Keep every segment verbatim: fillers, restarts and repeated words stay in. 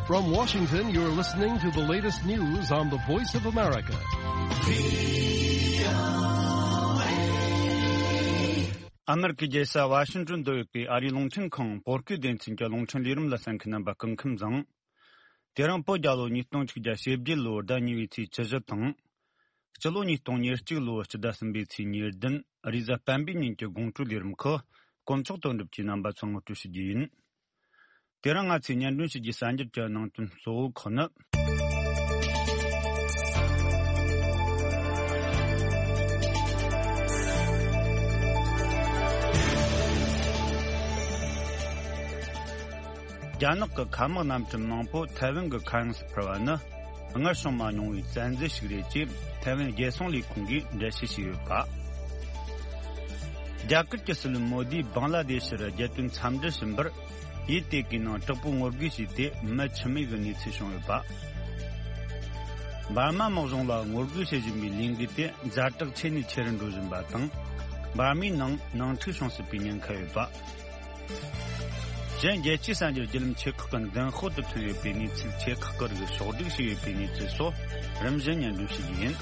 From Washington, you're listening to the latest news on the Voice of America. ཨ་མེ་རི་ཀའི་རྒྱལ་ས་ཝ་ཤིང་ཏོན་དུ་ཡོད་པའི་ཨ་རིའི་རླུང་འཕྲིན་ཁང་བོད་སྐད་སྡེ་ཚན་གྱི་རླུང་འཕྲིན་ལས་རིམ་ལ་གསན་མཁན་རྣམ་པ་སྐུ་ཁམས་བཟང་། དེ་རིང་བོད་རྒྱལ་ལོ་ཉིས་སྟོང་ཆིག་བརྒྱ་ཞེ་བརྒྱད་ལོའི་ཟླ་གཉིས་པའི་ཚེས་བཅུ་བཞི་དང་། སྤྱི་ལོ་ཉིས་སྟོང་ཉེར་གཅིག་ལོའི་སྤྱི་ཟླ་གསུམ་པའི་ཚེས་ཉེར་བདུན། རེས་གཟའ་སྤེན་པའི་ཉིན་གྱི་དགོང་དྲོའི་ལས་རིམ་ཁག་དཀོན་མཆོག་དོན་གྲུབ་ཀྱིས་རྣམ་པ་ཚོར་ངོ་སྤྲོད་ཞུ་རྒྱུ་ཡིན། དེ་རིང་ང་ཚོས་སྙན་སྒྲོན་ཞུ་རྒྱུའི་གསར་འགྱུར་གྱི་ནང་དོན་གཙོ་བོ་ཁག་ནི། རྒྱ་ནག་གི་མཁའ་དམག་གནམ་གྲུ་མང་པོ་ཐའེ་ཝན་གྱི་མཁའ་དབྱིངས་སུ་འཕུར་བ་ནི། སྔར་བྱུང་མ་མྱོང་བའི་བཙན་འཛུལ་ཞིག་རེད་ཅེས་ཐའེ་ཝན་རྒྱལ་སྲུང་ལས་ཁུངས་ཀྱིས་འགྲེལ་བཤད་བྱས་ཡོད་པ། རྒྱ་གར་གྱི་སྲིད་བློན་མོ་དིས་བང་ལ་དེ་ཤི་རུ་རྒྱལ་དོན་འཚམས་འདྲི་ཞུ་བར་ཡུལ་དེ་གའི་ནང་དྲག་པོའི་ངོ་རྒོལ་བྱས་ཏེ་མི་འཆི་རྨས་ཀྱི་གནས་ཚུལ་བྱུང་ཡོད་པ། འབར་མ་དམག་གཞུང་ལ་ངོ་རྒོལ་བྱེད་བཞིན་པའི་ལས་འགུལ་དེ་ཛ་དྲག་ཆེ་ནས་ཆེ་རུ་འགྲོ་བཞིན་པ་དང་། འབར་མའི་ནང་ནང་འཁྲུག་བྱུང་སྲིད་པའི་ཉེན་ཁ་ཡོད་པ། གཞན། རྒྱལ་སྤྱིའི་གསར་འགྱུར་བརྒྱུད་ལམ་ཆེ་ཁག་གི་མདུན་ཤོག་ཏུ་ཐོན་ཡོད་པའི་གནས་ཚུལ། ཆེ་ཁག་གི་རིགས་ཕྱོགས་སྒྲིག་བྱས་ཡོད་པའི་གནས་ཚུལ་སོགས་རིམ་བཞིན་སྙན་སྒྲོན་ཞུ་རྒྱུ་ཡིན།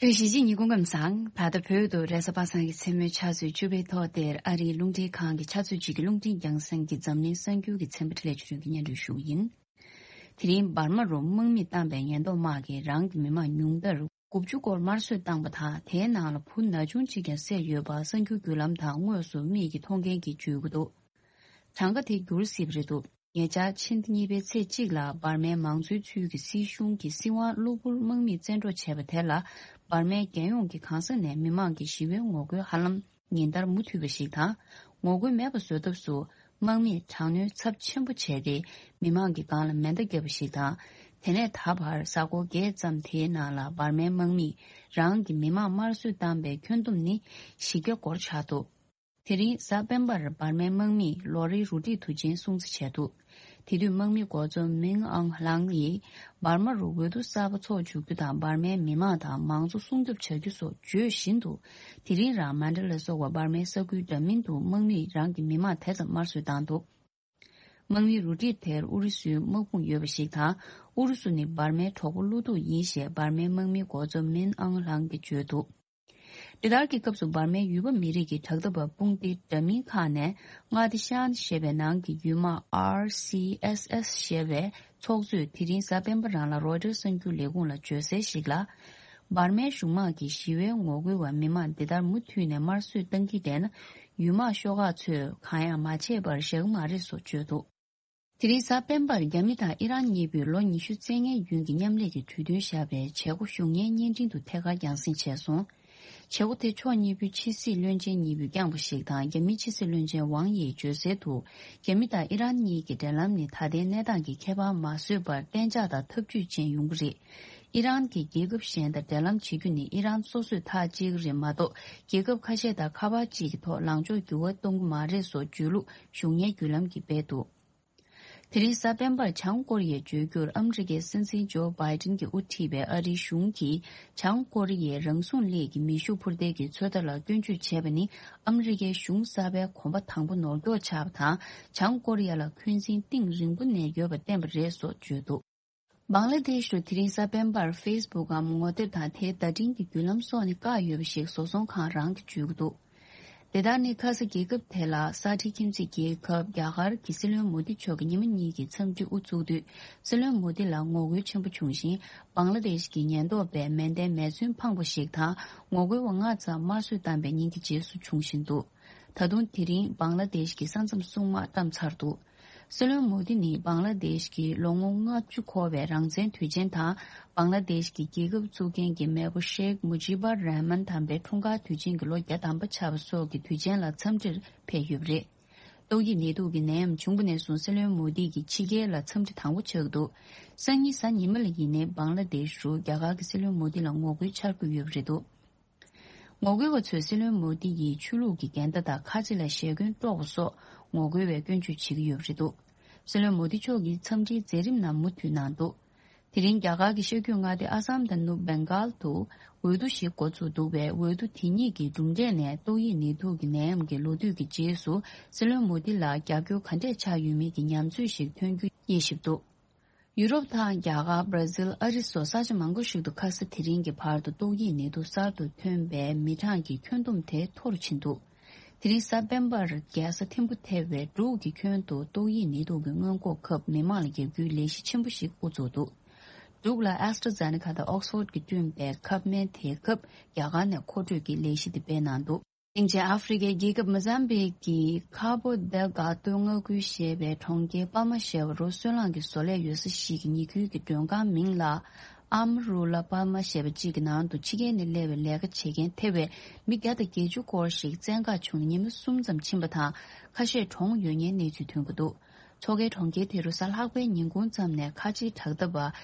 བོད་གཞིས་བྱེས་གཉིས་སྐུ་ཁམས་བཟང་། ད་ལྟ་བོད་དུ་རེས་གཟའ་པ་སངས་ཀྱི་མཚན་མོའི་ཆུ་ཚོད་བཅུ་པའི་ཐོག་དེར་ཨ་རིའི་རླུང་འཕྲིན་ཁང་གི་ཆུ་ཚོད་གཅིག་གི་རླུང་འཕྲིན་རྒྱང་སྲིང་གི་འཛམ་གླིང་གསར་འགྱུར་གྱི་ཚན་པ་འཕྲིན་ལས་ཆོས་སྒྲོན་གྱིས་སྙན་སྒྲོན་ཞུ་གི་ཡིན། དེ་རིང་འབར་མ་རུ་དམག་མི་བཏང་པའི་ཉེན་རྟོག་དམག་གིས་རང་གི་མི་མང་ཉུང་མཐར་དགུ་བཅུ་སྐོར་དམར་གསོད་བཏང་པ་དང་། དེའི་ནང་ལ་བུ་ན་ཆུང་གཅིག་ཀྱང་བསད་ཡོད་པ་གསར་འགྱུར་བརྒྱུད་ལམ་དང་དངོས་སུ་མིག་གིས་མཐོང་མཁན་གྱིས་བརྗོད་ཀྱི་འདུག་གྲངས་ཀ་དེ་འགྱུར་སྲིད་པ་རེད་འདུག་ཉེ་ཆར་ཕྱི་ཟླ་གཉིས་པའི་ཚེས་གཅིག་ལ་འབར་མའི་མང་གཙོའི་ཚུལ་གྱི་སྲིད་གཞུང་གིས་སྲིད་དབང་གློ་བུར་དམག་མིས་བཙན་འཕྲོག་བྱས་པ་དེ་ལ། འབར་མའི་རྒྱལ་ཡོངས་ཀྱི་གང་ས་ནས་མི་མང་གིས་ཞི་བའི་ངོ་རྒོལ་ཧ་ལམ་ཉིན་ལྟར་མུ་མཐུད་པ་ཞིག་དང་། ངོ་རྒོལ་མེད་པ་བཟོ་ཐབས་སུ་དམག་མིས་དྲག་གནོན་ཚབས་ཆེན་པོ་བྱས་ཏེ། མི་མང་གི་སྒང་ལ་མེ་མདའ་བརྒྱབ་པ་ཞིག་དང་། དེ་ནས་ད་བར་གཟའ་འཁོར་བརྒྱད་ཙམ་དེའི་ནང་ལ་འབར་མའི་དམག་མིས་རང་གི་མི་མང་དམར་གསོད་བཏང་པའི་ཁྱོན་བསྡོམས་ནི་བཞི་བརྒྱ་སྐོར་ཆགས་འདུག་དེ་རིང་གཟའ་སྤེན་པར་འབར་མའི་དམག་མིས་ལོ་རེའི་རུ་སྒྲིག་དུས་ཆེན་སྲུང་བརྩི་བྱས་འདུག་དེ་དུས་དམག་མི་མགོ་གཙོ་མིན་ཨང་ལང་ཡིས་འབར་མ་རུ་འོས་བསྡུ་གསར་པ་འཚོགས་འཇུག་རྒྱུ་དང་། འབར་མའི་མི་མང་དང་མང་གཙོ་སྲུང་སྐྱོབ་བྱ་རྒྱུ་སོགས་བརྗོད་བཞིན་དུ། དེ་རིང་རང་མན་ཌ་ལ་སོགས་པ་འབར་མའི་ས་ཁུལ་འདྲ་མིན་དུ་དམག་མིས་རང་གི་མི་མང་དེ་ཙམ་དམར་གསོད་བཏང་འདུག་དམག་མིའི་རུ་སྒྲིག་དེར་ཨུ་རུ་སུའི་དམག་དཔུང་ཡོད་པ་ཞིག་དང་། ཨུ་རུ་སུ་ནི་འབར་མའི་གྲོགས་པོ་བློ་སྡུག་ཡིན་ཞེས་འབར་མའི་དམག་མིའི་མགོ་གཙོ་མིན་ཨང་ལང་གིས་བརྗོད་འདུག་འདི་ལྟར་གྱི་སྐབས་སུ་འབར་མའི་ཡུལ་པ་མི་རིགས་ཀྱི་དྲག་འཐབ་པ་དཔུང་སྡེ་འདྲ་མིན་ཁག་ནས་མངའ་སྡེ་ཤན་ཞེས་པའི་ནང་གི་ཡུལ་དམག་ཨར་སི་ཨེས་ཨེས་ཞེས་པའི་ཚོགས་གཙོས་དེ་རིང་གཟའ་སྤེན་པ་རང་ལ་རོའི་ཊར་གསར་འགྱུར་ལས་ཁུངས་ལ་བརྗོད་གསལ་ཞིག་ལ། འབར་མའི་གཞུང་དམག་གིས་ཞི་བའི་ངོ་རྒོལ་བ་མི་མང་འདི་ལྟར་མུ་མཐུད་ནས་དམར་གསོད་བཏང་གི་བསྡད་ན། ཡུལ་དམག་ཤོག་ཁག་ཚོས་གང་ཡང་མ་བྱས་པར་བཞག་གི་མ་རེད་སོགས་བརྗོད་འདུག་དེ་རིང་གཟའ་སྤེན་པར་རྒྱ་མི་དང་ཨི་རན་གཉིས་པོས་ལོ་ཉི་ཤུ་རྩ་ལྔའི་རྒྱུན་གྱི་མཉམ་ལས་ཀྱི་གྲོས་མཐུན་བཞག་པའི་བྱེད་སྒོ་གཞུང་གཉེར་བརྙན་འཕྲིན་དུ་ཐད་ཀར་རྒྱང་སྲིང་བྱས་སོང་། བྱེད་སྒོ་དེ་ཕྱོགས་གཉིས་པོའི་ཕྱི་སྲིད་བློན་ཆེན་གཉིས་པོས་བསྐྱངས་པ་ཞིག་དང་། རྒྱ་མིའི་ཕྱི་སྲིད་བློན་ཆེན་ཝང་ཡིས་བརྗོད་གསལ་དུ། རྒྱ་མི་དང་ཨི་རན་གཉིས་ཀྱི་འབྲེལ་ལམ་ནི་ད་ལྟའི་གནས་སྟངས་ཀྱི་ཁྱད་པར་མ་བཟོད་པར་གཏན་འཇགས་དང་འཐབ་ཇུས་ཅན་ཡོང་གི་རེད། ཨི་རན་གྱིས་རྒྱལ་ཁབ་གཞན་དང་འབྲེལ་ལམ་བྱེད་རྒྱུ་ནི་ཨི་རན་སོ་སོས་ཐག་བཅད་ཀྱི་རེད་མ་གཏོགས། རྒྱལ་ཁབ་ཁ་ཤས་དང་ཁ་པར་གཅིག་གི་ཐོག་ལངས་ཕྱོགས་འགྱུར་བ་གཏོང་གི་མ་རེད་སོགས་བརྗོད་ལུགས་གཞུང་གཉེར་བརྒྱུད་ལམ་གྱིས་སྤེལ་འདུག་དེ་རིང་གཟའ་སྤེན་པར་བྱང་ཀོ་རི་ཡའི་བརྗོད་རྒྱུར་ཨ་མི་རི་ཀའི་སྲིད་འཛིན་ཇོ་བྷའི་ཏིན་གྱིས་དབུ་ཁྲིད་པའི་ཨ་རིའི་གཞུང་གིས་བྱང་ཀོ་རི་ཡའི་རང་སྲུང་སླད་ཀྱི་མེ་ཤུགས་འཕུར་མདེལ་གྱི་ཚོད་ལྟ་ལ་སྐྱོན་བརྗོད་བྱས་པ་ནི། ཨ་མི་རི་ཀའི་གཞུང་གསར་པའི་གོམ་པ་དང་པོ་ནོར་འཁྱོག་ཆགས་པ་དང་། བྱང་ཀོ་རི་ཡ་ལ་འཁོན་འཛིན་གཏིང་རིང་པོ་ནས་ཡོད་པ་བསྟན་པ་རེད་སོགས་བརྗོད་འདུག་བང་ལ་དེཤ་རུ་དེ་རིང་གཟའ་སྤེན་པར་ཕེ་སི་བུག་གམ་ངོ་དེབ་དང་དེའི་བརྡ་འཕྲིན་གྱི་བརྒྱུད་ལམ་སོགས་ནས་བཀག་ཡོད་པ་ཞིག་བཟོ་ཚོང་ཁང་རང་གིས་བརྗོད་ཀྱི་འདུག་དེ་ལྟར་ནི་ཁ་ས་རྒྱལ་ཁབ་དེ་ལ་ས་ཁྲའི་ཁྱིམ་མཚེས་རྒྱལ་ཁབ་རྒྱ་གར་གྱི་སྲིད་བློན་མོ་དི་མཆོག་གིས་ཉི་མ་གཉིས་ཀྱི་འཚམས་འདྲི་དབུ་བཙུགས་དུས། སྲིད་བློན་མོ་དི་ལ་ངོ་རྒོལ་ཆེན་པོ་བྱུང་ཞིང་། བང་ལ་དེཤ་གི་ཉེན་རྟོག་པས་མེ་མདའི་མེ་མཚོན་འཕངས་པ་ཞིག་དང་། ངོ་རྒོལ་བ་ལྔ་ཙམ་དམར་གསོད་བཏང་པའི་ཉིན་གྱི་རྗེས་སུ་བྱུང་བཞིན་འདུག་ད་དུང་དེ་རིང་བང་ལ་དེཤ་གི་ས་མཚམས་སྲུང་དམག་བཀྲམ་ཚར་འདུག་སྲིད་བློན་མོ་དི་ནི་བང་ལ་དེཤ་གི་ལོ་ངོ་ལྔ་བཅུ་འཁོར་བའི་རང་བཙན་དུས་ཆེན་དང་། བང་ལ་དེཤ་གི་རྒྱལ་ཁབ་བཙུགས་མཁན་གྱི་མེས་པོ་ཤེག་མུ་ཇི་བར་རཱ་མན་དམ་པའི་འཁྲུངས་སྐར་དུས་ཆེན་གྱི་ལོ་བརྒྱ་དམ་པ་ཆགས་པ་སོགས་ཀྱི་དུས་ཆེན་ལ་འཚམས་འདྲིར་ཕེབས་ཡོད་པ་རེད། ཏོག་དབྱིབས་ནད་དུག་གི་ནད་ཡམས་བྱུང་བ་ནས་བཟུང་སྲིད་བློན་མོ་དི་གི་ཕྱི་རྒྱལ་ལ་འཚམས་འདྲི་དང་པོ་ཆགས་འདུག་སང་ཉིན་གཟའ་ཉི་མ་ལ་ཡིན་ནའི་བང་ལ་དེཤ་རུ་རྒྱ་གར་གྱི་སྲིད་བློན་མོ་དི་ལ་ངོ་རྒོལ་འཆར་གྱི་ཡོད་པ་རེད་འདུག་ངོ་རྒོལ་བ་ཚོས་སྲིད་བློན་མོ་དི་ཡིས་ཆོས་ལུགས་ཀྱི་འགལ་ཟླ་དང་ཁ་ཆེ་ལ་ཞེ་འཁོན་དཀྲོག་པ་སོགས་ངོ་རྒོལ་བའི་སྐྱོན་བརྗོད་བྱེད་ཀྱི་ཡོད་པ་རེད་འདུག་སྲིད་བློན་མོ་དི་མཆོག་གི་འཚམས་འདྲིའི་མཛད་རིམ་ནང་མུ་མཐུད་གནང་འདུག་དེ་རིང་རྒྱ་གར་གྱི་ཤར་རྒྱུད་མངའ་སྡེ་ཨ་སམ་དང་ནུབ་བེང་གཱལ་དུ་འོས་བསྡུ་ཞིག་འགོ་བཙུགས་འདུག་པས། འོས་བསྡུ་དེ་ཉིད་ཀྱི་གྲུབ་འབྲས་ནས་ཏོག་དབྱིབས་ནད་དུག་གི་ནད་ཡམས་ཀྱི་ལོ་དུས་ཀྱི་རྗེས་སུ་སྲིད་བློན་མོ་དི་ལ་རྒྱབ་སྐྱོར་ག་འདྲས་ཆགས་ཡོད་མེད་ཀྱི་ཉམས་ཚོད་ཞིག་ཐོན་རྒྱུ་དབྱེ་ཞིབ་འདུག་ཡུ་རོབ་དང་རྒྱ་གར། བྷར་ཛིལ། ཨ་རི་སོགས་ས་ཆ་མང་པོ་ཞིག་ཏུ་ཁ་ས་དེ་རིང་གི་བར་དུ་ཏོག་དབྱིབས་ནད་དུག་གསར་དུ་ཐོན་པའི་མི་གྲངས་ཀྱི་ཁྱོན་བསྡོམས་དེ་མཐོ་རུ་ཕྱིན་འདུག་དེ་རིང་གཟའ་སྤེན་པར་རྒྱལ་ས་ཐིམ་ཕུ་ཐེ་བའི་འབྲུག་གི་ཁྱོན་དུ་ཏོག་དབྱིབས་ནད་དུག་གི་སྔོན་འགོག་ཁབ་མི་མང་ལ་བརྒྱབ་རྒྱུའི་ལས་གཞི་ཆེན་པོ་ཞིག་དབུ་འཛུགས་འདུག་འབྲུག་ལ་ཨེ་སི་ཊ་ཛེ་ནེ་ཀ་དང་ཨོག་སི་ཕོར་གྱིས་བསྐྲུན་པའི་ཁབ་སྨན་དེའི་སྐབས་རྒྱ་གར་ནས་མཁོ་སྤྲོད་ཀྱི་ལས་གཞི་དེ་སྤེལ་གནང་འདུག་སྟེང་ཆེན་ཨ་ཧྥེ་རི་ཁའི་རྒྱལ་ཁབ་མོ་ཟམ་བིག་གི་ཁ་བོ་དེལ་ག་ཏོ་མངའ་ཁུལ་ཞེས་པའི་གྲོང་ཁྱེར་པ་མ་ཞེས་པ་རུ་སོལ་རླངས་ཀྱི་བཟོ་ལས་ཡོད་ས་ཞིག་གི་ཉེ་ཁུལ་གྱི་མགྲོན་ཁང་མིང་ལ་ཨམ་རུ་ལ་པ་མ་ཞེས་པ་གཅིག་གི་ནང་དུ་ཕྱི་རྒྱལ་ནས་སླེབས་པའི་ལས་ཀ་བྱེད་མཁན་ཐེ་བའི་མི་བརྒྱ་དང་བརྒྱད་ཅུ་སྐོར་ཞིག་བཙན་བཀག་བྱུང་ནས་ཉི་མ་གསུམ་ཙམ་ཕྱིན་པ་དང་། ཁ་ཤས་གྲོངས་ཡོད་ངེས་གནས་ཚུལ་ཐོན་གྱི་འདུག་མཚོ་ཁའི་གྲོང་ཁྱེར་དེ་རུ་གཟའ་ལྷག་པའི་ཉིན་གུང་ཙམ་ནས་ཁ་ཆེའི་དྲག་འཐབ་པ་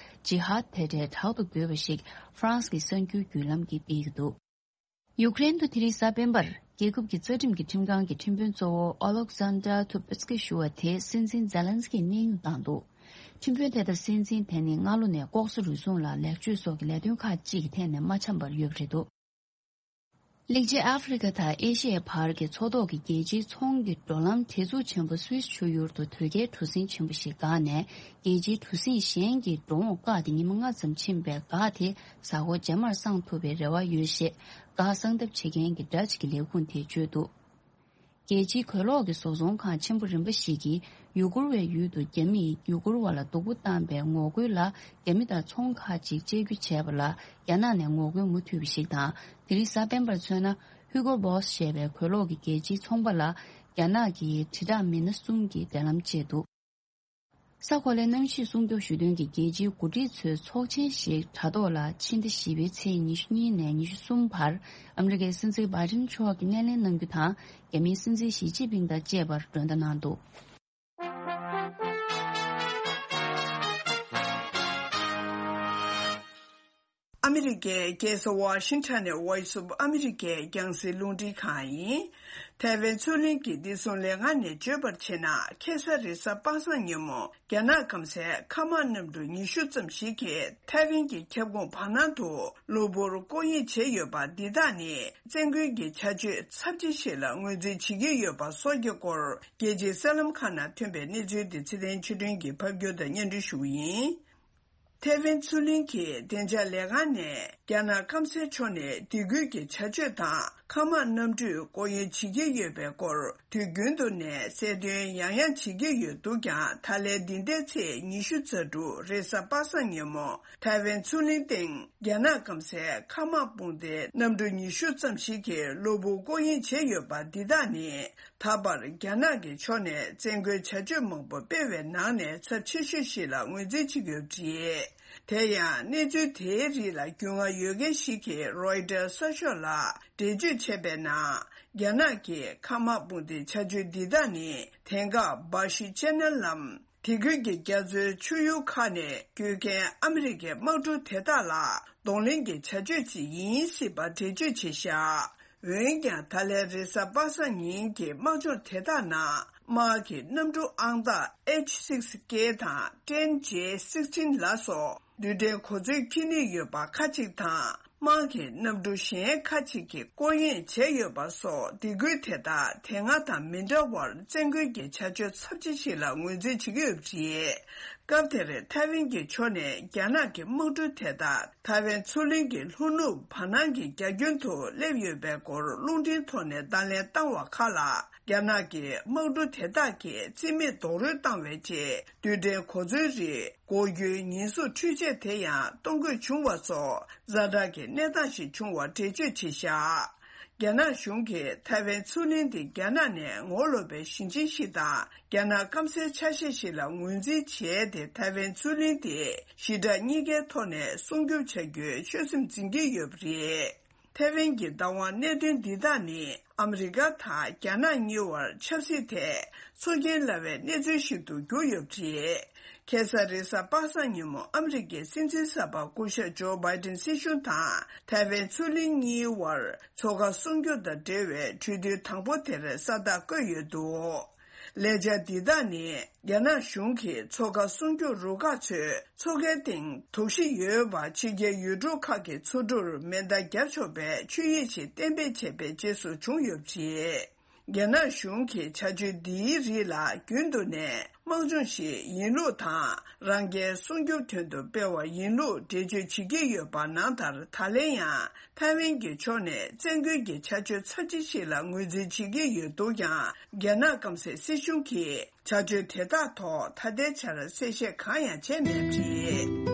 ཇི་ཧཱད་དེ་གྲས་དྲག་ཏུ་རྒོལ་བ་ཞིག་ཧྥ་རན་སི་གི་གསར་འགྱུར་བརྒྱུད་ལམ་གྱིས་སྤེལ་གྱི་འདུག་ཡུཀ་རེན་དུ་དེ་རིང་གཟའ་སྤེན་པར་རྒྱལ་ཁབ་ཀྱི་རྩ་ཁྲིམས་ཀྱི་ཁྲིམས་ཁང་གི་ཁྲིམས་དཔོན་གཙོ་བོ་ཨོ་ལོག་ཟན་དྲ་ཐུ་པེ་སི་ཀི་ཞུ་བ་དེ་སྲིད་འཛིན་ཛེ་ལན་སི་ཀིས་གནས་དབྱུང་བཏང་འདུག་ཁྲིམས་དཔོན་དེ་དང་སྲིད་འཛིན་དེ་ནི་སྔ་ལོ་ནས་ལྐོག་ཟ་རུལ་སུངས་ལ་ལེགས་བཅོས་སོགས་ཀྱི་ལས་དོན་ཁག་ཅིག་གི་ཐད་ནས་མ་འཆམ་པར་ཡོད་པ་རེད་འདུག་གླིང་ཆེན་ཨ་ཧྥེ་རི་ཁ་དང་ཨེ་ཤི་ཡའི་བར་གྱི་མཚོ་ཐོག་གི་རྒྱལ་སྤྱིའི་ཚོང་གི་འགྲོ་ལམ་བྲེལ་འཚུབ་ཆེན་པོ་སུད་སི་ཆུ་ཡུར་དུ་དོས་སྐྱེལ་གྲུ་གཟིངས་ཆེན་པོ་ཞིག་འགག་ནས། རྒྱལ་སྤྱིའི་གྲུ་གཟིངས་གཞན་གྱི་འགྲོ་འོང་བཀག་སྟེ་ཉི་མ་ལྔ་ཙམ་ཕྱིན་པའི་འགག་དེ་གཟའ་འཁོར་རྗེས་མར་སངས་ཐུབ་པའི་རེ་བ་ཡོད་ཞེས་འགག་སངས་ཐབས་བྱེད་མཁན་གྱི་ཌ་ཅི་གི་ལས་ཁུངས་དེས་བརྗོད་འདུག་རྒྱལ་སྤྱིའི་གོས་ལོག་གི་བཟོ་ཚོང་ཁང་ཆེན་པོ་རིམ་པ་ཞིག་གིས་ཡུ་གུར་བའི་ཡུལ་དུ་རྒྱ་མིས་ཡུ་གུར་བ་ལ་སྡུག་པོ་བཏང་པའི་ངོ་རྒོལ་ལ། རྒྱ་མི་དང་ཚོང་ཁག་ཅིག་གཅར་རྒྱུ་བྱས་པ་ལ། རྒྱ་ནག་ནས་ངོ་རྒོལ་མུ་མཐུད་པ་ཞིག་དང་། དེ་རིང་གཟའ་སྤེན་པར་མཚོན་ན། ཧུའུ་ཀོ་བོ་སི་ཞེས་པའི་གོས་ལོག་གི་རྒྱལ་སྤྱིའི་ཚོང་པ་ལ། རྒྱ་ནག་གི་དྲིལ་བསྒྲགས་མི་སྣ་གསུམ་གྱིས་འབྲེལ་ལམ་བཅད་འདུག་ས་གོ་ལའི་གནམ་གཤིས་སྲུང་སྐྱོབ་ཞུ་དོན་གྱི་རྒྱལ་སྤྱིའི་འགོ་ཁྲིད་ཚོའི་ཚོགས་ཆེན་ཞིག་དྲ་ཐོག་ལ་ཕྱི་ཟླ་བཞི་པའི་ཚེས་ཉི་ཤུ་གཉིས་ནས་ཉི་ཤུ་གསུམ་བར་ཨ་མི་རི་ཀའི་སྲིད་འཛིན་བྷའི་ཌེན་མཆོག་གིས་སྣེ་ལེན་གནང་རྒྱུ་དང་། རྒྱ་མིའི་སྲིད་འཛིན་ཞི་ཅིན་ཕིང་དང་བཅས་པར་མགྲོན་བརྡ་གནང་འདུག་ཨ་མི་རི་ཀའི་རྒྱལ་ས་ཝ་ཤིང་ཊོན་ནས་ཝོ་ཡིས་ཨོཕ་ཨ་མི་རི་ཀའི་རྒྱང་སྲིང་རླུང་འཕྲིན་ཁང་ཡིན། ཐའེ་ཝན་མཚོ་གླིང་གི་བདེ་སྲུང་ལས་ཁང་ནས་བརྗོད་པར་བྱས་ན། ཁ་སང་རེས་གཟའ་པ་སངས་ཉིན་མོ། རྒྱ་ནག་སྐམ་སའི་མཁའ་དམག་གནམ་གྲུ་ཉི་ཤུ་ཙམ་ཞིག་གིས་ཐའེ་ཝན་གྱི་ཁྱབ་ཁོངས་བར་སྣང་དུ་གློ་བུར་སྐོར་གཡེང་བྱས་ཡོད་པ་འདི་དག་ནི། བཙན་རྒོལ་གྱི་བྱ་སྤྱོད་ཚབས་ཆེ་ཞིག་ལ་ངོས་འཛིན་བྱེད་ཀྱི་ཡོད་པ་སོགས་ཀྱི་སྐོར། རྒྱལ་སྤྱིའི་གསར་ལམ་ཁག་ནང་ཐོན་པའི་གནས་ཚུལ་དེ་ཚེ་བརྟན་ཆོས་སྒྲོན་གྱིས་ཕབ་སྒྱུར་དང་སྙན་སྒྲོན་ཞུ་གི་ཡིན། ཐའེ་ཝན་མཚོ་གླིང་གི་བདེ་འཇགས་ལས་ཁང་ནས་རྒྱ་ནག་སྐམ་སའི་ཕྱོགས་ནས་སྡིགས་སྐུལ་གྱི་བྱ་སྤྱོད་དང་། མཁའ་དམག་གནམ་གྲུས་སྐོར་གཡེང་བྱེད་ཀྱི་ཡོད་པའི་སྐོར། དུས་རྒྱུན་དུ་ནས་གསལ་སྟོན་ཡང་ཡང་བྱེད་ཀྱི་ཡོད་འདུག་ཀྱང་། ད་ལན་འདི་ཟླའི་ཚེས་ཉི་ཤུ་རྩ་དྲུག་རེས་གཟའ་པ་སངས་ཉིན་མོ། ཐའེ་ཝན་མཚོ་གླིང་སྟེང་རྒྱ་ནག་སྐམ་སའི་མཁའ་དམག་དཔུང་སྡེའི་གནམ་གྲུ་ཉི་ཤུ་ཙམ་ཞིག་གིས་གློ་བུར་སྐོར་གཡེང་བྱས་ཡོད་པ་འདི་དག་ནི། ད་བར་རྒྱ་ནག་གི་ཕྱོགས་ནས་བཙན་རྒོལ་བྱ་སྤྱོད་མང་པོ་སྤེལ་བའི་ནང་ནས་ཚབས་ཆེ་ཤོས་ཤིག་ལ་ངོས་འཛིན་བྱེད་ཀྱི་ཡོད་པ་རེད། དེ་ཡང་གནས་ཚུལ་དེའི་རིགས་ལ་རྒྱུས་མངའ་ཡོད་མཁན་ཞིག་གིས་རོའི་ཊར་གསར་ཤོག་ལ་འགྲེལ་བརྗོད་བྱས་པའི་ནང་། རྒྱ་ནག་གི་མཁའ་དམག་དཔུང་སྡེའི་བྱ་སྤྱོད་འདི་དག་ནི། དེང་སྐབས་འབའ་ཞི་ཅན་ནལ་ལམ། དེ་ཁུལ་གྱི་རྒྱ་མཚོའི་ཆུ་ཡུར་ཁག་ནས་སྐྱོད་མཁན་ཨ་མི་རི་ཀའི་དམག་གྲུ་དེ་དག་ལ་གདོང་ལེན་གྱི་བྱ་སྤྱོད་ཅིག་ཡིན་སྲིད་པ་འགྲེལ་བརྗོད་བྱས་བཞག་འོན་ཀྱང་། ད་ལན་རེས་གཟའ་པ་སངས་ཉིན་གྱི་དམག་སྦྱོང་དེ་དག་ནང་། དམག་གི་གནམ་གྲུ་ཨང་རྟགས་ཨེཆ་སིག་ཀེ་དང་ཊེན་ཇེ་སིག་ཊིན་ལ་སོགས་རྡུལ་ཕྲན་གོ་མཚོན་འཁྱེར་ནུས་ཡོད་པ་ཁག་ཅིག་དང་། དམག་གི་གནམ་གྲུ་གཞན་ཁག་ཅིག་གིས་སྐོར་གཡེང་བྱས་ཡོད་པ་སོགས། སྡིགས་སྐུལ་དེ་དག་དེ་སྔ་དང་མི་འདྲ་བར། བཙན་རྒོལ་གྱི་བྱ་སྤྱོད་ཚབས་ཆེ་ཞིག་ལ་ངོས་འཛིན་བྱེད་ཀྱི་ཡོད་པ་རེད། སྐབས་དེར་ཐའེ་ཝན་གྱི་ཕྱོགས་ནས་རྒྱ་ནག་གི་དམག་གྲུ་དེ་དག་ཐའེ་ཝན་མཚོ་གླིང་གི་ལྷོ་ནུབ་བར་སྣང་གི་རྒྱ་ཁྱོན་དུ་སླེབས་ཡོད་པའི་སྐོར། རླུང་འཕྲིན་ཐོག་ནས་བརྡ་ལན་བཏང་བ་ཁག་ལ། རྒྱ་ནག་གི་དམག་གྲུ་དེ་དག་གིས་རྩིས་མེད་རྡོག་རོལ་བཏང་བའི་རྗེས། རྡུལ་ཕྲན་གོ་མཚོན་རིགས་འགོག་རྒྱུའི་ཉེན་ཟུང་འཕྲུལ་ཆས་དེ་ཡང་གཏོང་དགོས་བྱུང་བ་སོགས། ཛ་དྲག་གི་གནས་སྟངས་ཤིག་བྱུང་བ་འགྲེལ་བརྗོད་བྱས་བཞག་རྒྱ་ནག་གཞུང་གིས་ཐའེ་ཝན་མཚོ་གླིང་འདི་རྒྱ་ནག་ནས་ངོ་ལོག་པའི་ཞིང་ཆེན་ཞིག་དང་། རྒྱ་ནག་སྐམ་སའི་ཆ་ཤས་ཤིག་ལ་ངོས་འཛིན་བྱས་ཏེ། ཐའེ་ཝན་མཚོ་གླིང་དེ་ཞི་དྲག་གཉིས་ཀའི་ཐོག་ནས་སྲུང་སྐྱོབ་བྱ་རྒྱུའི་ཆོད་སེམས་འཛིན་གྱི་ཡོད་པ་རེད། ཐའེ་ཝན་གྱི་བདག་དབང་གནད་དོན་འདི་དག་ནི། ཨ་མི་རི་ཀ་དང་རྒྱ་ནག་གཉིས་བར་ཆབ་སྲིད་ཐད་ཚོར་སྐྱེན་སླ་བའི་གནས་ཚུལ་ཞིག་ཏུ་གྱུར་ཡོད་པ་རེད། ཁ་སང་རེས་གཟའ་པ་སངས་ཉིན་མོ། ཨ་མི་རི་ཀའི་སྲིད་འཛིན་གསར་པ་སྐུ་ཞབས་ཇོ་བྷའི་ཌེན་སྲིད་གཞུང་དང་ཐའེ་ཝན་མཚོ་གླིང་གཉིས་བར་མཚོ་ཁ་སྲུང་སྐྱོབ་དང་འབྲེལ་བའི་གྲོས་མཐུན་དང་པོ་དེར་ས་རྟགས་བཀོད་ཡོད་འདུག་ལས་འཆར་འདི་དག་ནི་རྒྱ་ནག་གཞུང་གིས་མཚོ་ཁ་སྲུང་སྐྱོབ་རུ་ཁག་ཚོས་མཚོ་ཁའི་སྟེང་དོགས་གཞི་ཡོད་པ་ཕྱི་རྒྱལ་ཡུལ་གྲུ་ཁག་གི་མཚོ་གྲུར་མེ་མདའ་བརྒྱབ་ཆོག་པའི་ཆོད་ཡིག་ཞིག་གཏན་འབེབས་བྱས་པའི་རྗེས་སུ་བྱུང་ཡོད་པ་རེད། རྒྱ་ནག་གཞུང་གི་བྱ་སྤྱོད་འདིའི་རིགས་ལ་རྒྱུན་དུ་ནས་དམག་སྦྱོང་ཞིག་ཡིན་ལུགས་དང་། རང་རྒྱལ་སྲུང་སྐྱོབ་དོན་དུ་སྤེལ་བ་ཡིན་ལུགས་འགྲེལ་བརྗོད་བྱེད་ཀྱི་ཡོད་པ་ནང་ལྟར། ད་ལན་ཡང་ཐའེ་ཝན་གྱི་ཕྱོགས་ནས་བཙན་རྒོལ་གྱི་བྱ་སྤྱོད་ཚབས་ཆེ་ཞིག་ལ་ངོས་འཛིན་བྱེད་ཀྱི་ཡོད་འདུག་ཀྱང་། རྒྱ་ནག་སྐམ་སའི་སྲིད་གཞུང་གིས་བྱ་སྤྱོད་དེ་དག་ཐོག་ད་ལྟའི་ཆར་གསལ་བཤད་གང་ཡང་བྱས་མེད་པ་རེད།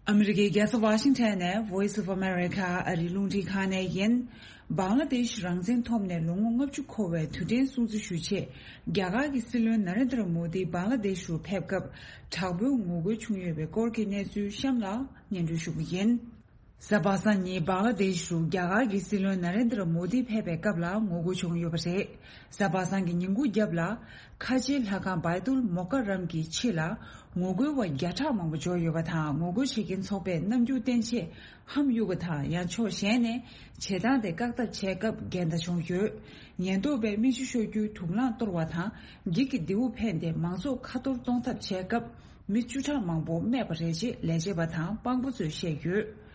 ཨ་མི་རི་ཀའི་རྒྱལ་ས་ཝ་ཤིང་ཊོན་ནས་Voice of America ཨ་རིའི་རླུང་འཕྲིན་ཁང་ནས་ཡིན། བང་ལ་དེཤ་རང་བཙན་ཐོབ་ནས་ལོ་ངོ་ལྔ་བཅུ་འཁོར་བའི་དུས་དྲན་སྲུང་བརྩི་ཞུ་ཆེད། རྒྱ་གར་གྱི་སྲིད་བློན་ན་རེན་དྲ་མོ་དི་བང་ལ་དེཤ་རུ་ཕེབས་སྐབས། དྲག་པོའི་ངོ་རྒོལ་བྱུང་ཡོད་པའི་སྐོར་གྱི་གནས་ཚུལ་གཤམ་ལ་སྙན་སྒྲོན་ཞུ་གི་ཡིན། གཟའ་པ་སངས་ཉིན་བང་ལ་དེཤ་རུ་རྒྱ་གར་གྱི་སྲིད་བློན་ན་རེན་དྲ་མོ་དི་ཕེབས་པའི་སྐབས་ལ་ངོ་རྒོལ་བྱུང་ཡོད་པ་རེད། གཟའ་པ་སངས་ཀྱི་ཉིན་གུང་རྒྱབ་ལ། ཁ་ཆེའི་ལྷ་ཁང་བའི་ཏུལ་མོ་ཀ་རམ་གྱི་ཕྱི་ལ། ངོ་རྒོལ་བ་བརྒྱ་ཕྲག་མང་པོ་འབྱོར་ཡོད་པ་དང་། ངོ་རྒོལ་བྱེད་མཁན་ཚོགས་པས་རྣམ་འགྱུར་བསྟན་ཆེད་ཧམ་གཡུག་པ་དང་། ཡང་ཕྱོགས་གཞན་ནས་བྱེད་སྟངས་དེ་བཀག་ཐབས་བྱས་སྐབས་འགལ་ཟླ་བྱུང་ཡོད། ཉེན་རྟོག་པས་མི་ཤི་ཤོར་རྒྱུའི་དུག་རླངས་གཏོར་བ་དང་། འགྱིག་གི་མདེའུ་འཕེན་ཏེ་མང་ཚོགས་ཁ་གཏོར་གཏོང་ཐབས་བྱས་སྐབས། མི་བཅུ་ཕྲག་མང་པོ་རྨས་པ་རེད་ཅེས་ལས་བྱེད་པ་དང་དཔང་པོ་ཚོས་བཤད་ཡོད།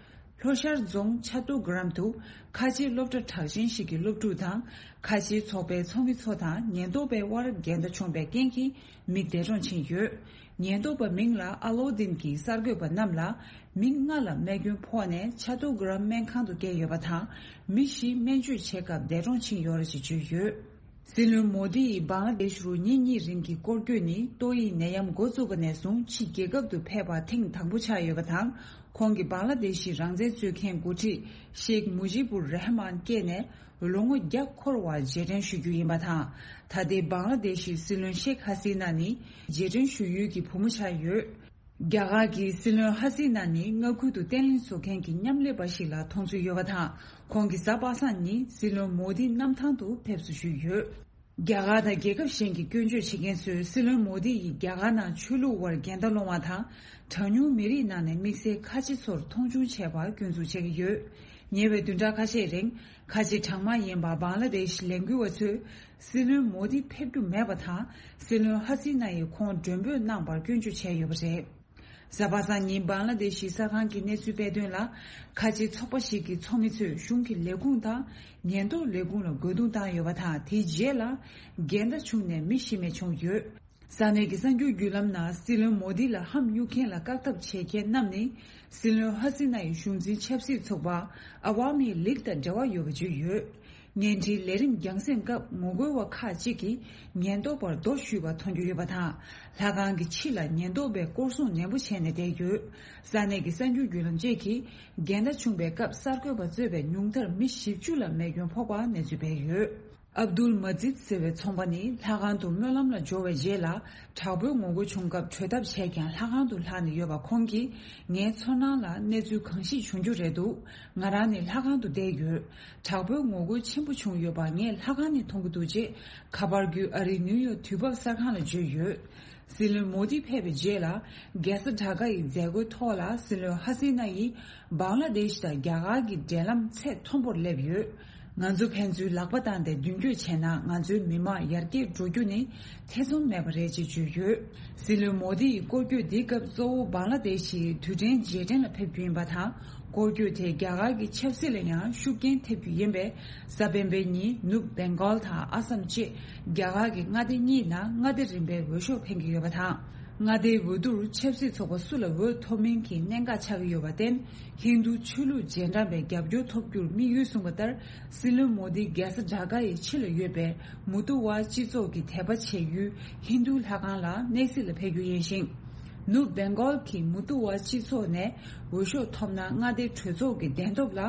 ལྷོ་ཤར་རྫོང་ཆ་ཏུ་གྷ་རམ་དུ་ཁ་ཆེའི་སློབ་གྲྭ་གྲགས་ཅན་ཞིག་གི་སློབ་ཕྲུག་དང་། ཁ་ཆེའི་ཚོགས་པའི་ཚོགས་མི་ཚོ་དང་ཉེན་རྟོག་པའི་དབར་འགལ་ཟླ་བྱུང་བའི་རྐྱེན་གྱིས་མི་འདས་གྲོངས་ཕྱིན་ཡོད། ཉེན་རྟོག་པ་མིང་ལ་ཨ་ལོ་དིན་གྱིས་གསར་འགོད་པ་རྣམས་ལ། མི་ལྔ་ལ་རྨས་སྐྱོན་ཕོག་ནས་ཆ་ཏུ་གྷ་རམ་སྨན་ཁང་དུ་བསྐྱལ་ཡོད་པ་དང་། མི་བཞི་སྨན་བཅོས་བྱེད་སྐབས་འདས་གྲོངས་ཕྱིན་ཡོད་རེད་ཅེས་བརྗོད་ཡོད། སྲིད་བློན་མོ་དི་ཡིས་བང་ལ་དེཤ་རུ་ཉིན་གཉིས་རིང་གི་སྐོར་སྐྱོད་ནི། ཏོག་དབྱིབས་ནད་ཡམས་འགོ་བཙུགས་པ་ནས་བཟུང་ཕྱི་རྒྱལ་ཁབ་ཏུ་ཕེབས་པ་ཐེངས་དང་པོ་ཆགས་ཡོད་པ་དང་། ཁོང་གིས་བང་ལ་དེཤ་ཡི་རང་བཙན་རྩོད་མཁན་འགོ་ཁྲིད་ཤེག་མུ་ཇི་བུར་རེ་ཧ་མཱན་སྐྱེས་ནས་ལོ་ངོ་བརྒྱ་འཁོར་བར་རྗེས་དྲན་ཞུ་རྒྱུ་ཡིན་པ་དང་། ད་ལྟའི་བང་ལ་དེཤ་ཡི་སྲིད་བློན་ཤེག་ཧ་སི་ན་ནི་རྗེས་དྲན་ཞུ་ཡུལ་གྱི་བུ་མོ་ཆགས་ཡོད། རྒྱ་གར་གྱི་སྲིད་བློན་ཧ་སི་ན་ནི་མངའ་ཁུལ་དུ་བརྟན་ལྷིང་བཟོ་མཁན་གྱི་མཉམ་ལས་པ་ཞིག་ལ་མཐོང་ཚུལ་ཡོད་པ་དང་། ཁོང་གིས་གཟའ་པ་སངས་ཉིན་སྲིད་བློན་མོ་དིའི་གནམ་ཐང་དུ་ཕེབས་བསུ་ཞུས་ཡོད། རྒྱ་གར་དང་རྒྱལ་ཁབ་གཞན་གྱི་སྐྱོན་བརྗོད་བྱེད་མཁན་ཚོས་སྲིད་བློན་མོ་དི་ཡིས་རྒྱ་གར་ནང་ཆོས་ལུགས་དབར་འགལ་ཟླ་སློང་བ་དང་། གྲངས་ཉུང་མི་རིགས་ནང་ནས་དམིགས་བསལ་ཁ་ཆེ་ཚོར་མཐོང་ཆུང་བྱས་པར་སྐྱོན་འཛུགས་བྱེད་ཀྱི་ཡོད། ཉེ་བའི་བདུན་ཕྲག་ཁ་ཤས་རིང་ཁ་ཆེ་གྲངས་མང་ཡིན་པ་བང་ལ་དེཤ་ལས་འགུལ་བ་ཚོས། སྲིད་བློན་མོ་དི་ཕེབས་རྒྱུ་མེད་པ་དང་། སྲིད་བློན་ཧ་སི་ན་ཡིས་ཁོང་མགྲོན་འབོད་གནང་བར་སྐྱོན་བརྗོད་བྱས་ཡོད་པ་རེད། གཟའ་པ་སངས་ཉིན་བང་ལ་དེཤ་གསར་ཁང་གི་གནས་ཚུལ་སྤེལ་དོན་ལ། ཁ་ཆེའི་ཚོགས་པ་ཞིག་གི་ཚོགས་མི་ཚོས་གཞུང་གི་ལས་ཁུངས་དང་ཉེན་རྟོག་ལས་ཁུངས་ལ་རྒོལ་རྡུང་བཏང་ཡོད་པ་དང་། དེའི་རྗེས་ལ་འགལ་ཟླ་བྱུང་ནས་མི་ཤི་རྨས་བྱུང་ཡོད། ས་གནས་ཀྱི་གསར་འགྱུར་བརྒྱུད་ལམ་ནང་སྲིད་བློན་མོ་དི་ལ་ཧམ་གཡུག་མཁན་ལ་བཀག་ཐབས་བྱེད་མཁན་རྣམས་ནི། སྲིད་བློན་ཧ་སི་ན་ཡི་གཞུང་འཛིན་ཆབ་སྲིད་ཚོགས་པ་ཨ་ཝ་མི་ལིག་དང་འབྲེལ་བ་ཡོད་པ་བརྗོད་ཡོད། བརྙན་འཕྲིན་ལས་རིམ་རྒྱང་སྲིང་སྐབས་ངོ་རྒོལ་བ་ཁག་ཅིག་གིས་ཉེན་རྟོག་པར་རྡོ་གཞུས་པ་མཐོང་རྒྱུ་ཡོད་པ་དང་། ལྷ་ཁང་གི་ཕྱི་ལ་ཉེན་རྟོག་པས་སྐོར་སྲུང་ནན་པོ་བྱས་ནས་བསྡད་ཡོད། ས་གནས་ཀྱི་གསར་འགྱུར་བརྒྱུད་ལམ་བཅས་ཀྱིས་འགལ་ཟླ་བྱུང་བའི་སྐབས་གསར་འགོད་པ་གཙོས་པའི་ཉུང་མཐར་མི་བཞི་བཅུ་ལ་རྨས་སྐྱོན་ཕོག་པ་གནས་ཚུལ་སྤེལ་ཡོད། ཨབ་དུལ་མ་ཛིད་ཟེར་བའི་ཚོང་པ་ནི་ལྷ་ཁང་དུ་སྨོན་ལམ་ལ་འབྱོར་བའི་རྗེས་ལ་དྲག་པོའི་ངོ་རྒོལ་བྱུང་སྐབས་བྲོས་ཐབས་བྱས་ཀྱང་ལྷ་ཁང་དུ་ལྷག་ནས་ཡོད་པ། ཁོང་གིས་ངའི་ཚོར་སྣང་ལ་གནས་ཚུལ་གང་ཞིག་བྱུང་རྒྱུ་རེད་འདུག་ང་རང་ནི་ལྷ་ཁང་དུ་བསྡད་ཡོད། དྲག་པོའི་ངོ་རྒོལ་ཆེན་པོ་བྱུང་ཡོད་པ་ངས་ལྷ་ཁང་ནས་མཐོང་གི་འདུག་ཅེས་ཁ་པར་བརྒྱུད་ཨ་རིའི་ནིའུ་ཡོག་དུས་བབ་གསར་ཁང་ལ་བརྗོད་ཡོད། སྲིད་བློན་མོ་དི་ཕེབས་པའི་རྗེས་ལ་རྒྱལ་ས་ཌ་ཀ་ཡི་མཛད་སྒོའི་ཐོག་ལ་སྲིད་བློན་ཧ་སི་ན་ཡིས་བང་ལ་དེཤ་དང་རྒྱ་གར་གྱི་འབྲེལ་ལམ་ཚད་མཐོན་པོར་སླེབས་ཡོད། ང་ཚོ་ཕན་ཚུན་ལག་པ་བཏང་སྟེ་མདུན་སྐྱོད་བྱས་ན་ང་ཚོའི་མི་དམངས་ཡར་རྒྱས་འགྲོ་རྒྱུ་ནི་ཐེ་ཚོམ་མེད་པ་རེད་ཅེས་བརྗོད་ཡོད། སྲིད་བློན་མོ་དི་ཡི་སྐོར་སྐྱོད་འདིའི་སྐབས་གཙོ་བོ་བང་ལ་དེཤ་ཡི་དུས་དྲན་རྗེས་དྲན་ལ་ཕེབས་རྒྱུ་ཡིན་པ་དང་། སྐོར་སྐྱོད་དེས་རྒྱ་གར་གྱི་ཆབ་སྲིད་ལ་ཡང་ཤུགས་རྐྱེན་ཐེབས་རྒྱུ་ཡིན་པས། གཟའ་སྤེན་པའི་ཉིན་ནུབ་བེང་གོལ་དང་ཨ་སམ་བཅས་རྒྱ་གར་གྱི་མངའ་སྡེ་གཉིས་ནང་མངའ་སྡེ་རིམ་པའི་འོས་ཤོག་འཕེན་གྱི་ཡོད་པ་དང་། མངའ་སྡེའི་འོས་བསྡུར་ཆབ་སྲིད་ཚོགས་པ་སུ་ལ་འོས་ཐོབ་མིན་གྱི་གནད་འགག་ཆགས་ཀྱི་ཡོད་པར་བརྟེན། ཧིན་རྡུ་ཆོས་ལུགས་རྗེས་འབྲང་པའི་རྒྱབ་སྐྱོར་ཐོབ་རྒྱུར་དམིགས་ཡུལ་བཟུང་བ་ལྟར། སྲིད་བློན་མོ་དི་རྒྱལ་ས་ཌ་ཀ་ཡི་ཕྱི་ལ་ཡོད་པའི་མུ་ཏུ་ཝ་སྤྱི་ཚོགས་ཀྱི་དད་པ་བྱེད་ཡུལ་ཧིན་རྡུ་ལྷ་ཁང་ལ་གནས་གཟིགས་ལ་ཕེབས་རྒྱུ་ཡིན་ཞིང་། ནུབ་བེང་གོལ་གྱི་མུ་ཏུ་ཝ་སྤྱི་ཚོགས་ནས་འོས་ཤོག་ཐོབ་ན། མངའ་སྡེ་གྲོས་ཚོགས་ཀྱི་གདན་ཐོབ་ལ་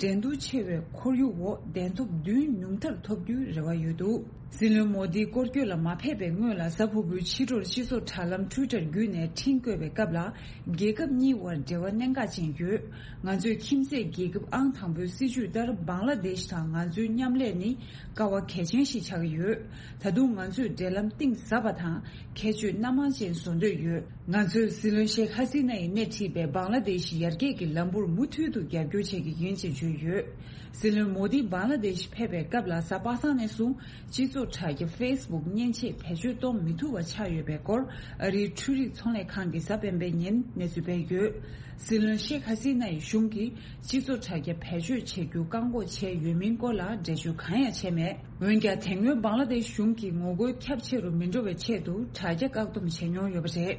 འགྲན་བསྡུར་ཆེ་བའི་ཁོར་ཡུག་འོག་གདན་ཐོབ་བདུན་ཉུང་མཐར་ཐོབ་རྒྱུའི་རེ་བ་ཡོད་འདུག་སྲིད་བློན་མོ་དིའི་སྐོར་སྐྱོད་ལ་མ་ཕེབས་པའི་སྔོན་ལ་གཟའ་ཕུར་བུའི་ཕྱི་དྲོར་སྤྱི་ཚོགས་དྲ་ལམ་Twitter་བརྒྱུད་ནས་འཕྲིན་བཀོད་པའི་སྐབས་ལ། རྒྱལ་ཁབ་གཉིས་དབར་འབྲེལ་བ་གནད་འགག་ཅན་ཡོད། ང་ཚོས་ཁྱིམ་མཚེས་རྒྱལ་ཁབ་ཨང་དང་པོའི་སྲིད་ཇུས་ལྟར་བང་ལ་དེཤ་དང་ང་ཚོའི་མཉམ་ལས་ནི་ཀ་བ་གལ་ཆེན་ཞིག་ཆགས་ཀྱི་ཡོད། ད་དུང་ང་ཚོས་འབྲེལ་ལམ་གཏིང་ཟབ་པ་དང་ཁྱད་ཆོས་སྣ་མང་ཅན་བཟོ་འདོད་ཡོད། ང་ཚོས་སྲིད་བློན་ཤེག་ཧ་སི་ན་ཡིས་སྣེ་ཁྲིད་པའི་བང་ལ་དེཤ་ཡར་རྒྱས་ཀྱི་ལམ་བུར་མུ་མཐུད་དུ་རྒྱབ་སྐྱོར་བྱེད་ཀྱི་ཡིན་ཅེས་བརྗོད་ཡོད། སྲིད་བློན་མོ་དི་བང་ལ་དེཤ་ཕེབས་པའི་སྐབས་ལ་གཟའ་པ་སངས་ནས་བཟུང་སྤྱི་ཚོགས་དྲ་རྒྱ་Facebook་མཉེན་ཆས་བེད་སྤྱོད་གཏོང་མི་ཐུབ་པ་ཆགས་ཡོད་པའི་སྐོར་ཨ་རིའི་འཕྲུལ་རིག་ཚོང་ལས་ཁང་གིས་གཟའ་སྤེན་པའི་ཉིན་གནས་ཚུལ་སྤེལ་ཡོད། སྲིད་བློན་ཤེག་ཧ་སི་ན་ཡི་གཞུང་གིས་སྤྱི་ཚོགས་དྲ་རྒྱ་བེད་སྤྱོད་བྱེད་རྒྱུ་བཀག་འགོག་བྱས་ཡོད་མིན་སྐོར་ལ་འགྲེལ་བརྗོད་གང་ཡང་བྱས་མེད། འོན་ཀྱང་དེ་སྔོན་བང་ལ་དེཤ་གཞུང་གིས་ངོ་རྒོལ་ཁྱབ་ཆེ་རུ་མི་འགྲོ་བའི་ཆེད་དུ་དྲ་རྒྱ་བཀག་སྡོམ་བྱས་མྱོང་ཡོད་པ་རེད།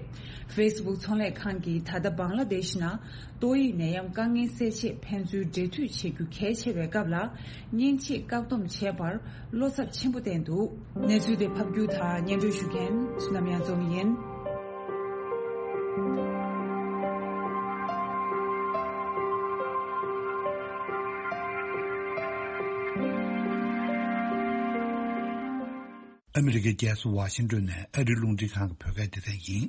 Facebook་ཚོང་ལས་ཁང་གིས་ད་ལྟ་བང་ལ་དེཤ་ནང་ཏོག་དབྱིབས་ནད་ཡམས་དཀའ་ངལ་སེལ་ཆེད་ཕན་ཚུན་འབྲེལ་མཐུད་བྱེད་རྒྱུ་གལ་ཆེ་བའི་སྐབས་ལ། མཉེན་ཆས་བཀག་སྡོམ་བྱས་པར་བློ་འཚབ་ཆེན་པོ་བསྟན་འདུག་གནས་ཚུལ་དེ་ཕབ་སྒྱུར་དང་སྙན་སྒྲོན་ཞུ་མཁན་བསོད་ནམས་གཡང་འཛོམས་ཡིན། ཨ་མི་རི་ཀའི་རྒྱལ་ས་ཝ་ཤིང་ཏོན་ནས་ཨ་རིའི་རླུང་འཕྲིན་ཁང་གི་བོད་སྐད་སྡེ་ཚན་ཡིན།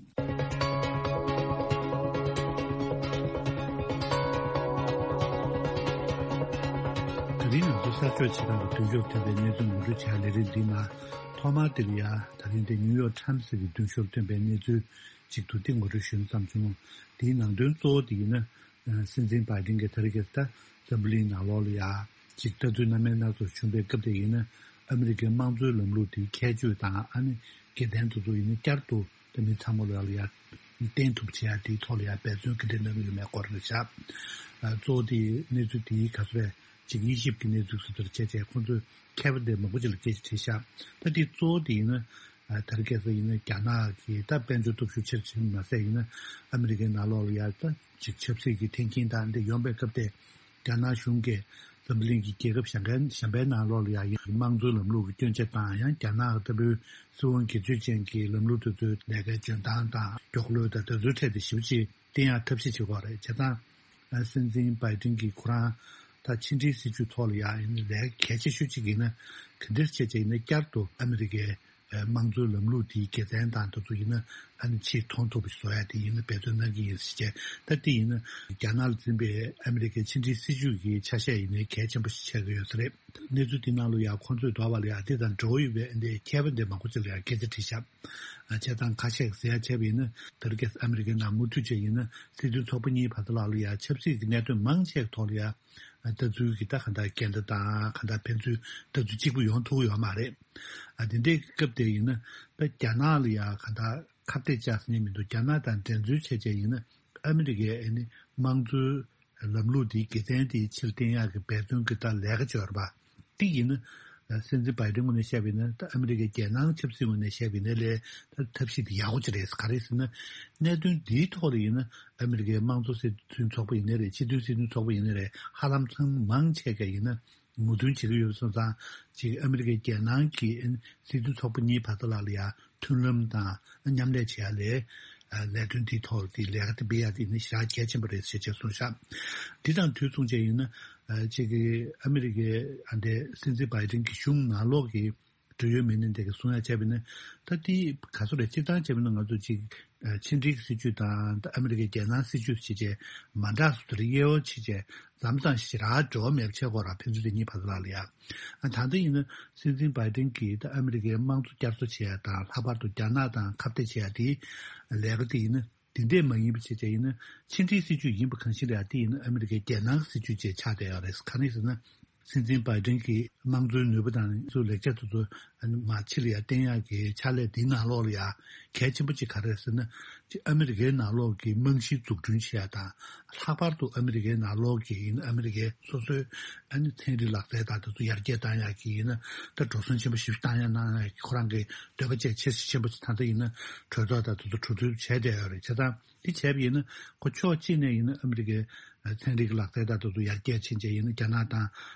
ད་རིང་ང་ཚོ་གསར་ཤོག་ཆེད་ཁང་གི་མདུན་ཤོག་ཐོན་པའི་གནས་ཚུལ་ངོ་སྤྲོད་བྱ་ལས་རིམ་འདིའི་ནང་ཐོག་མར་དེ་ལ་ཡ་ད་རིང་དེ་ནིའུ་ཡོག་ཊའིམ་སི་གི་མདུན་ཤོག་ཐོན་པའི་གནས་ཚུལ་གཅིག་ཏུ་དེ་ངོ་སྤྲོད་ཞུ་ན་བསམ་བྱུང་། དེའི་ནང་དོན་གཙོ་བོ་དེ་ཡིན་ན། སྲིད་འཛིན་བྷའི་ཌེན་གྱིས་ད་རེས་ཀྱི་ད་འཛམ་བུ་གླིང་ནང་ལོགས་ལ་ཡ་ཅིག་ལྟ་ཚུལ་སྣ་མིན་སྣ་ཚོགས་བྱུང་པའི་སྐབས་དེ་ཡིན་ན། ཨ་མི་རི་ཀའི་དམངས་གཙོའི་ལམ་ལུགས་དེའི་ཁྱད་ཆོས་དང་ཨ་ནི་དགེ་མཚན་དེ་ཚོ་ཡིན་ན་བསྐྱར་དུ་ད་མི་ཚང་མ་ལ་ཡ་བསྟན་ཐུབ་བྱེད་ཡ་དེའི་ཐོག་ལ་ཡ་འབད་བརྩོན་ག་འདྲ་གནང་གི་ཡོད་མེད་སྐོར་རེད་ཤག་གཙོ་བོ་དེ་གནས་ཚུལ་དེའི་ག་ཚོད་རེད། ཅིག་དབྱེ་ཞིབ་ཀྱི་གནས་ཚུལ་སོ་སོར་བྱས་བྱས་ཁོང་ཚོས་མཁས་པ་དེ་མང་པོ་ཅིག་ལ་སྐད་ཆ་དྲིས་ཤག་ད་དེ་གཙོ་བོ་དེ་ཡིན་ན། ད་རེས་ཁ་སང་ཡིན་ན་རྒྱ་ནག་གིས་ད་དཔལ་འབྱོར་སྟོབས་ཤུགས་ཆེར་ཕྱིན་མ་ཟད་ཡིན་ན་ཨ་མི་རི་ཀའི་ནང་ལོགས་ལ་ཡ་ད་ཅིག་ཆབ་སྲིད་ཀྱི་འཐེན་འཁྱེར་དང་འདི་ཡོང་པའི་སྐབས་དེ་རྒྱ་ནག་གཞུང་གིས་འཛམ་གླིང་གི་རྒྱལ་ཁབ་གཞན་ག་གཞན་པའི་ནང་ལོགས་ལ་ཡ་ཡིན་དམངས་གཙོའི་ལམ་ལུགས་ཀྱི་སྐྱོན་ཆ་དང་ཡང་རྒྱ་ནག་ལྟ་བུའི་སྲིད་དབང་སྒེར་གཅོད་ཅན་གྱི་ལམ་ལུགས་དེ་ཚོའི་ལས་ཀའི་འཇོན་ཐང་དང་མགྱོགས་ལོས་དང་དེ་ཚོའི་ཐད་དུ་ཞིབ་ཅིག་བསྟན་ཡག་ཐབས་ཤེས་བྱེད་དགོས་རེད། བྱས་ཙང་། སྲིད་འཛིན་བྷའི་ཌེན་གྱིས་ཁོ་རང་ད་ཕྱི་འབྲེལ་སྲིད་ཇུས་ཐོག་ལ་ཡང་ཡིན་ན་ལས་ཀ་གལ་ཆེ་ཤོས་གཅིག་ཡིན་ན་ག་འདྲ་བྱས་བྱས་ཡིན་ན་བསྐྱར་དུ་ཨ་མི་རི་ཀའི་དམངས་གཙོའི་ལམ་ལུགས་དེའི་དགེ་མཚན་དང་དེ་ཚོ་ཡིན་ན་ཨ་ནི་ཆེས་མཐོང་ཐུབ་པ་ཞིག་བཟོ་ཡ་དེ་ཡིན་ན་འབད་བརྩོན་གནང་གི་ཡིན་ཟེར་བྱས། ད་དེ་ཡིན་ན་རྒྱ་ནག་ལ་འཛིན་པའི་ཨ་མི་རི་ཀའི་ཕྱི་འབྲེལ་སྲིད་ཇུས་ཀྱི་ཆ་ཤས་ཡིན་ནའི་གལ་ཆེན་པོ་ཞིག་ཆགས་ཀྱི་ཡོད་ས་རེད། གནས་ཚུལ་དེ་ནང་ལ་ཡང་ཁོང་ཚོས་འདོད་པ་ལ་ཡང་དེ་དང་འབྲེལ་བ་ཡོད་པའི་འདི་མཁས་པ་འདི་མང་པོ་ཅིག་ལ་ཡང་སྐད་ཆ་དྲིས་ཤག་བྱས་ཙང་ཁ་ཤས་ཟེར་ཡ་བྱས་པ་ཡིན་ན་ད་རེས་ཀྱི་ཨ་མི་རི་ཀའི་ནང་མུ་མཐུད་བྱས་ཡིན་ན་སྲིད་དོན་ཚོགས་པ་གཉིས་བར་དུ་ལ་ལ་ཡ་ཆབ་སྲིད་ཀྱི་གནད་དོན་མང་ཆེ་གི་ཐོག་ལ་ཡ་ལྟ་ཚུལ་གྱི་ད་ག་འདྲ་འགལ་ཟླ་དང་ག་འདྲ་ཕན་ཚུན་ལྟ་ཚུལ་གཅིག་པུ་ཡོང་ཐུབ་ཡོད་མ་རེད། ཨ་དེ་འདྲའི་སྐབས་དེ་ཡིན་ན་ད་རྒྱ་ནག་ལ་ཡ་ག་འདྲ་ཁ་གཏད་བཅག་ཟེར་ནས་མི་འདུག་རྒྱ་ནག་དང་འགྲན་རྩོད་བྱས་བྱས་ཡིན་ན་ཨ་མི་རི་ཀའི་ཨ་ནི་དམངས་གཙོའི་ལམ་ལུགས་འདིའི་དགེ་མཚན་དེ་ཕྱིར་བསྟན་ཡག་གི་འབད་བརྩོན་གྱི་ད་ལས་ཀ་བྱོས་ར་བ། དེ་ཡིན་ན། སྲིད་འཛིན་བྷའི་ཌེན་ངོས་ནས་བཤད་པ་ཡིན་ན་ད་ཨ་མི་རི་ཀའི་རྒྱལ་ནང་ཆབ་སྲིད་ངོས་ནས་བཤད་པ་ཡིན་ན་ལས་ད་ཐབས་ཤེས་དེ་ཡག་པོ་ཅིག་རེད། ག་རེ་ཟེར་ན། གནད་དོན་འདིའི་ཐོག་ལ་ཡིན་ན་ཨ་མི་རི་ཀའི་དམངས་གཙོ་སྲིད་དོན་ཚོགས་པ་ཡིན་ན་རེད། སྤྱི་མཐུན་སྲིད་དོན་ཚོགས་པ་ཡིན་ན་རེད། ཧ་ལམ་ཚང་མ་མང་ཆེ་ག་ཡིན་ན་ངོ་སྟོན་བྱེད་ཀྱི་ཡོད་པ་སོང་ཙང་ཅིག་ཨ་མི་རི་ཀའི་རྒྱལ་ནང་གི་སྲིད་དོན་ཚོགས་པ་གཉིས་བར་དུ་ལ་ལ་ཡ། མཐུན་ལམ་དང་མཉམ་ལས་བྱེད་ཡ་ལས། ལས་དོན་དེའི་ཐོག་དེ་ལས་ཀ་དེ་སྤེལ་ཡ་དེ་ནི་ཞེ་དྲག་གལ་ཆེན་པོ་རེད་ཞེས་བྱས་གསུངས་ཤག་འདི་དང་དུས་མཚུངས་བྱས་ཡིན་ན། ཅིག་གི་ཨ་མི་རི་ཀའི་ཨ་འདྲའི་སྲིད་འཛིན་བྷའི་ཌེན་གྱི་གཞུང་ནང་ལོགས་ཀྱི་འབྲེལ་ཡོད་མི་སྣ་དེ་གི་གསུང་ཡ་བྱས་པ་ཡིན་ན། ད་དེ་ག་ཚོད་རེད། སྤྱིར་བཏང་བྱས་པ་ཡིན་ན་ང་ཚོ་ཅིག་ཕྱི་འབྲེལ་སྲིད་ཇུས་དང་ད་ཨ་མི་རི་ཀའི་རྒྱལ་ནང་སྲིད་ཇུས་བྱས་བྱས་མ་འདྲ་སོ་དེར་དབྱེ་བ་ཕྱེ་བྱས། མཚམས་མཚམས་ཞེ་དྲག་འབྲེལ་བ་མེད་པ་བྱེད་དགོས་ར། ཕན་ཚུན་དེ་གཉིས་བར་དུ་ལ་ལ་ཡ། ཨ་ད་ལྟ་ཡིན་ན་སྲིད་འཛིན་བྷའི་ཌེན་གྱིས་ད་ཨ་མི་རི་ཀའི་དམངས་གཙོ་བསྐྱར་གསོ་བྱེད་ཡ་དང་ལྷག་པར་དུ་རྒྱ་ནག་དང་ཁ་གཏད་བྱེད་ཡ་དེ་ལས་ཀ་དེ་ཡིན་ན་དེ་འདྲས་མ་ཡིན་པ་བྱེད་བྱས་ཡིན་ན་ཕྱི་འབྲེལ་སྲིད་ཇུས་ཡིན་པ་གང་ཞིག་ལ་ཡ་དེ་ཡིན་ན་ཨ་མི་རི་ཀའི་རྒྱལ་ནང་སྲིད་ཇུས་བཅས་ཆགས་བསྡད་ཡོད་རེད། ག་རེ་ཟེར་ན་སྲིད་འཛིན་བྷའི་ཌེན་གྱིས་དམངས་གཙོའི་ནུས་པ་དང་སོ་ལེགས་ཆ་དེ་ཚོ་མ་ཕྱི་ལ་ཡ་བསྟན་ཡག་གི་ཕྱག་ལས་དེའི་ནང་ལོགས་ལ་ཡ་གལ་ཆེན་པོ་ཅིག་ག་རེ་རེད་ཟེར་ན། ཅིག་ཨ་མི་རི་ཀའི་ནང་ལོགས་ཀྱི་རྨང་གཞི་འཛུགས་སྐྲུན་བྱེད་ཡ་དང་། ལྷག་པར་དུ་ཨ་མི་རི་ཀའི་ནང་ལོགས་ཀྱི་ཡིན་ཨ་མི་རི་ཀའི་སོ་སོའི་ཨ་ནི་ཚན་རིག་ལག་རྩལ་དང་དེ་ཚོ་ཡར་རྒྱས་བཏང་ཡག་གི་ཡིན་ན་ད་འགྲོ་སོང་ཆེན་པོ་ཞིག་བཏང་ཡ་གནང་ཡག་གི་ཁོ་རང་གི་འདོད་པ་བཅས་ཆེ་ཆེན་པོ་ཅིག་ད་ལྟ་ཡིན་ན་གྲོས་ཚོགས་དང་དེ་ཚོ་གྲོས་བསྡུར་བྱས་བསྡད་ཡོད་རེད། བྱས་ཙང་འདི་བྱས་པ་ཡིན་ན་ཁོ་ཕྱོགས་གཅིག་ནས་ཡིན་ན་ཨ་མི་རི་ཀའི་ཚན་རིག་ལག་རྩལ་དང་དེ་ཚོ་ཡར་རྒྱས་ཕྱིན་བྱས་ཡིན་ན་རྒྱ་ནག་དང་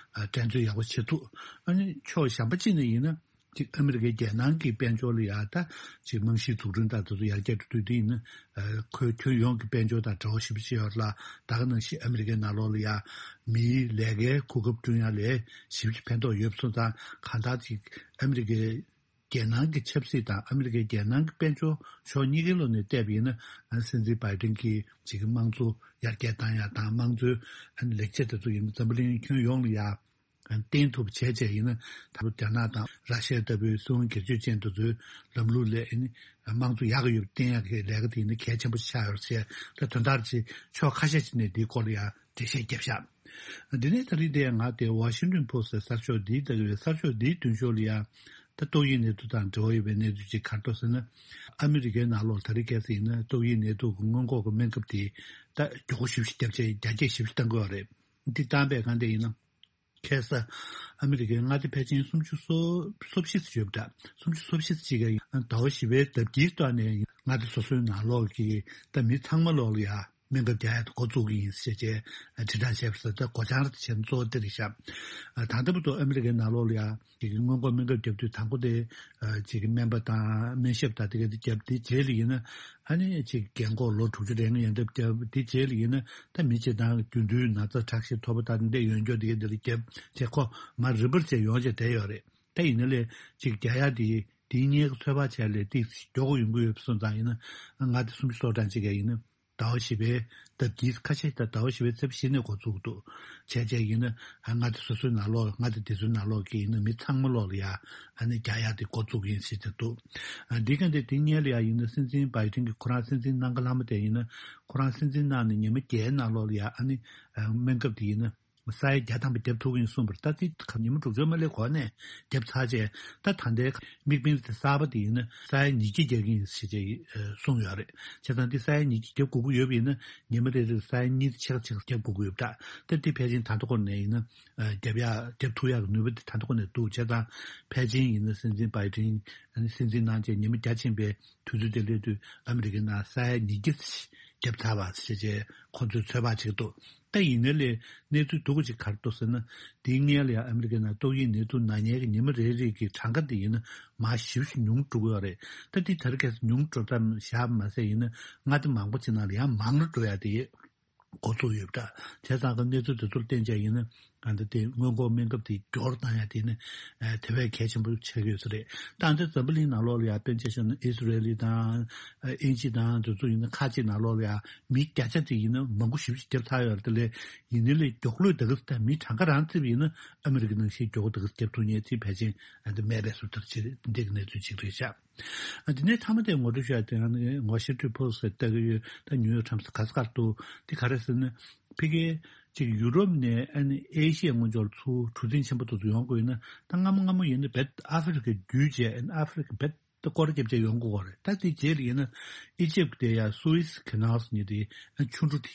འགྲན་རྩོད་ཡག་པོ་བྱེད་ཐུབ། ཨ་ནི་ཕྱོགས་གཞན་པ་གཅིག་ནས་ཡིན་ན། ཅིག་ཨ་མི་རི་ཀའི་རྒྱལ་ནང་གི་དཔལ་འབྱོར་ལ་ཡ་ད་ཅིག་རྨང་གཞི་འཛུགས་སྐྲུན་དང་དེ་ཚོ་ཡར་རྒྱས་འགྲོ་དུས་དེ་ཡིན་ན་ཁོའི་ཁྱོན་ཡོངས་ཀྱི་དཔལ་འབྱོར་དང་འབྲེལ་བ་ཞེ་པོ་ཅིག་ཡོད་ལ། ད་ག་ནང་བཞིན་ཨ་མི་རི་ཀའི་ནང་ལོགས་ལ་ཡ་མིའི་ལས་ཀའི་གོ་སྐབས་བསྐྲུན་ཡ་ལས་ཞེ་པོ་ཅིག་ཕན་ཐོགས་ཡོད་པ་སོང་ཙང་གང་ལྟར་ཅིག་ཨ་མི་རི་ཀའི་ རྒྱལ་ནང་གི་ཆབ་སྲིད་དང་ཨ་མི་རི་ཀའི་རྒྱལ་ནང་གི་དཔལ་འབྱོར་ཕྱོགས་གཉིས་ཀའི་ལོགས་ནས་བལྟས་པ་ཡིན་ན། ཨ་སྲིད་འཛིན་བྷའི་ཌེན་གྱིས་ཅིག་དམངས་གཙོ་ཡར་རྒྱས་བཏང་ཡག་དང་། དམངས་གཙོའི་ཨ་ནི་ལེགས་ཆ་དེ་ཚོ་ཡིན་ན་འཛམ་བུ་གླིང་ཁྱོན་ཡོངས་ལ་ཡ་བརྟེན་ཐུབ་པ་བྱས་བྱས་ཡིན་ན། ད་རྒྱ་ནག་དང་ར་ཤི་ཡ་ལྟ་བུའི་སྲིད་དབང་སྒེར་གཅོད་ཅན་དེ་ཚོའི་ལམ་ལུགས་ལས་ཨ་ནི་དམངས་གཙོ་ཡག་གི་ཡོད་པ་བསྟན་ཡག་གི་ལས་ཀ་དེ་ཡིན་ན་གལ་ཆེན་པོ་ཆགས་ཡོད་ཟེར། ད་དོན་དག་ཅིག་ཕྱོགས་ཁ་ཤས་ཅིག་ནས་འདིའི་སྐོར་ལ་ཡ་འགྲེལ་བཤད་བརྒྱབ་ཤག་འདི་ནས་ད་རིང་དེ་ང་དེ་Washington Post གསར་ཤོག་འདིའི་ལྟ་གི་ཡོད། གསར་ཤོག་འདིའི་མདུན་ཤོག་ལ་ཡ། ད་ཏོག་དབྱིབས་ནད་དུག་དང་འབྲེལ་བ་ཡོད་པའི་གནས་ཚུལ་ཅིག་ག་རེ་འདུག་ཟེར་ན། ཨ་མི་རི་ཀའི་ནང་ལོགས་ད་རེས་གལ་སྲིད་ཡིན་ན་ཏོག་དབྱིབས་ནད་དུག་གི་སྔོན་འགོག་གི་སྨན་ཁབ་དེ་ད་མགྱོགས་པོ་ཞེ་པོ་ཞིག་བརྒྱབ་བྱས་རྒྱ་སྐྱེད་ཞེ་པོ་ཞིག་བཏང་གི་ཡོད་རེད། འདི་བཏང་པའི་སྒང་དེ་ཡིན་ན། ཁ་སང་ཨ་མི་རི་ཀའི་མངའ་སྡེ་ཕལ་ཆེར་སུམ་ཅུ་སོ་སོ་བཞི་ཙམ་ཡོད་པ་འདྲ། སུམ་ཅུ་སོ་བཞི་ཙམ་ཅིག་གིས་ཟླ་བ་བཞི་པའི་ཟླ་དཀྱིལ་ཐོག་ནས་མངའ་སྡེ་སོ་སོའི་ནང་ལོགས་ཀྱི་ད་མི་ཚང་མ་ལོགས་ལ་ཡ། སྨན་ཁབ་རྒྱག་ཡག་དེ་འགོ་བཙུགས་ཀྱི་ཡིན་ཞེས་བྱས་དྲིལ་བསྒྲགས་བྱས་པ་རེད། ད་སྒོ་བྱང་རེད་བྱས་ན་གཙོ་བོ་དེ་རེད་ཤག་ད་ལྟ་བར་དུ་ཨ་མི་རི་ཀའི་ནང་ལོགས་ལ་ཡ་ཅིག་སྔོན་འགོག་སྨན་ཁབ་བརྒྱབ་དུས་དང་པོ་དེ་ཅིག་སྨན་པ་དང་སྨན་ཞབས་དང་དེ་ག་དེ་བརྒྱབ། དེ་རྗེས་ལ་ཡིན་ན་ཨ་ནི་ཅིག་རྒན་འཁོགས་ལོ་དྲུག་ཅུ་རེ་ལྔ་ཡན་འདྲ་བརྒྱབ། དེ་རྗེས་ལ་ཡིན་ན་ད་མི་སྤྱིར་བཏང་རྒྱུན་དུ་ན་ཚ་དྲག་ཤོས་ཐོབ་པ་དང་འདི་ཡོན་སྐྱོར་དེ་ག་དེ་ལ་བརྒྱབ་བྱས་ཁོ་མར་རིམ་པར་བྱས་ཡོང་བྱས་བསྡད་ཡོད་རེད། ད་ཡིན་ན་ལས་ཅིག་རྒྱག་ཡག་དེ་དེའི་སྔོན་གྱི་ཚོད་དཔག་བྱས་ལས་ཏིག་མགྱོགས་པོ་ཡོང་གི་ཡོད་པ་སོང་ཙང་ཡིན་ན། མངའ་སྡེ་སུམ་ཅུ་སོ་གྲངས་ཅིག་ག་ཡིན་ན། ཟླ་བ་བཞི་པའི་ཟླ་འདིའི་ཁ་ཤས་དང་ཟླ་བ་བཞི་པའི་ཚེས་བཞི་ནས་འགོ་བཙུགས་འདུག་བྱས་བྱས་ཡིན་ན། ཨ་མངའ་སྡེ་སོ་སོའི་ནང་ལོགས། མངའ་སྡེ་དེ་ཚོའི་ནང་ལོགས་ཀྱི་ཡིན་ན་མི་ཚང་མ་ལོགས་ལ་ཡ་ཨ་ནི་རྒྱག་ཡག་དེ་འགོ་བཙུགས་ཡིན་ཟེར་གྱི་འདུག་ཨ་འདི་ག་འདི་དེ་སྔོན་ལ་ཡ་ཡིན་ན་སྲིད་འཛིན་བྷའི་ཌེན་གྱིས་ཁོ་རང་སྲིད་འཛིན་གནང་ག་ལྷག་མ་དེ་ཡིན་ན། ཁོ་རང་སྲིད་འཛིན་གནང་ནས་ཉི་མ་བརྒྱད་ནང་ལོགས་ལ་ཡ་ཨ་ནི་ཨ་སྨན་ཁབ་དེ་ཡིན་ན་ས་ཡ་བརྒྱ་ཐམ་པ་བརྒྱབ་ཐུབ་ཀྱི་ཡིན་གསུངས་པ་རེད། ད་དེ་ཉི་མ་དྲུག་ཅུ་མ་སླེབས་གོང་ནས་བརྒྱབ་ཚར་བྱས། ད་ད་ལྟའི་དམིགས་འབེན་དེ་གསར་པ་དེ་ཡིན་ན་ས་ཡ་ཉིས་བརྒྱ་རྒྱག་གི་ཡིན་ཞེས་བྱས་གསུངས་ཡོད་རེད། བྱས་ཙང་འདི་ས་ཡ་ཉིས་བརྒྱ་བརྒྱབ་དགོས་ཀྱི་ཡོད་པ་ཡིན་ན་ཉི་མ་རེ་རེར་ས་ཡ་གཉིས་དང་ཕྱེད་ཀ་ཕྱེད་ཀ་བརྒྱབ་དགོས་ཀྱི་ཡོད་པ་འདྲ། ད་འདི་ཕལ་ཆེར་ད་ལྟ་ཁོ་ནས་ཡིན་ན་བརྒྱབ་ཡག་བརྒྱབ་ཐུབ་ཡག་གི་ནུས་པ་དེ་ད་ལྟ་ཁོ་ནས་འདུག་བྱས་ཙང་ཕལ་ཆེར་ཡིན་ན་སྲིད་འཛིན་བྷའི་ཌེན་སྲིད་འཛིན་གནང་བྱས་ཉི་མ་བརྒྱ་ཕྱིན་པའི་དུས་ཚོད་དེ་སླེབས་དུས་ཨ་མི་རི་ཀའི་ནང་ས་ཡ་ཉིས་བརྒྱ་བརྒྱབ་ཚར་བ་ཞེས་བྱས་ཁོ་ཚོས་ཚོད་དཔག་བྱེད་ཀྱི་འདུག་ད་ཡིན་ནའི་ལས་གནས་ཚུལ་སྡུག་པོ་ཅིག་ག་རེ་འདུག་ཟེར་ན། དེའི་སྔོན་ལ་ཡང་ཨ་མི་རི་ཀའི་ནང་ཏོག་དབྱིབས་ནད་དུག་ན་མཁན་གྱི་ཉི་མ་རེ་རེ་གི་གྲངས་ཀ་དེ་ཡིན་ན་མར་ཞེ་པོ་ཞིག་ཉུང་འགྲོ་གི་ཡོད་རེད། ད་འདི་ད་རེས་ཁ་སང་ཉུང་འགྲོ་སྟངས་བཞག་པ་མ་ཟད་ཡིན་ན་མངའ་སྡེ་མང་པོ་ཅིག་ནང་ལ་ཡང་མང་རུ་འགྲོ་ཡ་དེ་འགོ་ཚུགས་ཡོད་པ་འདྲ། བྱས་ཙང་གི་གནས་ཚུལ་དེ་ཚོར་བརྟེན་བྱས་ཡིན་ན་ཨ་ད་དེ་སྔོན་འགོག་སྨན་ཁབ་དེ་མགྱོགས་རུ་བཏང་ཡ་དེ་ནི་ཨ་དེ་བས་གལ་ཆེན་པོ་ཆགས་ཀྱི་ཡོད་ས་རེད། ད་ལྟ་འཛམ་བུ་གླིང་ནང་ལོགས་ལ་ཡང་དཔེར་ན་ཆ་བཞག་ན་ཨི་སི་རེལ་དང་ཨ་དབྱིན་ཇི་དང་དེ་ཚོ་ཡིན་ན་ཁག་ཅིག་ནང་ལོགས་ལ་ཡང་མི་བརྒྱ་ཆ་དེ་ཡིན་ན་མང་པོ་ཞེ་པོ་ཅིག་བརྒྱབ་ཚར་ཡོད་རེད། དེ་ལས་ཡིན་ནའི་ལས་མགྱོགས་ལོས་ད་ག་ས་ད་མི་གྲངས་ཀ་རང་བརྩིས་པ་ཡིན་ན་ཨ་མི་རི་ཀ་ནང་བཞིན་མགྱོགས་པོ་ད་ག་ས་བརྒྱབ་ཐུབ་མཁན་དེ་ཕལ་ཆེར་ཨ་འདི་མེད་པའི་བཟོ་ལྟར་ཅིག་རེད། འདི་གི་གནས་ཚུལ་ཅིག་རེད་ཤག་ཨ་དེ་ནས་མཐའ་མ་དེ་ངོ་སྤྲོད་ཞུ་ཡ་དེ་ཡང་ནི་ཝ་ཤིང་ཊོན་པོ་སི་ལྟ་གི་ཡོད། ད་ཉུ་ཡོག་ཊའིམ་སི་ག་ས་ག་རེ་འདུག་དེ་ག་རེ་ཟེར་ན། ཕ་གིའི་ཅིག་ཡུ་རོབ་ནས་ཨ་ནི་ཨེ་ཤི་ཡ་སྔོན་འཇོག་ལ་ཚུར་གྲུ་གཟིངས་ཆེན་པོ་དེ་ཚོ་ཡོང་དགོས་ཡིན་ན་ད་སྔ་མོ་སྔ་མོ་ཡིན་ན་རྦད་ཨ་ཧྥེ་རི་ཁ་བརྒྱུད་བྱས། ཨ་ནི་ཨ་ཧྥེ་རི་ཁ་རྦད་དེ་སྐོར་ར་བརྒྱབ་བྱས་ཡོང་དགོས་ཀྱི་རེད། ད་དེ་རྗེས་ལ་ཡིན་ན་ཨི་ཇིབ་དེ་ཡ་སུ་ཨེ་སི་ཁེ་ནལ་ཟེར་མཁན་དེ་ཨ་ཆུ་གྲུ་དེ།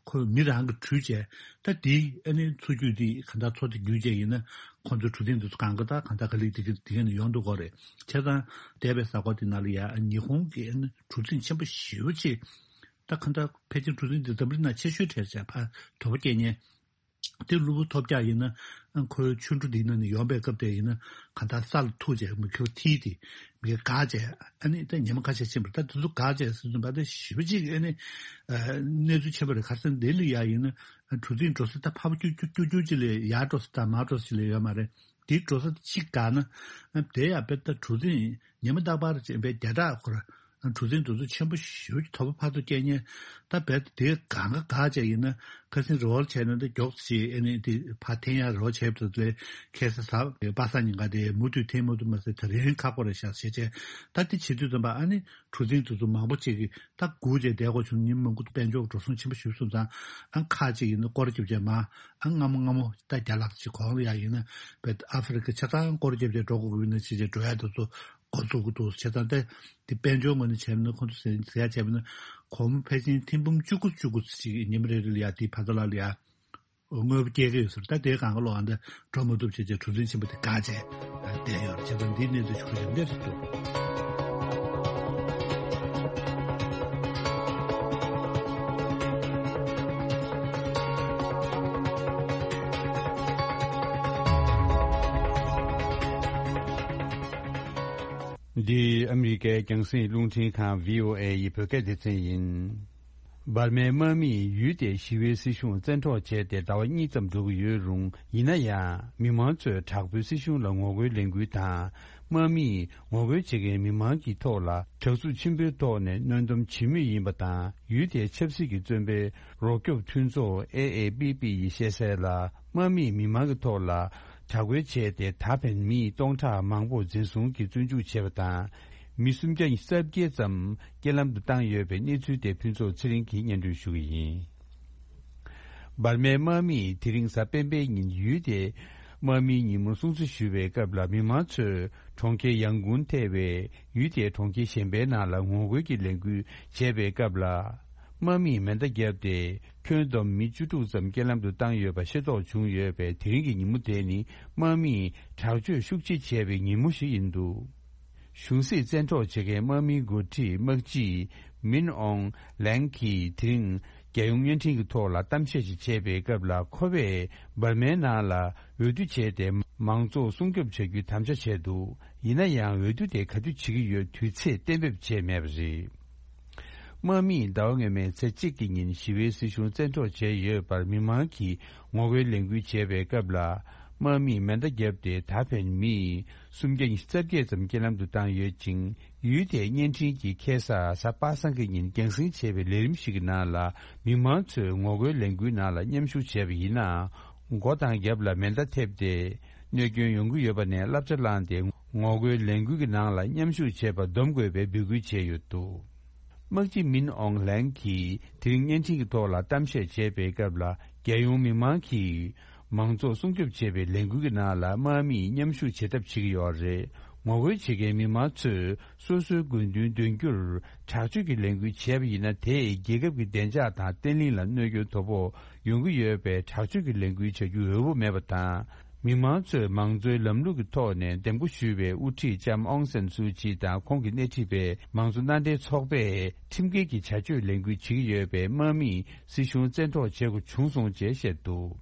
ཁོས་མི་རང་གིས་བྲུས་བྱས། ད་དེ་ཨ་ནི་མཚོ་རྒྱུད་དེ་གང་ལྟར་མཚོ་དེ་བརྒྱུད་བྱས་ཡིན་ན་ཁོང་ཚོའི་གྲུ་གཟིངས་དེ་ཚོ་གང་ག་ད་གང་ལྟར་ག་ལེར་དེ་ག་དེ་ག་ནས་ཡོང་འདུག་གོ་རེད། བྱས་ཙང་འདས་པའི་གཟའ་འཁོར་དེ་ནང་ལ་ཡ་ཨ་ཉི་ཧོང་གི་ཨ་ནི་གྲུ་གཟིངས་ཆེན་པོ་ཞེ་པོ་ཅིག་ད་གང་ལྟར་ཕལ་ཆེར་གྲུ་གཟིངས་དེ་འཛམ་བུ་གླིང་ནང་ཆེ་ཤོས་གྲས་བྱས་ཕར་དོ་པོ་སྐྱེལ་མཁན་དེ་གློ་བུར་ཐོལ་རྒྱག་ཡིན་ན་ཨ་ཁོའི་ཆུ་གྲུ་དེ་ནང་ནས་ཡོང་པའི་སྐབས་དེ་ཡིན་ན་གང་ལྟར་ས་ལ་ཐུག་བྱས་མུ་ཁྱུར་ཐིལ་ཏེ། མི་འགག་བྱས། ཨ་ནི་ད་ཉི་མ་ཁ་ཤས་ཕྱིན་པ་ད་དེ་ཚོ་འགག་བྱས་ཟེར་དུས་ད་ཞེ་པོ་ཅིག་ཨ་ནི་ཨ་གནས་ཚུལ་ཆེན་པོ་རེད། ཁ་སང་ལྡི་ལི་ཡ་ཡིན་ན་གྲུ་གཟིངས་འགྲོ་ས་ད་ཕར་ཕར་ཀྱུ་ཀྱུ་ཀྱུ་ཀྱུ་ཅིག་ལས་ཡར་འགྲོ་ས་དང་མར་འགྲོ་ས་ཅིག་ལས་ཡོད་མ་རེད། དེ་འགྲོ་ས་གཅིག་འགག་ན་ཨ་དེ་ཡ་དཔེ་ད་གྲུ་གཟིངས་ཉི་མ་རྟག་པར་ཅིག་དཔེ་བརྒྱ་ཕྲག་འཁོར་གྲུ་གཟིངས་དེ་ཚོ་ཆེན་པོ་ཞེ་པོ་ཅིག་དོ་པོ་ཕར་ཚུར་སྐྱེལ་མཁན་ད་རྦད་དེ་གང་ག་འགག་བྱས་ཡིན་ན་ཁ་སང་རེ་བ་བྱས་ན་འདི་མགྱོགས་ཙམ་ཅིག་ཨ་ནི་དེ་ཕར་འཐེན་ཡ་རེ་བ་བྱས་པ་དེ་ཚོ་ལས་ཁ་སང་གཟའ་པ་སངས་ཉིན་ག་དེ་མུ་མཐུད་འཐེན་མ་ཐུབ་མ་ཟད་དེ་རིང་ཁག་པོ་རེད་ཤག་ཟེར་བྱས། ད་དེ་བྱེད་དུས་ཙམ་པ་ཨ་ནི་གྲུ་གཟིངས་དེ་ཚོ་མང་པོ་ཅིག་གིས་ད་སྒུག་བྱས་བསྡད་དགོས་བྱུང་། ཉིན་མང་པོ་དཔལ་འབྱོར་འགྲོ་སོང་ཆེན་པོ་ཞིག་སོང་ཙང་ཨ་ཁག་ཅིག་ཡིན་ན་སྐོར་ར་བརྒྱབ་བྱས་མར་ཨ་སྔ་མོ་སྔ་མོ་ད་བརྒྱ་ལྷག་ཅིག་གོང་ལ་ཡ་ཡིན་ན་བས་ཨ་ཧྥེ་རི་ཁ་ཆ་ཚང་སྐོར་ར་བརྒྱབ་བྱས་འགྲོ་དགོས་ཀྱི་ཡིན་ན་ཅི་བྱས་འགྲོ་ཡ་དེ་ཚོ་འགོ་འཛུགས་ཀྱི་འདུག་བྱས་ཙང་ད་དེ་དཔལ་འབྱོར་ངོས་ནས་བྱས་ན་ཁོང་ཚོ་ཟེར་ཟེར་ཡ་བྱས་པ་ན་སྒོར་མོ་ཕལ་ཆེར་ཐེར་འབུམ་བཅུ་དགུ་བཅུ་དགུ་ཅིག་ཉི་མ་རེ་རེ་ལ་ཡ་དེའི་ཕར་ཚུར་ལ་ལ་ཡ་དངུལ་འབོར་སྐྱེལ་གྱི་ཡོད་ཟེར། ད་དེའི་སྒང་ག་ལོག་ཨ་འདྲ་འགྲོ་མ་ཐུབ་བྱས་བྱས་གྲུ་གཟིངས་ཆེན་པོ་དེ་འགག་བྱས་བསྡད་ཡོད་རེད། བྱས་ཙང་འདིའི་གནས་ཚུལ་ཆུ་ཚོད་འདིར་འདུག་འདི་ཨ་མི་རི་ཀའི་རྒྱང་སྲིང་རླུང་འཕྲིན་ཁང་བྷི་ཨོ་ཨེ་ཡི་བོད་སྐད་སྡེ་ཚན་ཡིན། འབར་མའི་དམག་མིས་ཡུལ་དེའི་ཞི་བའི་སྲིད་གཞུང་བཙན་འཕྲོག་བྱས་ཏེ་ཟླ་བ་གཉིས་ཙམ་འགྲོ་གི་ཡོད་རུང་། ཡིན་ན་ཡང་མི་མང་ཚོས་དྲག་པོའི་སྲིད་གཞུང་ལ་ངོ་རྒོལ་ལས་འགུལ་དང་། དམག་མིས་ངོ་རྒོལ་བྱེད་མཁན་མི་མང་གི་ཐོག་ལ་དྲག་རྩུབ་ཆེན་པོའི་ཐོག་ནས་གནོན་སྡོམ་བྱེད་མུས་ཡིན་པ་དང་། ཡུལ་དེའི་ཆབ་སྲིད་ཀྱི་བཙོན་པའི་རོགས་སྐྱོབ་མཐུན་ཚོགས་ཨེ་ཨེ་པི་པི་ཡིས་བཤད་གསལ་ལ། དམག་མིས་མི་མང་གི་ཐོག་ལ་དྲག་རྒོལ་བྱས་ཏེ། ད་ཕན་མི་སྟོང་ཕྲག་མང་པོ་འཛིན་བཟུང་གིས་བཙོན་འཇུག་བྱས་པ་དང་། མི་སུམ་བརྒྱ་ཉི་ཤུ་རྩ་བརྒྱད་ཙམ་རྐྱེན་ལམ་དུ་བཏང་ཡོད་པའི་གནས་ཚུལ་དེ་ཕུན་ཚོགས་ཚེ་རིང་གིས་སྙན་སྒྲོན་ཞུ་གི་ཡིན། འབར་མའི་དམག་མིས་དེ་རིང་གཟའ་སྤེན་པའི་ཉིན་ཡུལ་དེའི་དམག་མིའི་ཉིན་མོར་སྲུང་བརྩི་ཞུ་བའི་སྐབས་ལ། མི་མང་ཚོས་གྲོང་ཁྱེར་ཡང་གུན་ཐེ་བའི་ཡུལ་དེའི་གྲོང་ཁྱེར་གཞན་པའི་ནང་ལ་ངོ་རྒོལ་གྱི་ལས་འགུལ་བྱས་པའི་སྐབས་ལ། དམག་མིས་མེ་མདའ་བརྒྱབ་སྟེ། ཁྱོན་བསྡོམས་མི་བཅུ་དྲུག་ཙམ་རྐྱེན་ལམ་དུ་བཏང་ཡོད་པ་ཤེས་རྟོགས་བྱུང་ཡོད་པས། དེ་རིང་གི་ཉིན་མོ་དེ་ནི་དམག་མིས་དྲག་སྤྱོད་ཤུགས་ཆེ་བྱས་པའི་ཉིན་མོ་ཞིག་ཡིན་འདུག་གཞུང་སྲིད་བཙན་འཕྲོག་བྱེད་མཁན་དམག་མིའི་འགོ་ཁྲིད་དམག་སྤྱི་མིན་ཨོང་ལན་གྱིས་དེ་རིང་རྒྱལ་ཡོངས་བརྙན་འཕྲིན་གྱི་ཐོག་ལ་གཏམ་བཤད་ཅིག་བྱས་པའི་སྐབས་ལ། ཁོ་པས་འབར་མའི་ནང་ལ་འོས་བསྡུ་བྱས་ཏེ། མང་གཙོ་སྲུང་སྐྱོབ་བྱ་རྒྱུའི་དམ་བཅའ་བྱས་འདུག་ཡིན་ན་ཡང་། འོས་བསྡུ་དེ་ག་དུས་བྱེད་ཀྱི་ཡོད་དུས་ཚོད་གཏན་འབེབས་བྱས་མེད་པ་རེད། དམག་མིས་ཟླ་བ་སྔོན་མའི་ཚེས་གཅིག་གི་ཉིན་ཞི་བའི་སྲིད་གཞུང་བཙན་འཕྲོག་བྱས་ཡོད་པར་མི་མང་གིས་ངོ་རྒོལ་ལས་འགུལ་བྱས་པའི་སྐབས་ལ། དམག་མིས་མེ་མདའ་བརྒྱབ་སྟེ། ད་ཕན་མི་སུམ་བརྒྱ་ཉི་ཤུ་རྩ་བརྒྱད་ཙམ་རྐྱེན་ལམ་དུ་བཏང་ཡོད་ཅིང་། ཡུལ་དེའི་བརྙན་འཕྲིན་གྱིས་ཁ་སང་གཟའ་པ་སངས་ཀྱི་ཉིན་རྒྱང་སྲིང་བྱས་པའི་ལས་རིམ་ཞིག་གི་ནང་ལ། མི་མང་ཚོས་ངོ་རྒོལ་ལས་འགུལ་ནང་ལ་མཉམ་ཞུགས་བྱས་པ་ཡིན་ནའང་། མགོ་དང་རྒྱབ་ལ་མེ་མདའ་ཐེབས་ཏེ། གནོད་སྐྱོན་ཡོང་གི་ཡོད་པ་ནས་བསླབ་བྱ་བླངས་ཏེ། ངོ་རྒོལ་ལས་འགུལ་གྱི་ནང་ལ་མཉམ་ཞུགས་བྱེད་པར་སྡོམ་དགོས་པའི་འབོད་སྐུལ་བྱས་ཡོད་འདུག་དམག་སྤྱི་མིན་ཨོང་ལན་གྱིས་དེ་རིང་བརྙན་འཕྲིན་གྱི་ཐོག་ལ་གཏམ་བཤད་བྱས་པའི་སྐབས་ལ། རྒྱལ་ཡོངས་མི་མང་གིས་མང་གཙོ་སྲུང་སྐྱོབ་བྱེད་པའི་ལས་འགུལ་གྱི་ནང་ལ་དམག་མིས་མཉམ་ཞུགས་བྱེད་ཐབས་བྱེད་ཀྱི་ཡོད་རེད། ངོ་རྒོལ་བྱེད་མཁན་མི་མང་ཚོས་སོ་སོའི་དགོས་འདུན་འདོན་རྒྱུར་དྲག་སྤྱོད་ཀྱི་ལས་འགུལ་བྱས་པ་ཡིན་ན། དེས་རྒྱལ་ཁབ་ཀྱི་བདེ་འཇགས་དང་བརྟན་ལྷིང་ལ་གནོད་སྐྱོན་དོ་ཕོག་ཡོང་གི་ཡོད་པས། དྲག་སྤྱོད་ཀྱི་ལས་འགུལ་བྱ་རྒྱུ་འོས་པོ་མེད་པ་དང་། མི་མང་ཚོས་མང་གཙོའི་ལམ་ལུགས་ཀྱི་ཐོག་ནས་འདེམས་བསྐོ་ཞུས་པའི་དབུ་ཁྲིད་ལྕམ་ཨོང་སན་སུའུ་ཅི་དང་། ཁོང་གི་སྣེ་ཁྲིད་པའི་མང་གཙོ་མནའ་འབྲེལ་ཚོགས་པས་ཁྲིམས་འགལ་གྱི་བྱ་སྤྱོད་ལས་འགུལ་བྱེད་ཀྱི་ཡོད་པས། དམག་མིས་སྲིད་གཞུང་བཙན་འཕྲོག་བྱེད་དགོས་བྱུང་སོང་ཅེས་བཤད་འདུག་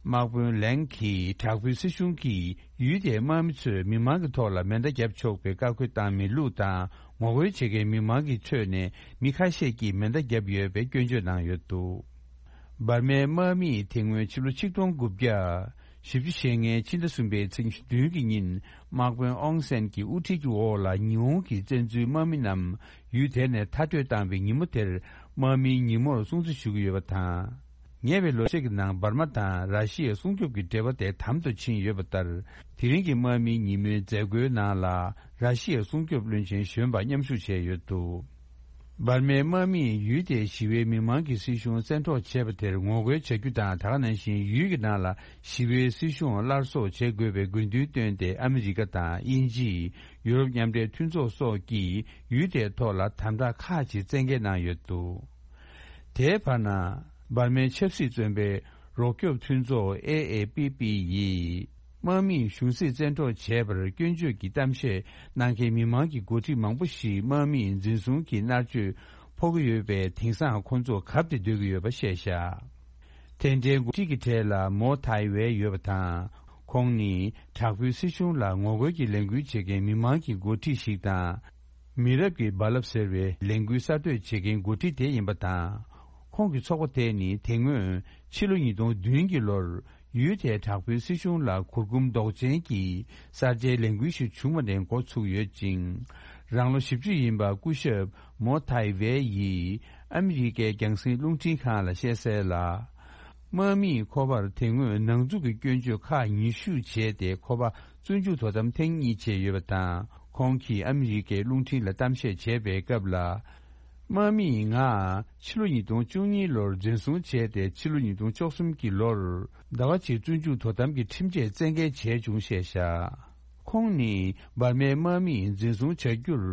དམག་དཔོན་ལན་གྱིས་དྲག་པོའི་སྲིད་གཞུང་གིས་ཡུལ་དེའི་དམག་མི་ཚོས་མི་མང་གི་ཐོག་ལ་མེ་མདའ་བརྒྱབ་ཆོག་པའི་བཀའ་འཁོལ་བཏང་མེད་ལུགས་དང་། ངོ་རྒོལ་བྱེད་མཁན་མི་མང་གི་ཁྲོད་ནས་མི་ཁ་ཤས་ཀྱིས་མེ་མདའ་བརྒྱབ་ཡོད་པའི་སྐྱོན་བརྗོད་གནང་ཡོད་འདུག་འབར་མའི་དམག་མིས་དེ་སྔོན་ཕྱི་ལོ་ཆིག་སྟོང་དགུ་བརྒྱ་བཞི་བཅུ་ཞེ་ལྔའི་ཕྱི་ཟླ་གསུམ་པའི་ཚེས་ཉི་ཤུ་བདུན་གྱི་ཉིན། དམག་དཔོན་ཨོང་སན་གྱི་དབུ་ཁྲིད་ཀྱི་འོག་ལ་ཉི་ཧོང་གི་བཙན་འཛུལ་དམག་མི་རྣམས་ཡུལ་དེ་ནས་མཐར་སྐྲོད་བཏང་བའི་ཉིན་མོ་དེར། དམག་མིའི་ཉིན་མོར་སྲུང་བརྩི་ཞུ་གི་ཡོད་པ་དང་། ཉེ་བའི་ལོ་ཤས་ཀྱི་ནང་འབར་མ་དང་ར་ཤི་ཡའི་སྲུང་སྐྱོབ་ཀྱི་འབྲེལ་བ་དེ་དམ་དུ་ཕྱིན་ཡོད་པ་ལྟར། དེ་རིང་གི་དམག་མིའི་ཉིན་མོའི་མཛད་སྒོའི་ནང་ལ་ར་ཤི་ཡའི་སྲུང་སྐྱོབ་བློན་ཆེན་གཞོན་པ་མཉམ་ཞུགས་བྱས་ཡོད་འདུག་འབར་མའི་དམག་མིས་ཡུལ་དེའི་ཞི་བའི་མི་མང་གིས་སྲིད་གཞུང་བཙན་འཕྲོག་བྱས་པ་དེར་ངོ་རྒོལ་བྱ་རྒྱུ་དང་། དེ་ག་ནང་བཞིན་ཡུལ་གྱི་ནང་ལ་ཞི་བའི་སྲིད་གཞུང་སླར་གསོ་བྱེད་དགོས་པའི་དགོས་འདུན་བཏོན་ཏེ། ཨ་མི་རི་ཀ་དང་དབྱིན་ཇི། ཡུ་རོབ་མཉམ་འབྲེལ་མཐུན་ཚོགས་སོགས་ཀྱིས་ཡུལ་དེའི་ཐོག་ལ་དམ་དྲག་ཁག་ཅིག་བཙན་འགེལ་གནང་ཡོད་འདུག་དེའི་བར་ན། འབར་མའི་ཆབ་སྲིད་བཙོན་པའི་རོགས་སྐྱོབ་མཐུན་ཚོགས་ཨེ་ཨེ་པི་པི་ཡིས། དམག་མིས་གཞུང་སྲིད་བཙན་འཕྲོག་བྱས་པར་སྐྱོན་བརྗོད་ཀྱི་གཏམ་བཤད་གནང་མཁན་མི་མང་གི་འགོ་ཁྲིད་མང་པོ་ཞིག་དམག་མིས་འཛིན་བཟུང་གིས་མནར་གཅོད་ཕོག་གི་ཡོད་པས། དེང་སང་ཁོང་ཚོ་གབ་སྟེ་སྡོད་ཀྱི་ཡོད་པ་བཤད་བཞག་དེ་འདྲའི་འགོ་ཁྲིད་ཀྱི་གྲས་ལ་མོ་ཐའི་ཝེ་ཡོད་པ་དང་། ཁོང་ནི་དྲག་པོའི་སྲིད་གཞུང་ལ་ངོ་རྒོལ་གྱི་ལས་འགུལ་བྱེད་མཁན་མི་མང་གི་འགོ་ཁྲིད་ཞིག་དང་། མི་རབས་ཀྱི་རྦ་རླབས་ཟེར་བའི་ལས་འགུལ་གསར་གཏོད་བྱེད་མཁན་འགོ་ཁྲིད་དེ་ཡིན་པ་དང་། ཁོང་གི་ཚོགས་པ་དེ་ནི་དེ་སྔོན་ཕྱི་ལོ་ཉིས་སྟོང་བདུན་གྱི་ལོར་ཡུལ་དེའི་དྲག་པོའི་སྲིད་གཞུང་ལ་གུར་གུམ་མདོག་ཅན་གྱི་གསར་བརྗེའི་ལས་འགུལ་ཞིག་བྱུང་བ་ནས་འགོ་ཚུགས་ཡོད་ཅིང་། རང་ལོ་བཞི་བཅུ་ཡིན་པ་སྐུ་ཞབས་མོ་ཐའི་ཝེ་ཡིས་ཨ་མི་རི་ཀའི་རྒྱང་སྲིང་རླུང་འཕྲིན་ཁང་ལ་བཤད་གསལ་ལ། དམག་མིས་ཁོ་པར་དེ་སྔོན་ནང་འཛུགས་ཀྱི་སྐྱོན་བརྗོད་ཁག་ཉི་ཤུ་བྱས་ཏེ། ཁོ་པ་བཙོན་འཇུག་དོ་དམ་ཐེངས་གཉིས་བྱས་ཡོད་པ་དང་། ཁོང་གིས་ཨ་མི་རི་ཀའི་རླུང་འཕྲིན་ལ་གཏམ་བཤད་བྱས་པའི་སྐབས་ལ། དམག་མིས་ང་ཕྱི་ལོ་ཉིས་སྟོང་བཅུ་གཉིས་ལོར་འཛིན་བཟུང་བྱས་ཏེ། ཕྱི་ལོ་ཉིས་སྟོང་བཅུ་གསུམ་གྱི་ལོར་ཟླ་བ་གཅིག་བཙོན་འཇུག་དོ་དམ་གྱི་ཁྲིམས་ཆད་བཙན་འགེལ་བྱས་བྱུང་ཞེས་བཤད། ཁོང་ནི་འབར་མའི་དམག་མིས་འཛིན་བཟུང་བྱ་རྒྱུར་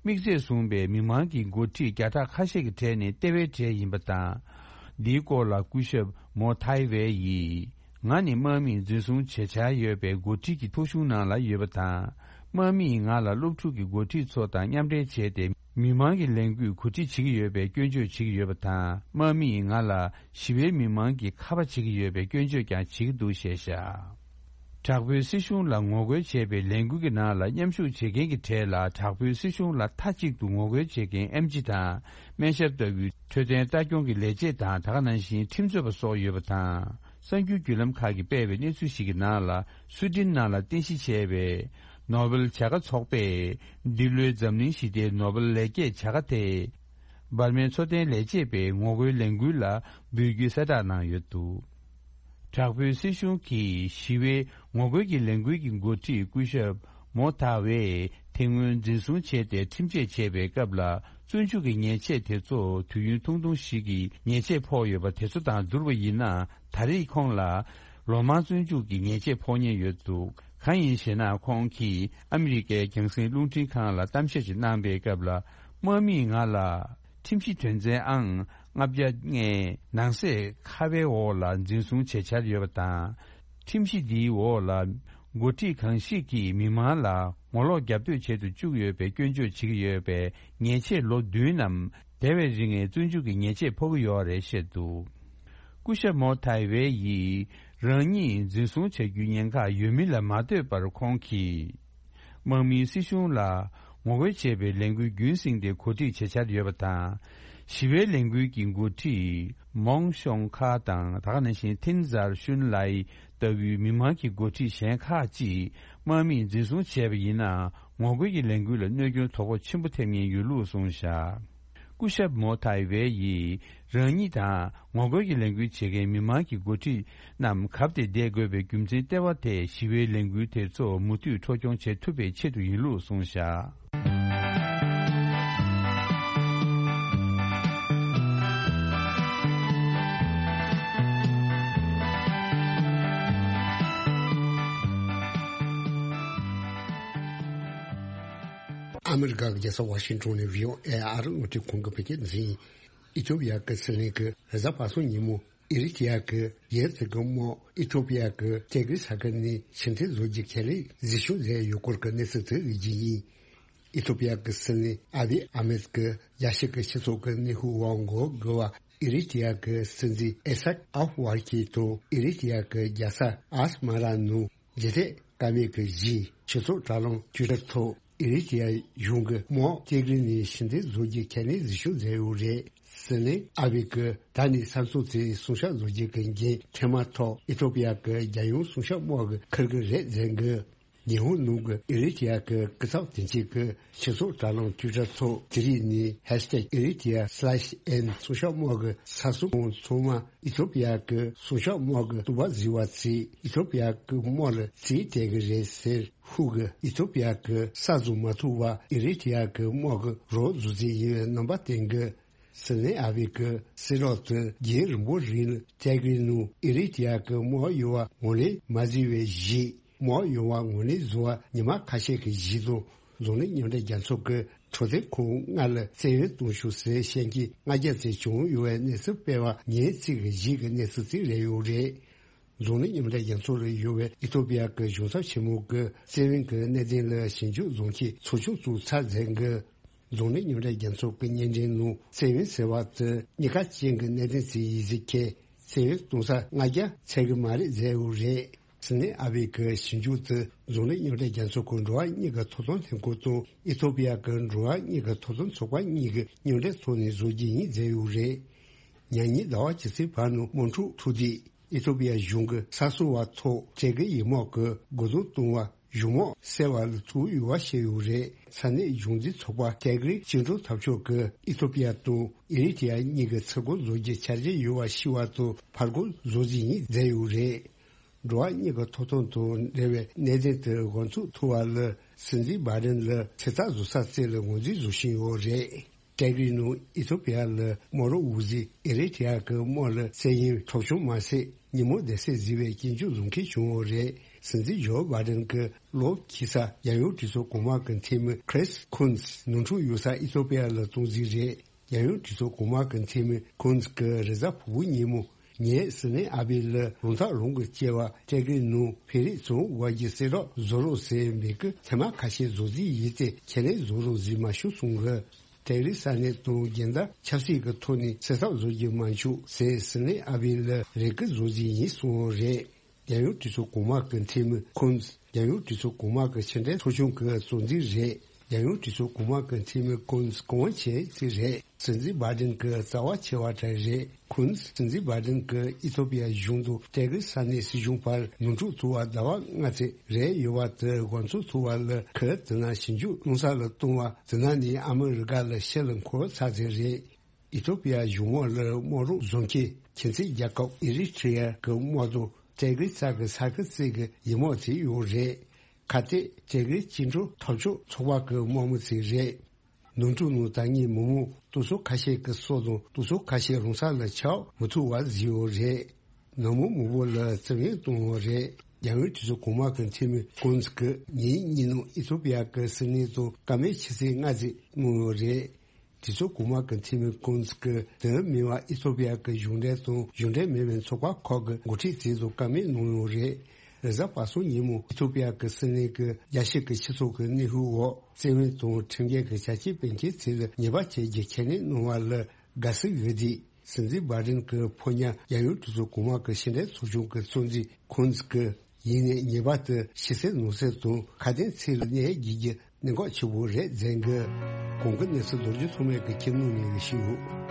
དམིགས་བརྩེ་བཟུང་བའི་མི་མང་གི་འགོ་ཁྲིད་བརྒྱ་ཕྲག་ཁ་ཤས་ཀྱི་གྲས་ནས་ལྟེ་བའི་གྲས་ཡིན་པ་དང་། འདིའི་སྐོར་ལ་སྐུ་ཞབས་མོ་ཐའི་ཝེ་ཡིས། ང་ནི་དམག་མིས་འཛིན་བཟུང་བྱེད་འཆར་ཡོད་པའི་འགོ་ཁྲིད་ཀྱི་ཐོ་གཞུང་ནང་ལ་ཡོད་པ་དང་། དམག་མིས་ང་ལ་སློབ་ཕྲུག་གི་འགོ་ཁྲིད་ཚོ་དང་མཉམ་འབྲེལ་བྱས་ཏེ། མི་མང་གི་ལས་འགུལ་གོ་སྒྲིག་བྱེད་ཀྱི་ཡོད་པའི་སྐྱོན་བརྗོད་བྱེད་ཀྱི་ཡོད་པ་དང་། དམག་མིས་ང་ལ་ཞི་བའི་མི་མང་གི་ཁ་པ་བྱེད་ཀྱི་ཡོད་པའི་སྐྱོན་བརྗོད་ཀྱང་བྱེད་ཀྱི་འདུག་ཞེས་བཤད། དྲག་པོའི་སྲིད་གཞུང་ལ་ངོ་རྒོལ་བྱས་པའི་ལས་འགུལ་གྱི་ནང་ལ་མཉམ་ཞུགས་བྱེད་མཁན་གྱི་གྲས་ལ། དྲག་པོའི་སྲིད་གཞུང་ལ་མཐའ་གཅིག་ཏུ་ངོ་རྒོལ་བྱེད་མཁན་ཨེམ་ཆི་དང་སྨན་ཞབས་ལྟ་བུའི་འཕྲོད་བསྟེན་ལྟ་སྐྱོང་གི་ལས་བྱེད་དང་། ད་ག་ནང་བཞིན་ཁྲིམས་རྩོད་པ་སོགས་ཡོད་པ་དང་། གསར་འགྱུར་བརྒྱུད་ལམ་ཁག་གིས་སྤེལ་བའི་གནས་ཚུལ་ཞིག་གི་ནང་ལ། སུའེ་ཏེན་ནང་ལ་རྟེན་གཞི་བྱས་པའི་ནོ་བེལ་བྱ་དགའ་ཚོགས་པས་འདི་ལོའི་འཛམ་གླིང་ཞི་བདེའི་ནོ་བེལ་ལེགས་སྐྱེས་བྱ་དགའ་དེ། འབར་མའི་འཚོ་རྟེན་ལས་བྱེད་པའི་ངོ་རྒོལ་ལས་འགུལ་ལ་འབུལ་རྒྱུའི་གསལ་བསྒྲགས་གནང་ཡོད་འདུག་དྲག་པོའི་སྲིད་གཞུང་གིས་ཞི་བའི་ངོ་རྒོལ་གྱི་ལས་འགུལ་གྱི་འགོ་ཁྲིད་སྐུ་ཞབས་མོ་ཐ་ཝེ་དེ་སྔོན་འཛིན་བཟུང་བྱས་ཏེ་ཁྲིམས་ཆད་བཅད་པའི་སྐབས་ལ། བཙོན་འཇུག་གི་ཉེས་ཆད་དེ་ཚོ་དུས་ཡུན་ཐུང་ཐུང་ཞིག་གི་ཉེས་ཆད་ཕོག་ཡོད་པ་དེ་ཚོ་དང་བསྡུར་བ་ཡིན་ན། ད་རེས་ཁོང་ལ་ལོ་མང་བཙོན་འཇུག་གི་ཉེས་ཆད་ཕོག་ཉེན་ཡོད་འདུག་གང་ཡིན་ཞེ་ན། ཁོང་གིས་ཨ་མི་རི་ཀའི་རྒྱང་སྲིང་རླུང་འཕྲིན་ཁང་ལ་གཏམ་བཤད་ཅིག་གནང་པའི་སྐབས་ལ། དམག་མིས་ང་ལ་ཁྲིམས་གཞི་དོན་ཚན་ཨང་ལྔ་བརྒྱ་ལྔའི་ནང་གསེས་ཁ་པའི་འོག་ལ་འཛིན་བཟུང་བྱེད་འཆར་ཡོད་པ་དང་། ཁྲིམས་གཞི་འདིའི་འོག་ལ་འགོ་ཁྲིད་གང་ཞིག་གིས་མི་མང་ལ་ངོ་ལོག་རྒྱབ་གཏོད་བྱེད་དུ་བཅུག་ཡོད་པའི་སྐྱོན་བརྗོད་བྱེད་ཀྱི་ཡོད་པས། ཉེས་ཆད་ལོ་བདུན་ནམ་དེ་བས་རིང་བའི་བཙོན་འཇུག་གི་ཉེས་ཆད་ཕོག་གི་ཡོད་རེད་བཤད་འདུག་སྐུ་ཞབས་མོ་ཐའི་ཝེ་ཡིས་རང་ཉིད་འཛིན་བཟུང་བྱ་རྒྱུའི་ཉེན་ཁ་ཡོད་མིན་ལ་མ་ལྟོས་པར། ཁོང་གིས་དམག་མིའི་སྲིད་གཞུང་ལ་ངོ་རྒོལ་བྱེད་པའི་ལས་འགུལ་རྒྱུན་བསྲིངས་ཏེ་གོ་སྒྲིག་བྱེད་འཆར་ཡོད་པ་དང་། ཞི་བའི་ལས་འགུལ་གྱི་འགོ་ཁྲིད་མོང་ཤོང་ཁ་དང་། ད་ག་ནང་བཞིན་ཐིན་ཟར་ཤུན་ལའི་ལྟ་བུའི་མི་མང་གི་འགོ་ཁྲིད་གཞན་ཁག་ཅིག་དམག་མིས་འཛིན་བཟུང་བྱས་པ་ཡིན་ན། ངོ་རྒོལ་གྱི་ལས་འགུལ་ལ་གནོད་སྐྱོན་དོ་ཕོག་ཆེན་པོ་ཐེབས་ཉེན་ཡོད་ལུགས་གསུངས་བཞག་སྐུ་ཞབས་མོ་ཐའི་ཝེ་ཡིས་རང་ཉིད་དང་ངོ་རྒོལ་གྱི་ལས་འགུལ་བྱེད་མཁན་མི་མང་གི་འགོ་ཁྲིད་རྣམས་གབ་སྟེ་བསྡད་དགོས་པའི་རྒྱུ་མཚན་ལྟེ་བ་དེ། ཞི་བའི་ལས་འགུལ་དེ་ཚོ་མུ་མཐུད་འཕྲོ་སྐྱོང་བྱེད་ཐུབ་པའི་ཆེད་དུ་ཡིན་ལུགས་གསུངས་བཞག་ཨ་མི་རི་ཀ་གི་རྒྱལ་ས་ཝ་ཤིང་ཊོན་ནས་བྷི་ཨོ་ཨེ་ཨ་རི་རླུང་འཕྲིན་ཁང་གི་བོད་སྐད་སྡེ་ཚན་ཡིན། ཨི་ཐོ་པི་ཡ་གི་སྲིད་བློན་གྱིས་རེས་གཟའ་པ་སངས་ཉིན་མོ་ཨི་རི་ཊི་ཡ་གི་རྒྱལ་སྲིད་ཀྱི་དམག་ཨི་ཐོ་པི་ཡ་གི་ཏེ་གི་ས་ཁུལ་ནས་ཕྱིར་འཐེན་བཟོ་རྒྱུ་ཁས་ལེན་གཟིགས་ཞིབ་མཛད་ཡོད་སྐོར་གྱི་གནས་ཚུལ་དེ་རིགས་ཀྱི་ཡིན། ཨི་ཐོ་པི་ཡ་གི་སྲིད་བློན་ཨ་བི་ཨ་མེད་ཀྱི་རྒྱལ་སྤྱི་གི་སྤྱི་ཚོགས་ཀྱི་གནས་ཤུགས་འོག་འགོ་དགོས་པ། ཨི་རི་ཊི་ཡ་གི་སྲིད་འཛིན་ཨི་སཱག་ཨབ་ཝར་ཁི་དང་ཨི་རི་ཊི་ཡ་གི་རྒྱལ་ས་ཨས་མ་ར་ནང་འཇིགས་སྐུལ་བཀའ་མོལ་གྱི་རྗེས། སྤྱི་ཚོགས་དྲ་ལམ་ཊུའི་ཊར་ཐོག་ཨི་རི་ཊི་ཡ་གཞུང་གིས་དམག་ཏེ་གི་ནས་ཕྱིར་འཐེན་བཟོ་རྒྱུ་ཁས་ལེན་གཟིགས་ཞིབ་མཛད་ཡོད་རེད། སྲིད་བློན་ཨ་བྷེ་གིས་ད་ནི་ས་མཚམས་དེའི་སྲུང་སྐྱོབ་བཟོ་རྒྱུ་གི་འགན་འཕྲལ་མ་ཐོག་ཨི་ཐོ་པི་ཡ་གི་རྒྱལ་ཡོངས་སྲུང་སྐྱོབ་དམག་གིས་འཁུར་གྱི་རེད་ཟེར་གི། ཉི་ཧོང་ནང་གི་ཨི་རི་ཊི་ཡ་གི་སྐུ་ཚབ་དོན་གཅོད་ཀྱིས་སྤྱི་ཚོགས་དྲ་ལམ་ཊུའི་ཊར་ཐོག་དེ་རིང་ནས་ཧེཤ་ཊེག་ཨི་རི་ཊི་ཡ་སི་ལེཤ་ཨེན་སྲུང་སྐྱོབ་དམག་གི་ས་སྲུང་ཚང་མ་ཨི་ཐོ་པི་ཡ་གི་སྲུང་སྐྱོབ་དམག་གི་གཏུག་པ་གཟིགས་པ་བྱས། ཨི་ཐོ་པི་ཡ་གི་དམག་ལ་རྩིས་སྤྲད་ཀྱི་རེད་ཟེར། ཁོང་གིས་ཨི་ཐོ་པི་ཡ་གི་ས་བཟུང་མ་ཐུབ་པར་ཨི་རི་ཊི་ཡ་གི་དམག་གི་རོགས་བཟོ་རྩིས་ཡིན་པའི་རྣམ་པ་བསྟན་གི། སྲིད་བློན་ཨ་བྷེ་གིས་གསལ་བསྒྲགས་དེ་རྒྱུན་རིང་པོའི་རིང་ལ་ཏེ་གི་ནང་ཨི་རི་ཊི་ཡ་གི་དམག་ཡོང་བ་ངོས་ལེན་མ་བྱས་པའི་རྗེས། དམག་ཡོང་བ་ངོས་ལེན་བཟོ་བར་ཉི་མ་ཁ་ཤས་ཀྱི་རྗེས་སུ། འཛམ་གླིང་མཉམ་འབྲེལ་རྒྱལ་ཚོགས་ཀྱི་འཕྲོད་བསྟེན་ཁང་ལྔ་ལ་བཙན་གཡེམ་བཏང་ཤོག་ཟེར་བཤད་མཁན་ལྔ་བརྒྱ་ཙམ་བྱུང་ཡོད་པའི་གནས་ཚུལ་སྤེལ་བ་ཉིན་གཅིག་གི་རྗེས་ཀྱི་གནས་ཚུལ་ཅིག་རེད་ཡོད་རེད། འཛམ་གླིང་མཉམ་འབྲེལ་རྒྱལ་ཚོགས་ལ་ཡོད་པའི་ཨི་ཐོ་པི་ཡ་གི་གཞུང་ཚབ་ཆེན་མོ་གིས་བཙན་གཡེམ་གྱི་གནད་དོན་ལ་ཞིབ་འཇུག་བཟོ་མཁན་ཚོགས་ཆུང་ཚོ་ཚར་འཛིན་གྱི། འཛམ་གླིང་མཉམ་འབྲེལ་རྒྱལ་ཚོགས་ཀྱི་སྙན་འགྲེལ་ནང་བཙན་གཡེམ་ཟེར་བ་དེ་གཉིས་ཀ་ཅན་གྱི་གནད་དོན་ཞིག་ཡིན་ཟེར་མཁན། བཙན་གཡེམ་གཏོང་ས་ལྔ་བརྒྱ་ཚད་ཀྱི་མ་རེད་ཟེར་ཡོད་རེད། སྲིད་བློན་ཨ་བྷེ་གི་ཞིབ་འཇུག་དེ་འཛམ་གླིང་མཉམ་འབྲེལ་རྒྱལ་ཚོགས་ཀྱི་འགྲོ་བ་མིའི་ཐོབ་ཐང་ལྷན་ཁང་དང་ཨི་ཐོ་པི་ཡ་གི་འགྲོ་བ་མིའི་ཐོབ་ཐང་ཚོགས་པ་གཉིས་ཀྱི་མཉམ་འབྲེལ་ཐོག་ནས་བཟོ་རྒྱུ་ཡིན་ཟེར་ཡོད་རེད། ཉེ་ཉིན་ཟླ་བ་ཇི་སྲིད་བར་ནང་དམག་འཁྲུག་འཁྲུག་དུས། ཨི་ཐོ་པི་ཡ་གཞུང་གིས་ས་སྲུང་བ་ཐོག་ཏེ་གི་ཡི་དམག་གི་རྒོལ་རྡུང་གཏོང་བ་གཞུང་དམག་བསད་པ་ལ་ཐུག་ཡོད་པ་བཤད་ཡོད་རེད། ས་གནས་གཞུང་འཛིན་ཚོགས་པ་ཏེ་གི་བཅིངས་འགྲོལ་འཐབ་ཕྱོགས་ཀྱིས་ཨི་ཐོ་པི་ཡ་དང་ཨི་རི་ཊི་ཡ་གཉིས་ཀྱི་ཚུར་རྒོལ་བཟོ་རྒྱུའི་འཆར་གཞི་ཡོད་པ་ཤེས་པ་དང་ཕར་རྒོལ་བཟོ་རྩིས་ཡིན་ཟེར་ཡོད་རེད། འགྲོ་བ་མིའི་ཐོབ་ཐང་དང་འབྲེལ་བའི་གནད་དོན་དེ་འགོ་ཚུགས་ཐུབ་པ་ལ་སྲིད་འཛིན་བྷའི་ཌེན་ལ་ཚོད་ལྟ་བཟོ་ས་བཙལ་ལ་ངོས་འཛིན་བཟོ་བཞིན་ཡོད་རེད། ཏེ་གི་ནང་ཨི་ཐོ་པི་ཡ་ལ་དམག་རོགས་འོག་འཛིན་ཨི་རི་ཊི་ཡ་གི་དམག་ལ་བཙན་གཡེམ་འཕྲོག་བཅོམ་མ་ཟད་ཉིན་མོ་བདེ་གསོད་བཟོས་པའི་སྐྱོན་བརྗོད་བཟོ་མཁན་བྱུང་ཡོད་རེད། སྲིད་འཛིན་ཇོ་བྷའི་ཌེན་གྱི་ལོ་འཁྱུད་ས་རྒྱལ་ཡོངས་གྲོས་ཚོགས་གོང་མ་གི་འཐུས་མི་ཁྲིས་ཁུན་ནོར་འཁྲུལ་ཡོད་ས་ཨི་ཐོ་པི་ཡ་ལ་གཏོང་རྩིས་རེད། རྒྱལ་ཡོངས་གྲོས་ཚོགས་གོང་མ་གི་འཐུས་མི་ཁུན་གྱིས་རེས་གཟའ་ཕུར་བུ་ཉིན་མོ། ངས་སྲིད་བློན་ཨ་བྷེ་ལ་རང་ཐག་རང་གིས་བཅད་པ་ཏེ་གི་ནང་ཕེ་རེ་བཙོང་བར་གྱི་གསལ་བསྒྲགས་བཟོ་རོགས་ཟེར་མི་གི་ཐེངས་མ་ཁ་ཤས་བཟོ་རྩིས་ཡིན་ཏེ་ཁས་ལེན་བཟོ་རོགས་ཟེར་མ་ཞུ་གསུང་གི། ཏེ་རི་ས་གནས་དང་རྒྱལ་དར་ཆབ་སྲིད་ཀྱི་ཐོག་ནས་སེལ་ཐབས་བཟོ་རྒྱུ་མ་བྱུང་ཟེར་སྲིད་བློན་ཨ་བྷེ་ལ་རེ་སྐུལ་བཟོ་རྩིས་ཡིན་གསུངས་ཡོད་རེད། རྒྱལ་ཡོངས་གྲོས་ཚོགས་གོང་མ་གི་འཐུས་མི་ཁོང་། རྒྱལ་ཡོངས་གྲོས་ཚོགས་གོང་མ་གི་ཕྱི་འབྲེལ་ཚོགས་ཆུང་གི་གཙོ་འཛིན་རེད། རྒྱལ་ཡོངས་གྲོས་ཚོགས་གོང་མ་གི་འཐུས་མི་ཀུན་གོང་ཆེ་ཚིག་རེད། སྲིད་འཛིན་བྷའི་ཌེན་གྱི་རྩ་བ་ཆེ་བ་གྲས་རེད། ཁོང་སྲིད་འཛིན་བྷའི་ཌེན་གྱི་ཨི་ཐོ་པི་ཡ་གཞུང་དུ་ཏེ་གི་ས་གནས་སྲིད་གཞུང་བར་ནོར་འཁྲུལ་ཐུག་པ་ཟླ་བ་ལྔ་ཙམ་རེད་ཡོད་པ་དེ་དགོངས་ཚུལ་ཐུག་པ་ལ་ཁོས་དེ་ན་ཞིབ་འཇུག་སློང་ས་ལ་གཏོང་བ་དེ་ན་ནི་ཨ་མི་རི་ཀ་ལ་ཕྱིར་ལ་འཁོར་ཚར་ཚར་རེད། ཨི་ཐོ་པི་ཡ་གཞུང་འོག་ལ་དམག་རོགས་བཟོ་མཁན་ཁྱིམ་མཚེས་རྒྱལ་ཁབ་ཨི་རི་ཊི་རི་ཡ་གི་དམག་དོན་ཏེ་གི་རྩ་གི་ས་ཁུལ་རྩེ་གི་ཡི་དམག་ཚོ་ཡོད་རེད། ཁ་གཏད་ཏེ་གི་བཅིངས་འགྲོལ་འཐབ་ཕྱོགས་ཚོགས་པ་གི་དམག་མི་ཚོ་རེད། ནོར་འཁྲུལ་ནང་ད་ངས་མི་མང་སྟོང་ཚོ་ཁ་ཤས་ཀྱི་སྲོག་དང་སྟོང་ཚོ་ཁ་ཤས་རང་ས་ལ་ཆགས་མི་ཐུབ་པ་བཟོས་ཡོད་རེད། ནང་མི་མང་པོ་ལ་རྩིས་ལེན་བཏང་ཡོད་རེད། རྒྱལ་ཡོངས་གྲོས་ཚོགས་གོང་མ་གི་འཐུས་མི་ཀུན་གྱིས་ཉིན་གཉིས་ནང་ཨི་ཐོ་པི་ཡ་གི་སྲིད་བློན་དང་བཀའ་མོལ་ཆུ་ཚོད་ལྔ་ཙམ་གནང་ཡོད་རེད། གྲོས་ཚོགས་གོང་མ་གི་འཐུས་མི་ཀུན་གྱིས་དེ་མིན་པ་ཨི་ཐོ་པི་ཡ་གི་གཞུང་འབྲེལ་དང་གཞུང་འབྲེལ་མིན་པའི་ཚོགས་པ་ཁག་གི་འགོ་ཁྲིད་ཚོ་དང་བཀའ་མོལ་གནང་ཡོད་རེད། རེས་གཟའ་པ་སངས་ཉིན་མོ་ཨི་ཐོ་པི་ཡ་གི་སྲིད་བློན་གྱིས་རྒྱལ་སྤྱི་གི་སྤྱི་ཚོགས་ཀྱི་གནོན་ཤུགས་འོག་བཙན་གནོན་དང་ཁྲིམས་འགལ་གྱི་བྱ་སྤྱོད་སྤེལ་མཁན་ཚོ་ལ་ཉེས་པ་བཅད་རྒྱུ་ཁས་ལེན་གནང་བ་ལ་དགའ་བསུ་ཡོད་དེ། སྲིད་འཛིན་བྷའི་ཌེན་གྱི་ཕོ་ཉ་རྒྱལ་ཡོངས་གྲོས་ཚོགས་གོང་མ་གི་ཕྱི་འབྲེལ་ཚོགས་ཆུང་གི་གཙོ་འཛིན་ཁོང་གིས་ཡིན་ནའི་ཉེས་པ་དེ་ཕྱི་གསལ་ནང་གསལ་དང་ཁ་དན་ཚིག་ལ་གནས་རྒྱུ་གི་གནད་འགག་ཆེ་བོ་རེད་ཟེར་གི། གོང་གི་གནས་ཚུལ་རྡོ་རྗེ་ཐོགས་མེད་ཀྱིས་ཁྱིམ་ནང་ནས་ཞུས་ཡོད།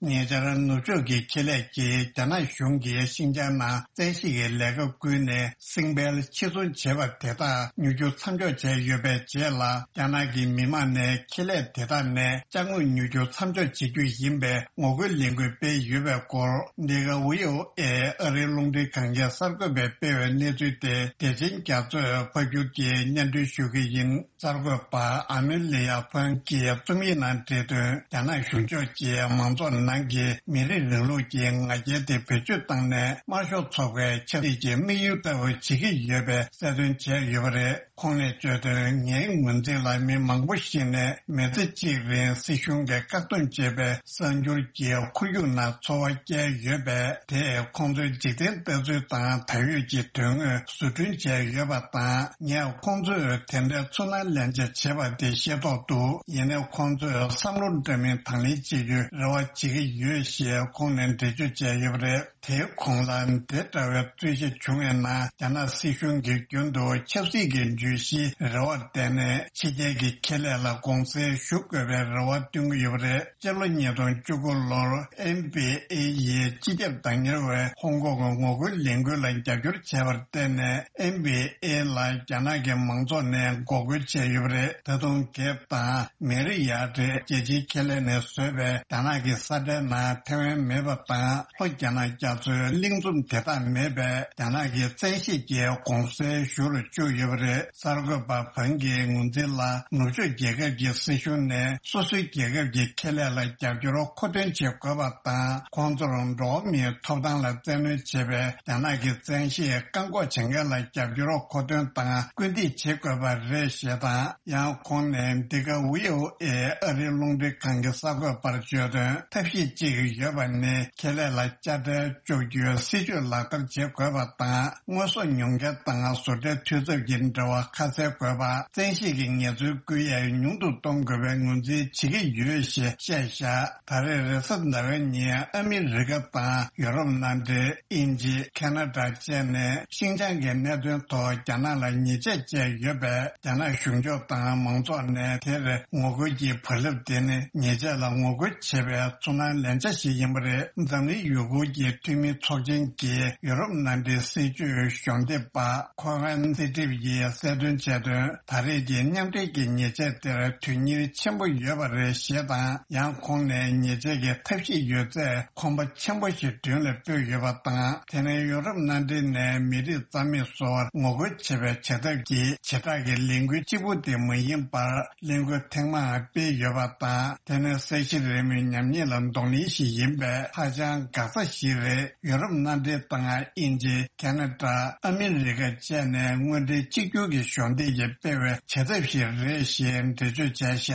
ཉེ་ཆར་ནུབ་ཕྱོགས་ཀྱི་ཁེ་ལས་ཀྱིས་རྒྱ་ནག་གཞུང་གིས་ཤིན་ཅང་ནང་བཙན་ཤེད་ཀྱི་ལས་ཀ་བསྐུལ་ནས་སྲིང་བལ་ཕྱིར་ཚོང་བྱས་པ་དེ་དག་མྱུར་སྐྱོབ་མཚམས་འཇོག་བྱས་ཡོད་པའི་རྗེས་ལ། རྒྱ་ནག་གི་མི་དམངས་ནས་ཁེ་ལས་དེ་དག་ནས་ཅ་དངོས་མྱུར་སྐྱོབ་མཚམས་འཇོག་བྱེད་རྒྱུ་ཡིན་པའི་ངོ་རྒོལ་ལས་འགུལ་སྤེལ་ཡོད་པའི་སྐོར། འདི་ག་ཝི་ཨོ་ཨེ་ཨ་རིའི་རླུང་འཕྲིན་ཁང་གི་གསར་འགོད་པས་སྤེལ་བའི་གནས་ཚུལ་དེ་བདེ་ཆེན་རྒྱ་མཚོས་ཕབ་སྒྱུར་གྱིས་སྙན་སྒྲོན་ཞུ་གི་ཡིན། གསར་འགོད་པ་ཨ་མེ་ལི་ཡ་ཕོན་གྱིས་རྩོམ་ཡིག་ནང་བྲིས་དོན། རྒྱ་ནག་གཞུང་ཕྱོགས་ཀྱིས་མང་ཚོགས་ནང་གི་མི་རིགས་རིང་ལུགས་ཀྱི་ང་རྒྱལ་དེ་བེད་སྤྱོད་བཏང་ནས་དམར་ཤོག་ཚོགས་པའི་ཆབ་སྲིད་ཀྱི་དམིགས་ཡུལ་ལྟ་བུ་བྱེད་ཀྱི་ཡོད་པའི་གསལ་སྟོན་བྱས་ཡོད་པ་རེད། ཁོང་ནས་བརྗོད་དོན། ངའི་ངོས་འཛིན་ལ་མི་མང་པོ་ཞིག་ནས་མི་ཚེ་གཅིག་རིང་སྲིད་གཞུང་གིས་བཀག་སྡོམ་བྱས་པའི་གསར་འགྱུར་གྱི་ཁོར་ཡུག་ནང་འཚོ་བ་བསྐྱལ་ཡོད་པས། དེས་ཁོང་ཚོའི་འཇིག་རྟེན་ལྟ་ཚུལ་དང་ད་ཡོད་ཀྱི་དོན་དངོས་བཟོ་སྐྲུན་བྱས་ཡོད་པ་དང་། ངས་ཁོང་ཚོས་དེ་འདྲའི་ཚུར་སྣང་ལན་ཆ་བྱས་པ་དེ་ཤེས་རྟོགས་འདུག་ཡིན་ནའི་ཁོང་ཚོས་བསམ་བློ་འདྲ་མིན་དང་ལེན་བྱེད་རྒྱུའི་རེ་བ་བྱེད་ཀྱི་ཡོད་ཞེས་ཁོང་ནས་འགྲེལ་བརྗོད་བྱས་ཡོད་པ་རེད། དེའི་གོང་ལ་འདི་འདྲ་བའི་རྩོད་གཞི་བྱུང་བའི་ནང་། རྒྱ་ནག་སྲིད་གཞུང་གིས་རྒྱུན་དུ་ཆབ་སྲིད་ཀྱི་བརྗོད་གཞིའི་རེ་བར་བརྟེན་ནས་ཕྱི་རྒྱལ་གྱི་ཁེ་ལས་ལ་གུང་སེང་ཞུ་དགོས་པའི་རེ་བ་བཏོན་གྱི་ཡོད་པ་རེད། སྤྱི་ལོ་ཉིས་སྟོང་བཅུ་དགུ་ལོར་ཨེན་བྷི་ཨེ་ཡིས་སྤྱི་ཁྱབ་བདག་གཉེར་བའི་ཧོང་ཀོང་གི་ངོ་རྒོལ་ལས་འགུལ་ལ་རྒྱབ་སྐྱོར་བྱས་པར་བརྟེན་ནས། ཨེན་བྷི་ཨེ་ལ་རྒྱ་ནག་གི་མང་ཚོགས་ནས་འགོག་རྒོལ་བྱས་ཡོད་པ་རེད། ད་དུང་གེབ་དང་མེ་རི་ཡ་ཏྲི་རྒྱལ་སྤྱིའི་ཁེ་ལས་ནས་བཟོས་པའི་རྒྱ་ནག་གི་ས་ཁྲའི་ནང་ཐེ་ཝན་མེད་པ་དང་། ལྷོ་རྒྱ་ནག་རྒྱ་མཚོའི་གླིང་ཚོམ་དེ་དག་མེད་པས། རྒྱ་ནག་གིས་བཙན་ཤེད་ཀྱིས་གུང་སེང་ཞུ་རུ་བཅུག་ཡོད་པ་རེད། གསར་འགོད་པ་ཕང་གིས་ངོས་འཛིན་ལ། ནུབ་ཕྱོགས་རྒྱལ་ཁབ་ཀྱི་སྲིད་གཞུང་ནས་སོ་སོའི་རྒྱལ་ཁབ་ཀྱི་ཁེ་ལས་ལ་རྒྱབ་སྐྱོར་མཁོ་འདོན་བྱེད་དགོས་པ་དང་། ཁོང་ཚོར་འགྲོ་བ་མིའི་ཐོབ་ཐང་ལ་བཙན་གནོན་བྱེད་པའི་རྒྱ་ནག་གི་བཙན་ཤེད་བཀག་འགོག་བྱེད་མཁན་ལ་རྒྱབ་སྐྱོར་མཁོ་འདོན་དང་སྐུལ་འདེད་བྱེད་དགོས་པ་རེད་ཞེས་དང་། ཡང་ཁོང་ནས་འདི་ག་ཝི་ཨོ་ཨེ་ཨ་རིའི་རླུང་འཕྲིན་ཁང་གི་གསར་འགོད་པར་བརྗོད་དོན། ཐབས་ཤེས་གཅིག་ཡོད་པ་ནི། ཁེ་ལས་ལ་དཔྱ་ཁྲལ་གཅོག་རྒྱུའི་སྲིད་ཇུས་ལག་བསྟར་བྱེད་དགོས་པ་དང་། དངོས་ཟོག་ཉོ་མཁན་དང་བཟོ་གྲྭའི་འཐུས་ཚབ་ཀྱི་འབྲེལ་བ་ཁ་གསལ་དགོས་པ། བཙན་ཤེད་ཀྱི་ངལ་རྩོལ་བསྐུལ་ཡས་ཉུང་དུ་གཏོང་དགོས་པའི་ངོས་འཛིན་བྱེད་ཀྱི་ཡོད་ཞེས་བཤད་བཞག་ད་རེས་རེས་གཟའ་ཟླ་བའི་ཉིན་ཨ་མི་རི་ཀ་དང་ཡུ་རོབ་མནའ་འབྲེལ། དབྱིན་ཇི། ཁ་ན་ཌ་བཅས་ནས་ཤིན་ཅང་གི་གནད་དོན་ཐོག་རྒྱ་ནག་ལ་ཉེས་ཆད་བཅད་ཡོད་པས། རྒྱ་ནག་གཞུང་ཕྱོགས་དང་མང་ཚོགས་ནས་དེར་ངོ་རྒོལ་གྱི་བག་ལེབ་འདེགས་ནས་ཉེས་ཆད་ལ་ངོ་རྒོལ་བྱེད་པའི་ཚུར་སྣང་ལན་ཆ་ཞིག་ཡིན་པ་རེད། འཛམ་གླིང་ཡུལ་སྐོར་གྱི་འཐུས་མི་ཚོགས་ཆེན་གྱི་ཡུ་རོབ་མནའ་འབྲེལ་སྲིད་བྱུས་གཞོགས་འདེགས་པ་ཁོ་ཝན་སི་ཏྲིབ་ཡིས་གསལ་སྟོན་བྱས་དོན། ད་རེས་ཀྱི་མཉམ་འབྲེལ་གྱི་ཉེས་ཆད་དེར་དོན་སྙིང་ཆེན་པོ་ཡོད་པ་རེད་ཞེས་དང་། ཡང་ཁོང་ནས་ཉེས་ཆད་ཀྱི་ཐབས་ཤེས་ཡོད་ཚད་གོམ་པ་ཆེན་པོ་ཞིག་མདུན་ལ་སྤོས་ཡོད་པ་དང་། དེ་ནས་ཡུ་རོབ་མནའ་འབྲེལ་ནས་མི་རིགས་རྩ་མེད་བཟོ་བར་ངོ་རྒོལ་བྱེད་པའི་བྱ་ཐབས་ཀྱིས་བྱེ་བྲག་གི་ལས་འགུལ་གཅིག་པུ་དེ་མ་ཡིན་པར། ལས་འགུལ་ཐེངས་མང་སྤེལ་ཡོད་པ་དང་། དེ་ནི་ས་གཞི་རིལ་མོའི་ཉམས་ཉེས་ལ་གདོང་ལེན་ཞིག་ཡིན་པས་ཧ་ཅང་དགག་ས་ཞིག་རེད། ཡུ་རོབ་མནའ་འབྲེལ་དང་དབྱིན་ཇི། ཁ་ན་ཌ། ཨ་མི་རི་ཀ་བཅས་ནས་དངོས་འབྲེལ་གཅིག་གྱུར་གྱི་གཞོགས་འདེགས་ཀྱིས་སྤེལ་བའི་བྱ་ཐབས་ཤིག་རེད་ཞེས་འགྲེལ་བརྗོད་བྱས་བཞག་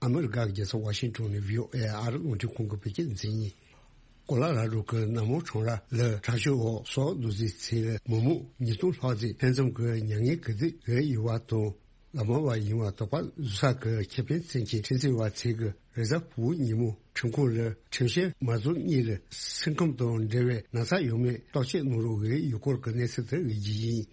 ཨ་མི་རི་ཀ་ཡག་རྒྱལ་ས་ཝ་ཤིང་ཏོན་ནས་བྷི་ཨོ་ཨེ་ཨར་རླུང་འཕྲིན་ཁང་གི་བོད་སྐད་འཛིན་ཡིན། གོ་ལ་ར་རུ་གི་གནམ་སྔོན་ཁྲོམ་ར་ལ་དྲག་སྤྱོད་འོག་སྲོག་བླུ་རྫས་ཚེ་ལ་མི་མང་ཉིས་སྟོང་ལྷག་ཙམ་ལྷན་འཛོམས་ཀྱི་མྱ་ངན་གུས་འདུད་འོས་ཡོད་པ་དང་། ལ་མ་བ་ཡིན་བ་དོགས་པ་བཟོ་ས་གི་ཁེ་ཕན་བཙན་གྱི་ཁྲིམས་རྩོད་པ་ཚོས་གི་རེས་གཟའ་ཕུར་བུ་ཉིན་མོ་ཁྲིམས་ཁང་ལ་ཁྲིམས་བཤེར་མ་རྫོགས་གཉིས་ལ་སེམས་ཁམས་དང་འབྲེལ་བའི་ན་ཚ་ཡོད་མེད་བརྟག་དཔྱད་གནང་རོགས་འོས་ཡོད་སྐོར་གྱི་གནས་ཚུལ་དེ་འོས་རྒྱུ་ཡིན།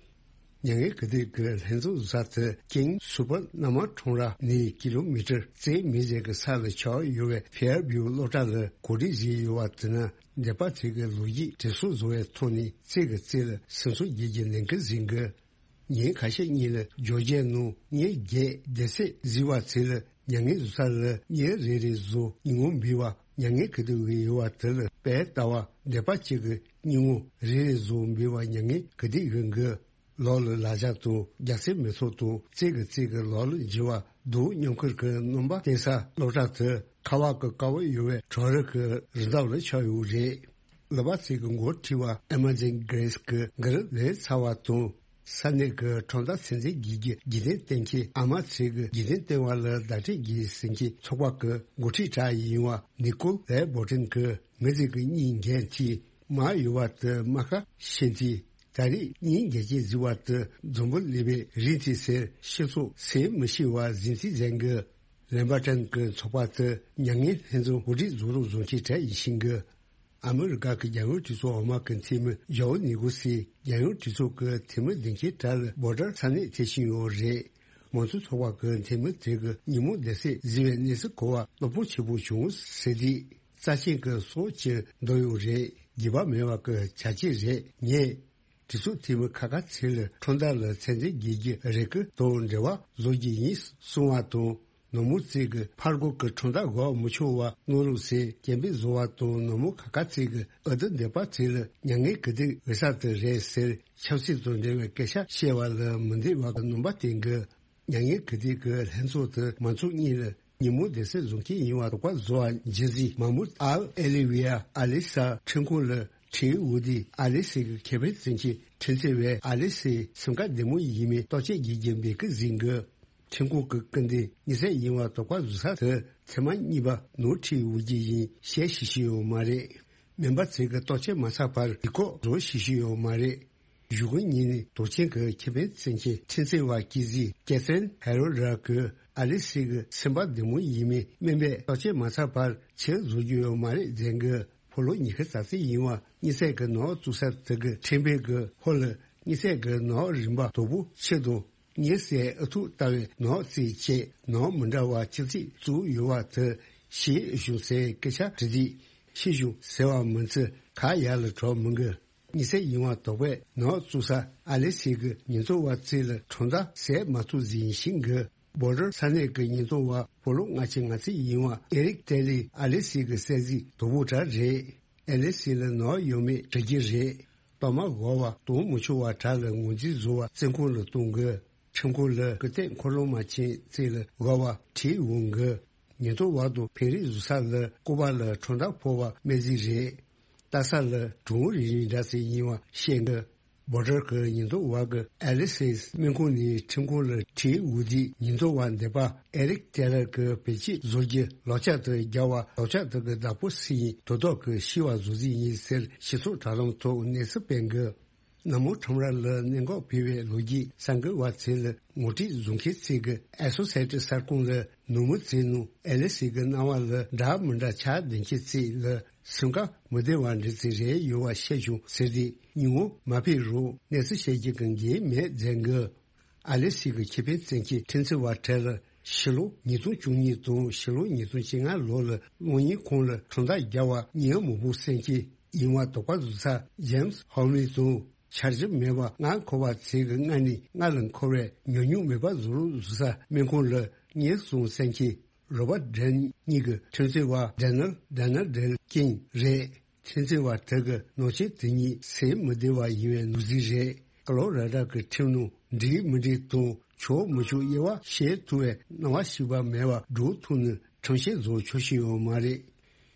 མྱ་ངན་གུས་འདུད་ཀྱི་ལྷན་འཛོམས་བཟོ་ས་དེ་ཀིང་སུ་པར་གནམ་སྔོན་ཁྲོམ་ར་ནས་ཀི་ལོ་མི་ཊར་རྩེ་མི་ཟེར་གྱི་ས་ལ་ཆགས་ཡོད་པའི་ཕེར་བིའུ་སློབ་གྲྭ་ལ་གོ་སྒྲིག་བྱས་ཡོད་པ་དེ་ནི་འདས་པ་ཚོས་ཀྱི་ལོ་རྒྱུས་དྲན་གསོ་བཟོ་བའི་ཐོག་ནས་རྩེ་གི་རྩེ་ལ་སེམས་གསོ་རྒྱག་རྒྱུ་ལས་འགུལ་ཟིན་གི། ཉིན་ཁ་ཤས་གཉིས་ལ་ཇོ་རྗེ་ནང་ཉིན་བརྒྱད་བསྡད་ཚེ་བཟི་བ་ཚོས་ལ་མྱ་ངན་བཟོ་ས་ལ་ཉིན་རེ་རེ་བཟོ་ཉིན་ངོ་འབུལ་བ་མྱ་ངན་གུས་འདུད་འོས་ཡོད་པ་དེ་ལ་དཔེ་ལྟ་བ་འདས་པ་གཅིག་གི་ཉིན་ངོ་རེ་རེ་བཟོ་འབུལ་བ་མྱ་ངན་གུས་འདུད་འོས་འགི། ལོག་ལ་ལ་ཇ་དང་རྒྱ་སེ་མི་ཚོགས་དང་རྩེ་གི་རྩེ་གི་ལོག་ལ་འགྱུར་བ་སྡུག་མཉམ་ཁུར་གི་སྣོན་པ་བསྟན་ས་སློབ་གྲྭ་དེ་ཁ་བ་གི་དཀར་པོ་ཡོད་པའི་གྲོག་རི་གི་རི་འདབས་ལ་ཆགས་ཡོད་རེད། ལ་བ་ཚིག་གི་འགོ་ཁྲིད་པ་ཨེ་མ་ཛིན་གྷེ་རེས་ཀྱི་འགུལ་ལས་ཚར་བ་དང་། ས་གནས་ཀྱི་ཁྲོམ་བདག་ཚན་རྩལ་གྱི་རྒྱུ་རྒྱུ་རྟེན་བསྟན་མཁན་ཨ་མ་ཚིག་གི་རྒྱུ་རྟེན་བསྟན་པ་ལ་བརྡ་སྤྲོད་རྒྱུ་ཟིན་གྱི་ཚོགས་པ་གི་འགོ་ཁྲིད་གྲས་ཡིན་བ་ནི་ཀོལ་ལེ་བོ་ཏིན་གྱི་མི་ཚིག་གི་གཉིས་འགན་ཐིག་མ་ཡོད་པ་དུ་མ་ཁ་ཤེས་ཏི། ད་རེས་གཉིས་འགན་ཅན་བཟི་བ་དུ་འཛོམས་པོ་ལེ་བའི་རིན་ཏི་སེར་ཤི་སོགས་སེ་མི་ཤི་བ་ཟིན་ཏི་ཟན་གི་ལེན་པ་ཏན་གྱི་ཚོགས་པ་དུ་མྱ་ངན་ལྷན་འཛོམས་གོ་སྒྲིག་བཟོ་རོགས་བཟོ་མཁན་གྲས་ཡིན་ཤིང་གི། ཨ་མི་རི་ཀ་གི་རྒྱལ་ཡོངས་གྲོས་ཚོགས་འོག་མ་གི་འཐུས་མི་ཇོའོ་ནི་གོ་སི་རྒྱལ་ཡོངས་གྲོས་ཚོགས་ཀྱི་འཐུས་མི་འདེམས་མཁན་གྲས་ལ་བོ་ཊར་ས་གནས་ཐེབས་བཞིན་ཡོད་རེད། མང་གཙོ་ཚོགས་པ་གི་འཐུས་མི་དེ་གི་ཉིན་མོ་བསྡད་སའི་བཟི་བའི་གནས་ཚུལ་གོ་བ་གློ་བུར་ཆེན་པོ་བྱུང་ཟེར་དུས་རྩ་ཆེན་གྱི་སྲོག་ཅིག་འདོད་ཡོད་རེད། རྒྱུས་པ་མེད་པ་གི་བྱ་སྤྱོད་རེད་ངས། གྲོས་ཚོགས་འཐུས་མི་ཁ་ཁ་ཚེ་ལ་ཁྲོམ་བདག་ལ་ཚན་རྩལ་དགེ་རྒྱུ་རེ་སྐུལ་དང་འབྲེལ་བ་བཟོ་རྒྱུ་ཡིན་གསུང་བ་དང་། ནོར་མུ་རྩེ་གི་ཕར་སྒོ་གི་ཁྲོམ་བདག་འགོག་མི་ཆོག་བ་གནང་རོགས་ཟེར་སྐད་འབོད་བཟོ་བ་དང་། ནོར་མུ་ཁ་ཁ་རྩེ་གི་ཨ་དུ་འདས་པ་ཚེ་ལ་མྱ་ངན་གུས་འདུད་འོས་ས་དེ་རེད་ཟེར་ཆབ་སྲིད་དང་འབྲེལ་བའི་སྐད་ཆ་བཤད་པ་ལ་མི་འདོད་པ་གི་སྣང་བ་བསྟན་གི། མྱ་ངན་གུས་འདུད་ཀྱི་ལྷན་ཚོགས་དེ་མང་ཚོགས་གཉིས་ལ་ཉིན་མོ་བསྡད་སའི་བཟོ་མཁན་ཡིན་བ་དོགས་པ་བཟོ་བ་འཇི་ཟིག་མ་མུ་ཨལ་ཨེ་ལི་ཝི་ཡ་ཨ་ལི་ས་ཁྲིམས་ཁང་ལ་ཁྲིའི་འུ་དི་ཨ་ལི་སི་གི་ཁེ་ཕན་བཙན་གྱི་ཁྲིམས་རྩོད་པས་ཨ་ལི་སི་སེམས་ཁ་བདེ་མོ་ཡིན་མིན་བརྟག་དཔྱད་བགྱིད་རྒྱུ་འབད་ཀི་ཟིན་གི། ཁྲིམས་ཁང་གི་སྐུ་མདུན་ཉི་ཚེ་ཡིན་བ་དོགས་པ་བཟོ་ས་དེ་ཚེ་མ་གཉིས་པ་ནོར་ཁྲིའི་འུ་དི་ཡིན་བཤད་ཤེས་ཤེས་ཡོད་མ་རེད། མེམ་པ་ཚོས་གི་བརྟག་དཔྱད་མ་ཚར་བར་ཡིག་སྐོག་བཟོ་ཤེས་ཤེས་ཡོད་མ་རེད། གཞུག་གུ་ཉིན་ནས་དོག་ཆེན་གྱི་ཁེ་ཕན་བཙན་གྱི་ཁྲིམས་རྩོད་པ་ཀི་ཟི་ཀེ་ཚན་ཧེ་རོ་ར་གི་ཨ་ལི་སི་གི་སེམས་པ་བདེ་མོ་ཡིན་མིན་སྨན་པས་བརྟག་དཔྱད་མ་ཚར་བར་ཕྱིར་བཟོ་རྒྱུ་ཡོད་མ་རེད་ཟེར་གི། ཕོ་ལོ་ཉི་ཤུ་རྩ་གཅིག་ཡིན་བ་ཉི་ཚེ་གི་ནོར་བཙུགས་ས་དེ་གི་ཁྲིམས་དཔོན་གི་ཧོ་ལ་ཉི་ཚེ་གི་ནོར་རིན་པ་དོ་པོ་ཆེ་དང་ཉི་ཚེ་ཨ་ཐུག་ལྟ་བའི་ནོར་རྩིས་བྱས་ནོར་མི་འདྲ་བ་ཅི་རྩིས་བཙུགས་ཡོད་བ་དེ་ཤེས་བྱུང་ཟེར་སྐད་ཆ་དྲི་དུས་ཤེས་བྱུང་ཟེར་བ་མིན་ཚེ་ཁ་ཡར་ལ་གྲོགས་མི་འགི། ཉི་ཚེ་ཡིན་བ་དོགས་པས་ནོར་བཙུགས་ས་ཨ་ལེ་སི་གི་ཉིན་ཐོ་བ་རྩིས་ལ་ཁྲོམ་བདག་ཟས་མ་ཐུབ་ཟིན་ཤིང་གི། བོ་ཌར་ས་གནས་ཀྱི་ཉིན་ཐོ་བ་ཕོ་ལོ་ལྔ་བཅུ་ང་གཅིག་ཡིན་བ་ཨེ་རིག་ཏེ་ལི་ཨ་ལེ་སི་གི་གསལ་གཟིགས་དོ་པོ་གྲ་རེད། ཨ་ལེ་སི་ལ་ནོར་ཡོད་མེད་དྲི་རྒྱུ་རེད། གཏོར་མ་འགོག་པ་གཏོང་མི་ཆོག་པ་གྲ་ལ་ངོས་འཛིན་བཟོ་བ་བཙོན་ཁང་ལ་གཏོང་གི། ཁྲིམས་ཁང་ལ་སྐུ་རྟེན་འཁོར་ལོ་མ་ཆེན་རྩིས་ལ་དགའ་བ་ཁྲིད་འོང་གི། ཉིན་ཐོ་བ་དང་ཕན་རེས་བཟོ་ས་ལ་སྐུ་པར་ལ་ཁྲོམ་བདག་ཕོ་བ་སྨན་རྩིས་རེད། ལྟ་ས་ལ་གྲོང་རིག་རིག་འདྲ་ཚེ་ཡིན་བ་བཤད་གི། བོ་ཌར་གི་ཉིན་ཐོ་བ་གི་ཨ་ལི་སིས་སྨན་ཁང་ནས་ཁྲིམས་ཁང་ལ་ཁྲིད་འོང་དུས་ཉིན་ཐོ་བ་འདས་པ་ཨེ་རིག་ཏེ་ལར་གི་བེད་སྤྱོད་བཟོ་རྒྱུ་ལག་ཆ་དུ་རྒྱག་བ་ལག་ཆ་དུ་གི་བདག་པོ་སུ་ཡིན་དོ་ཐོག་གི་ཤི་བ་བཟོ་རྩིས་ཡིན་ཟེར་སྤྱི་ཚོགས་དྲ་ལམ་ཐོག་གནས་ཚུལ་སྤེལ་གི། གནམ་སྔོན་ཁྲོམ་ར་ལ་གནད་འགག་འཕེལ་བའི་ལོ་རྒྱུས་གསར་འགོད་པ་ཚོས་ལ་ངོ་སྤྲོད་བཟོ་མཁན་ཚོས་ཀྱི་ཨེ་སོ་སི་ཨེ་ཊི་གསར་ཁང་ལ་ནུབ་མོ་ཚོས་ནང་ཨེ་ལི་སི་གི་སྣང་བ་ལ་འདྲ་མི་འདྲ་ཆགས་བསྡད་མཁན་ཚོས་ལ་སེམས་ཁ་མི་བདེ་བ་འདྲ་ཚོད་རེ་ཡོད་པ་བཤད་བྱུང་ཟེར་ཏེ་ཉིན་མོ་མ་ཕེབས་རུང་གནས་ཚུལ་བཤད་རྒྱུ་གི་འགན་མེད་མཛད་གི། ཨ་ལེ་སི་གི་ཁེ་ཕན་བཙན་གྱི་ཁྲིམས་རྩོད་པ་གྲས་ལ་ཕྱི་ལོ་ཉིས་སྟོང་བཅུ་གཉིས་དང་ཕྱི་ལོ་ཉིས་སྟོང་བཅོ་ལྔ་ལོ་ལ་གློག་བརྙན་ཁང་ལ་ཁྲོམ་བདག་རྒྱག་པ་ཉིན་མོ་བུ་བཙན་གྱི་ཡིན་བ་དོགས་པ་བཟོ་ས་ཇེམ་སི་ཧོ་མི་དང་འཆར་གཞི་མེད་པ་ལྔ་འཁོར་བ་ཚེ་གི་ལྔ་ནས་ལྔ་ལ་འཁོར་བའི་ཉུང་ཉུང་མེད་པ་བཟོ་རོགས་བཟོ་ས་སྨན་ཁང་ལ་ཉེན་སྲུང་བཙན་གྱི་རོ་བར་ཌན་གཉིས་ཀྱི་ཁྲིམས་རྩོད་པ་ཌེ་ནལ་ཌེ་ནལ་ཌེལ་ཀིང་རེད། ཁྲིམས་རྩོད་པ་དེ་གི་ནང་ཆེན་དེ་ཉིད་སེམས་མི་བདེ་བ་ཡིན་པའི་ནོར་རྫས་རེད། ཀ་ལོ་ར་ཌ་གི་ཁྲིམས་ནང་འགྲིག་མི་འགྲིག་དང་ཆོག་མི་ཆོག་དབྱེ་བ་ཕྱེ་ཐུབ་པའི་སྣང་བ་ཞིག་པ་མེད་པར་འགྲོ་ཐུབ་ནས་ཁྲིམས་བཤེར་བཟོ་ཆོག་ཤེས་ཡོད་མ་རེད།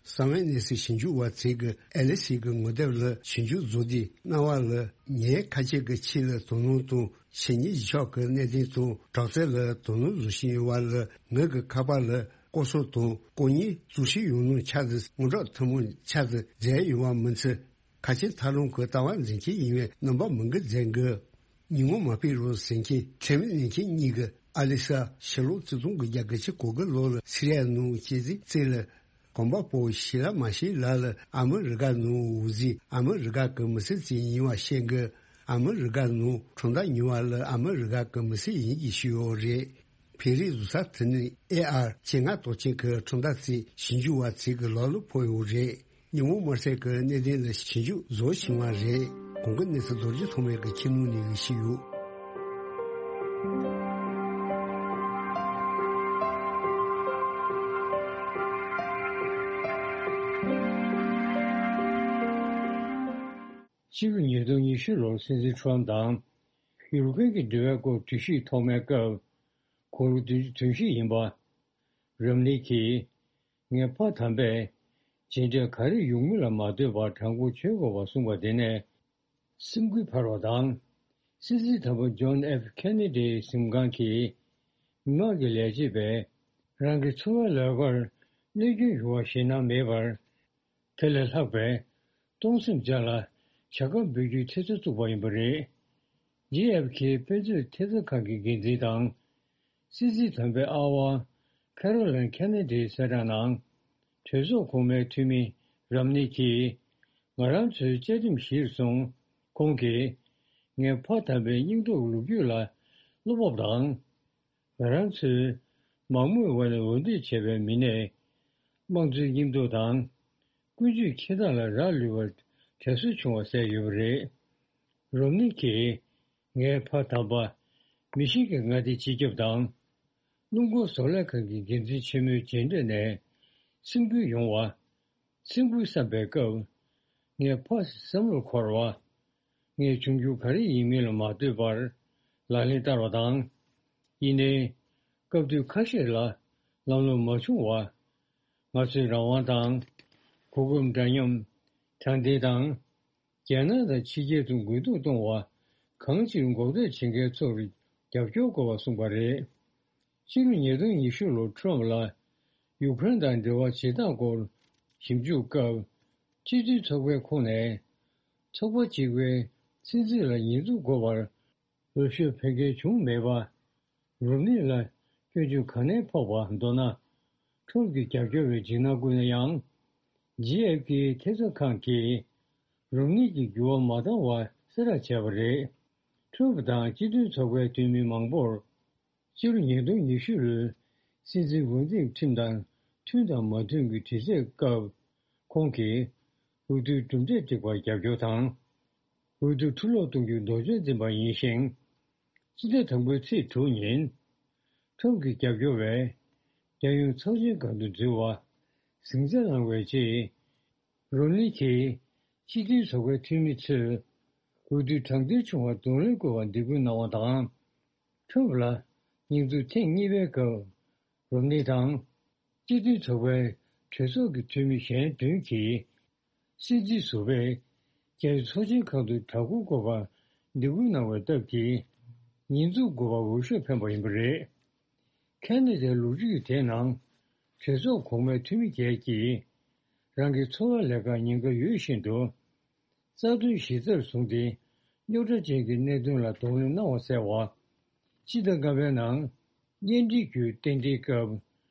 གསང་བའི་གནས་ཚུལ་ཞིབ་འཇུག་པ་ཚོས་ཀྱི་ཨེ་ལི་སི་གི་ངོ་དེབ་ལ་ཞིབ་འཇུག་བཟོ་དུས་སྣང་བ་ལ་ངའི་ཁ་ཆེ་གི་ཆེད་ལ་དོ་སྣང་དང་ཆེ་ཉིད་གཞི་ཕྱོགས་ཀྱི་གནད་དོན་དང་དྲག་རྩལ་ལ་དོ་སྣང་བཟོ་བཞིན་ཡོད་པ་ལ་ངོས་ཀྱི་ཁ་པར་ལ་ ལྐོག་ཟ་དང་ལྐོག་རྔན་བཙོག་བཤེར་ཡོང་ནོ་ཆ་ཚང་དངུལ་རགས་ཐུན་མོང་ཆ་ཚང་མཛད་ཡོང་བ་མིན་ཚེ། ཁ་ཆེ་ཐབས་ལམ་གྱི་ལྟ་བ་འཛིན་མཁན་ཡིན་པའི་རྣམ་པ་མང་པོ་མཛད་དགོས། ཉིན་ངོ་མ་པའི་རོ་ཟེར་མཁན་ཁྲེམ་ལེན་མཁན་གཉིས་ཀྱི་ཨ་ལི་ས་ཕྱི་ལོ་ཆིག་སྟོང་དགུ་བརྒྱ་གྱ་གོ་དགུ་ལོ་ལ་སི་རི་ཡ་ནང་སྐྱེས་ཚེ་རྩེ་ལ། གོམ་པ་སྤོ་ཤི་ལ་མ་ཤི་ལ་ལ་ཨ་མི་རི་ཀ་ནང་འོ་ཟི་ཨ་མི་རི་ཀ་གི་མི་སེར་ཅིག་ཡིན་པ་ཤེས་གི། ཨ་མི་རི་ཀ་ནང་ཁྲིམས་ཐག་ཉེ་བ་ལ་ཨ་མི་རི་ཀ་གི་མི་སེར་ཡིན་གྱི་ཤི་ཡོད་རེད། བོད་རིགས་བཟོ་ས་དེ་ནི་ཨེ་ཨར་བཅོ་ལྔ་དོག་ཅན་གྱི་ཁྲིམས་ཐག་ཚིག་ཞིབ་འཇུག་པ་ཚིག་གི་ལག་ལ་ཕོག་ཡོད་རེད། ཉིན་མོ་དམར་གསལ་གྱི་གནད་དོན་ལ་ཞིབ་འཇུག་བཟོ་བཞིན་པ་རེད། གོང་གི་གནས་ཚུལ་རྡོ་རྗེ་ཐོགས་མེད་ཀྱི་ཁྱིམ་ནང་ནས་ཞིག་ཡོད། ཕྱི་ལོ་ཉིས་སྟོང་ཉི་ཤུ་ལོར་སྲིད་འཛིན་ཁྲོམ་དང་ཡུ་རོབ་ཀྱི་འབྲེལ་བའི་སྐོར་གྲོས་གཞི་ཐོག་མའི་སྐབས། དགུང་ལོ་བདུན་ཅུ་དོན་བཞི་ཡིན་པ། རོམ་ནི་གིས། ངས་ཕ་དམ་པས་རྗེས་འབྲས་ག་རེ་ཡོང་མིན་ལ་མ་ལྟོས་པར་དྲང་པོ་བྱེད་དགོས་པ་གསུངས་པ་དེ་ནས་སེམས་འགུལ་འཕར་བ་དང་། སྲིད་འཛིན་དམ་པ་ཇོན་ཨེཕ་ཁེ་ནེ་ཌིའི་གཟིམ་ཁང་གི་མི་དམངས་ཀྱི་ལས་བྱེད་པས་རང་གི་འཚོ་བའི་ལས་ཀར་གནོད་སྐྱོན་ཡོང་བ་ཞེད་སྣང་མེད་པར། དེ་ལས་ལྷག་པའི་གཏོང་སེམས་ཅན་ལ་བྱ་དགའ་འབུལ་རྒྱུའི་ཐེབས་རྩ་བཙུགས་པ་ཡིན་པ་རེད། ཇེ་ཨེཕ་ཁེ་དཔེ་མཛོད་ཐེབས་རྩ་ཁང་གི་འགན་འཛིན་དང་། སྲིད་འཛིན་དམ་པའི་ཨ་ཝ་ཁེ་རོ་ལན་ཁེ་ནེ་ཌིའི་གསལ་བསྒྲགས་ནང་། གྲོས་ཚོགས་གོང་མའི་འཐུས་མི་རམ་ནི་གིས་ང་རང་ཚོའི་བཅའ་ཁྲིམས་གཞིར་བཟུང་། ཁོང་གིས་ངས་ཕ་དམ་པའི་སྙིང་སྟོབས་ལོ་རྒྱུས་ལ་བློ་སྤོབས་དང་། ང་རང་ཚོའི་མང་མོས་དབར་ནས་འོས་འདེམས་བྱས་པའི་མི་སྣས་དམངས་གཙོའི་སྙིང་སྟོབས་དང་། ཀུན་སྤྱོད་འཁྱེར་སྟངས་ལ་རག་ལུས་པར་དྲན་གསོ་བྱུང་བ་གསལ་ཡོད་པ་རེད། རོམ་ནི་གིས་ངའི་ཕ་དམ་པ་མི་ཤིན་གྱི་མངའ་སྡེའི་སྤྱི་ཁྱབ་དང་། སྣུམ་འཁོར་བཟོ་ལས་ཁང་གི་འགན་འཛིན་ཆེན་མོའི་མཇལ་འཕྲད་ནས་སེམས་འགུལ་ཡོང་བ། སེམས་འགུལ་བསམ་པའི་སྐབས། ངས་ཕ་བསམ་བློར་འཁོར་བ། ངས་བྱུང་རྒྱུ་ག་རེ་ཡིན་མིན་ལ་མ་ལྟོས་པར་ལག་ལེན་བསྟར་བ་དང་། ཡིན་ནའི། སྐབས་དུས་ཁ་ཤས་ལ་ལམ་ལྷོང་མ་བྱུང་བ། ང་ཚོའི་རང་དབང་དང་། གོ་སྐབས་འདྲ་མཉམ། དྲང་བདེན་དང་། རྒྱལ་ནང་དང་ཕྱི་རྒྱལ་དུ་རྒུད་འཐུང་གཏོང་བ་གང་ཅིར་འགོག་ཐབས་བྱེད་མཁན་ཚོར་རྒྱབ་སྐྱོར་དགོས་པ་གསུངས་པ་རེད། ཕྱི་ལོ་ཉིས་སྟོང་ཉི་ཤུ་ལོར་ཁྲོམ་ལ་ཡུཀ་རེན་དང་འབྲེལ་བ་བྱེད་སྟངས་སྐོར་ཞིབ་འཇུག་སྐབས། སྤྱི་མཐུན་ཚོགས་པའི་ཁོངས་ནས་ཚོགས་པ་གཅིག་པའི་སྲིད་འཛིན་ལ་ཉེས་འཛུགས་དགོས་པར་འོས་ཤོག་འཕེན་མཁན་བྱུང་མེད་པ། རོམ་ནི་ལ་སྐྱོན་བརྗོད་ག་ནས་ཕོག་པ་མདོར་ན། ཁྲོམ་གྱི་རྒྱབ་སྐྱོར་བའི་འཇིགས་སྣང་ཀུན་ན་ཡང་། ཇི་ཨེཕ་ཀྱི་ཐེབས་རྩ་ཁང་གིས་རོམ་ནི་གྱི་འགྱུར་བ་མ་བཏང་བ་གསལ་བསྒྲགས་བྱས་པ་རེད། ཁྲོམ་དང་སྤྱི་མཐུན་ཚོགས་པའི་འཐུས་མི་མང་པོར། སྤྱི་ལོ་ཉིས་སྟོང་ཉི་ཤུ་ལོའི་སྲིད་འཛིན་འོས་འདེམས་ཁྲིམས་དང་མཐུན་དང་མ་མཐུན་གྱི་དྲི་རྩད་སྐབས། ཁོང་གིས་འོས་བསྡུའི་གྲུབ་འབྲས་སྒྲིག་པར་རྒྱབ་སྐྱོར་དང་། འོས་བསྡུ་འཁྲུག་སློང་གཏོང་རྒྱུའི་དོགས་གཅོད་འཛིན་པ་ཡིན་ཞིང་། སྤྱི་ཟླ་དང་པོའི་ཚེས་དྲུག་ཉིན། ཁྲོམ་གྱི་རྒྱབ་སྐྱོར་བས་རྒྱལ་ཡོངས་ཚོགས་ཆེན་སྒང་དུ་འཛུལ་བ་གཟེངས་རྟགས་བླངས་པའི་རྗེས། རོམ་ནི་གིས་སྤྱི་མཐུན་ཚོགས་པའི་འཐུས་མི་ཚོས་འོས་བསྡུ་དྲང་བདེན་བྱུང་བར་གདོང་ལེན་དགོས་པར་འདེད་སྐུལ་གནང་བ་དང་། ཁྲོམ་ལ་ཉེས་འཛུགས་ཐེངས་གཉིས་པའི་སྐབས། རོམ་ནི་དང་། སྤྱི་མཐུན་ཚོགས་པའི་གྲོས་ཚོགས་ཀྱི་འཐུས་མི་གཞན་བདུན་གྱིས། སྲིད་འཛིན་ཟུར་པས་རྒྱལ་ཡོངས་ཚོགས་ཆེན་ཁང་དུ་གྲྭ་སྐོར་དགོས་པར་འདེད་སྐུལ་གནང་བའི་སྟབས་ཀྱིས། ཉེས་འཛུགས་དགོས་པར་འོས་ཤོག་འཕེན་པ་ཡིན་པ་རེད། ཁེ་ན་ཌའི་ལོ་རྒྱུས་དེའི་ནང་། གྲོས་ཚོགས་གོང་མའི་འཐུས་མི་བརྒྱད་ཀྱིས། རང་གི་འཚོ་བའི་ལས་ཀར་ཉེན་ཁ་ཡོད་བཞིན་དུ། རྩ་དོན་གཞི་རྩར་བཟུང་སྟེ། རྙོག་དྲ་ཅན་གྱི་གནད་དོན་ལ་གདོང་ལེན་གནང་བ་གསལ་བ། སྤྱི་ཟླ་ལྔ་པའི་ནང་། གཉེན་སྒྲིག་རྒྱུའི་རྟེན་འབྲེལ་སྐབས།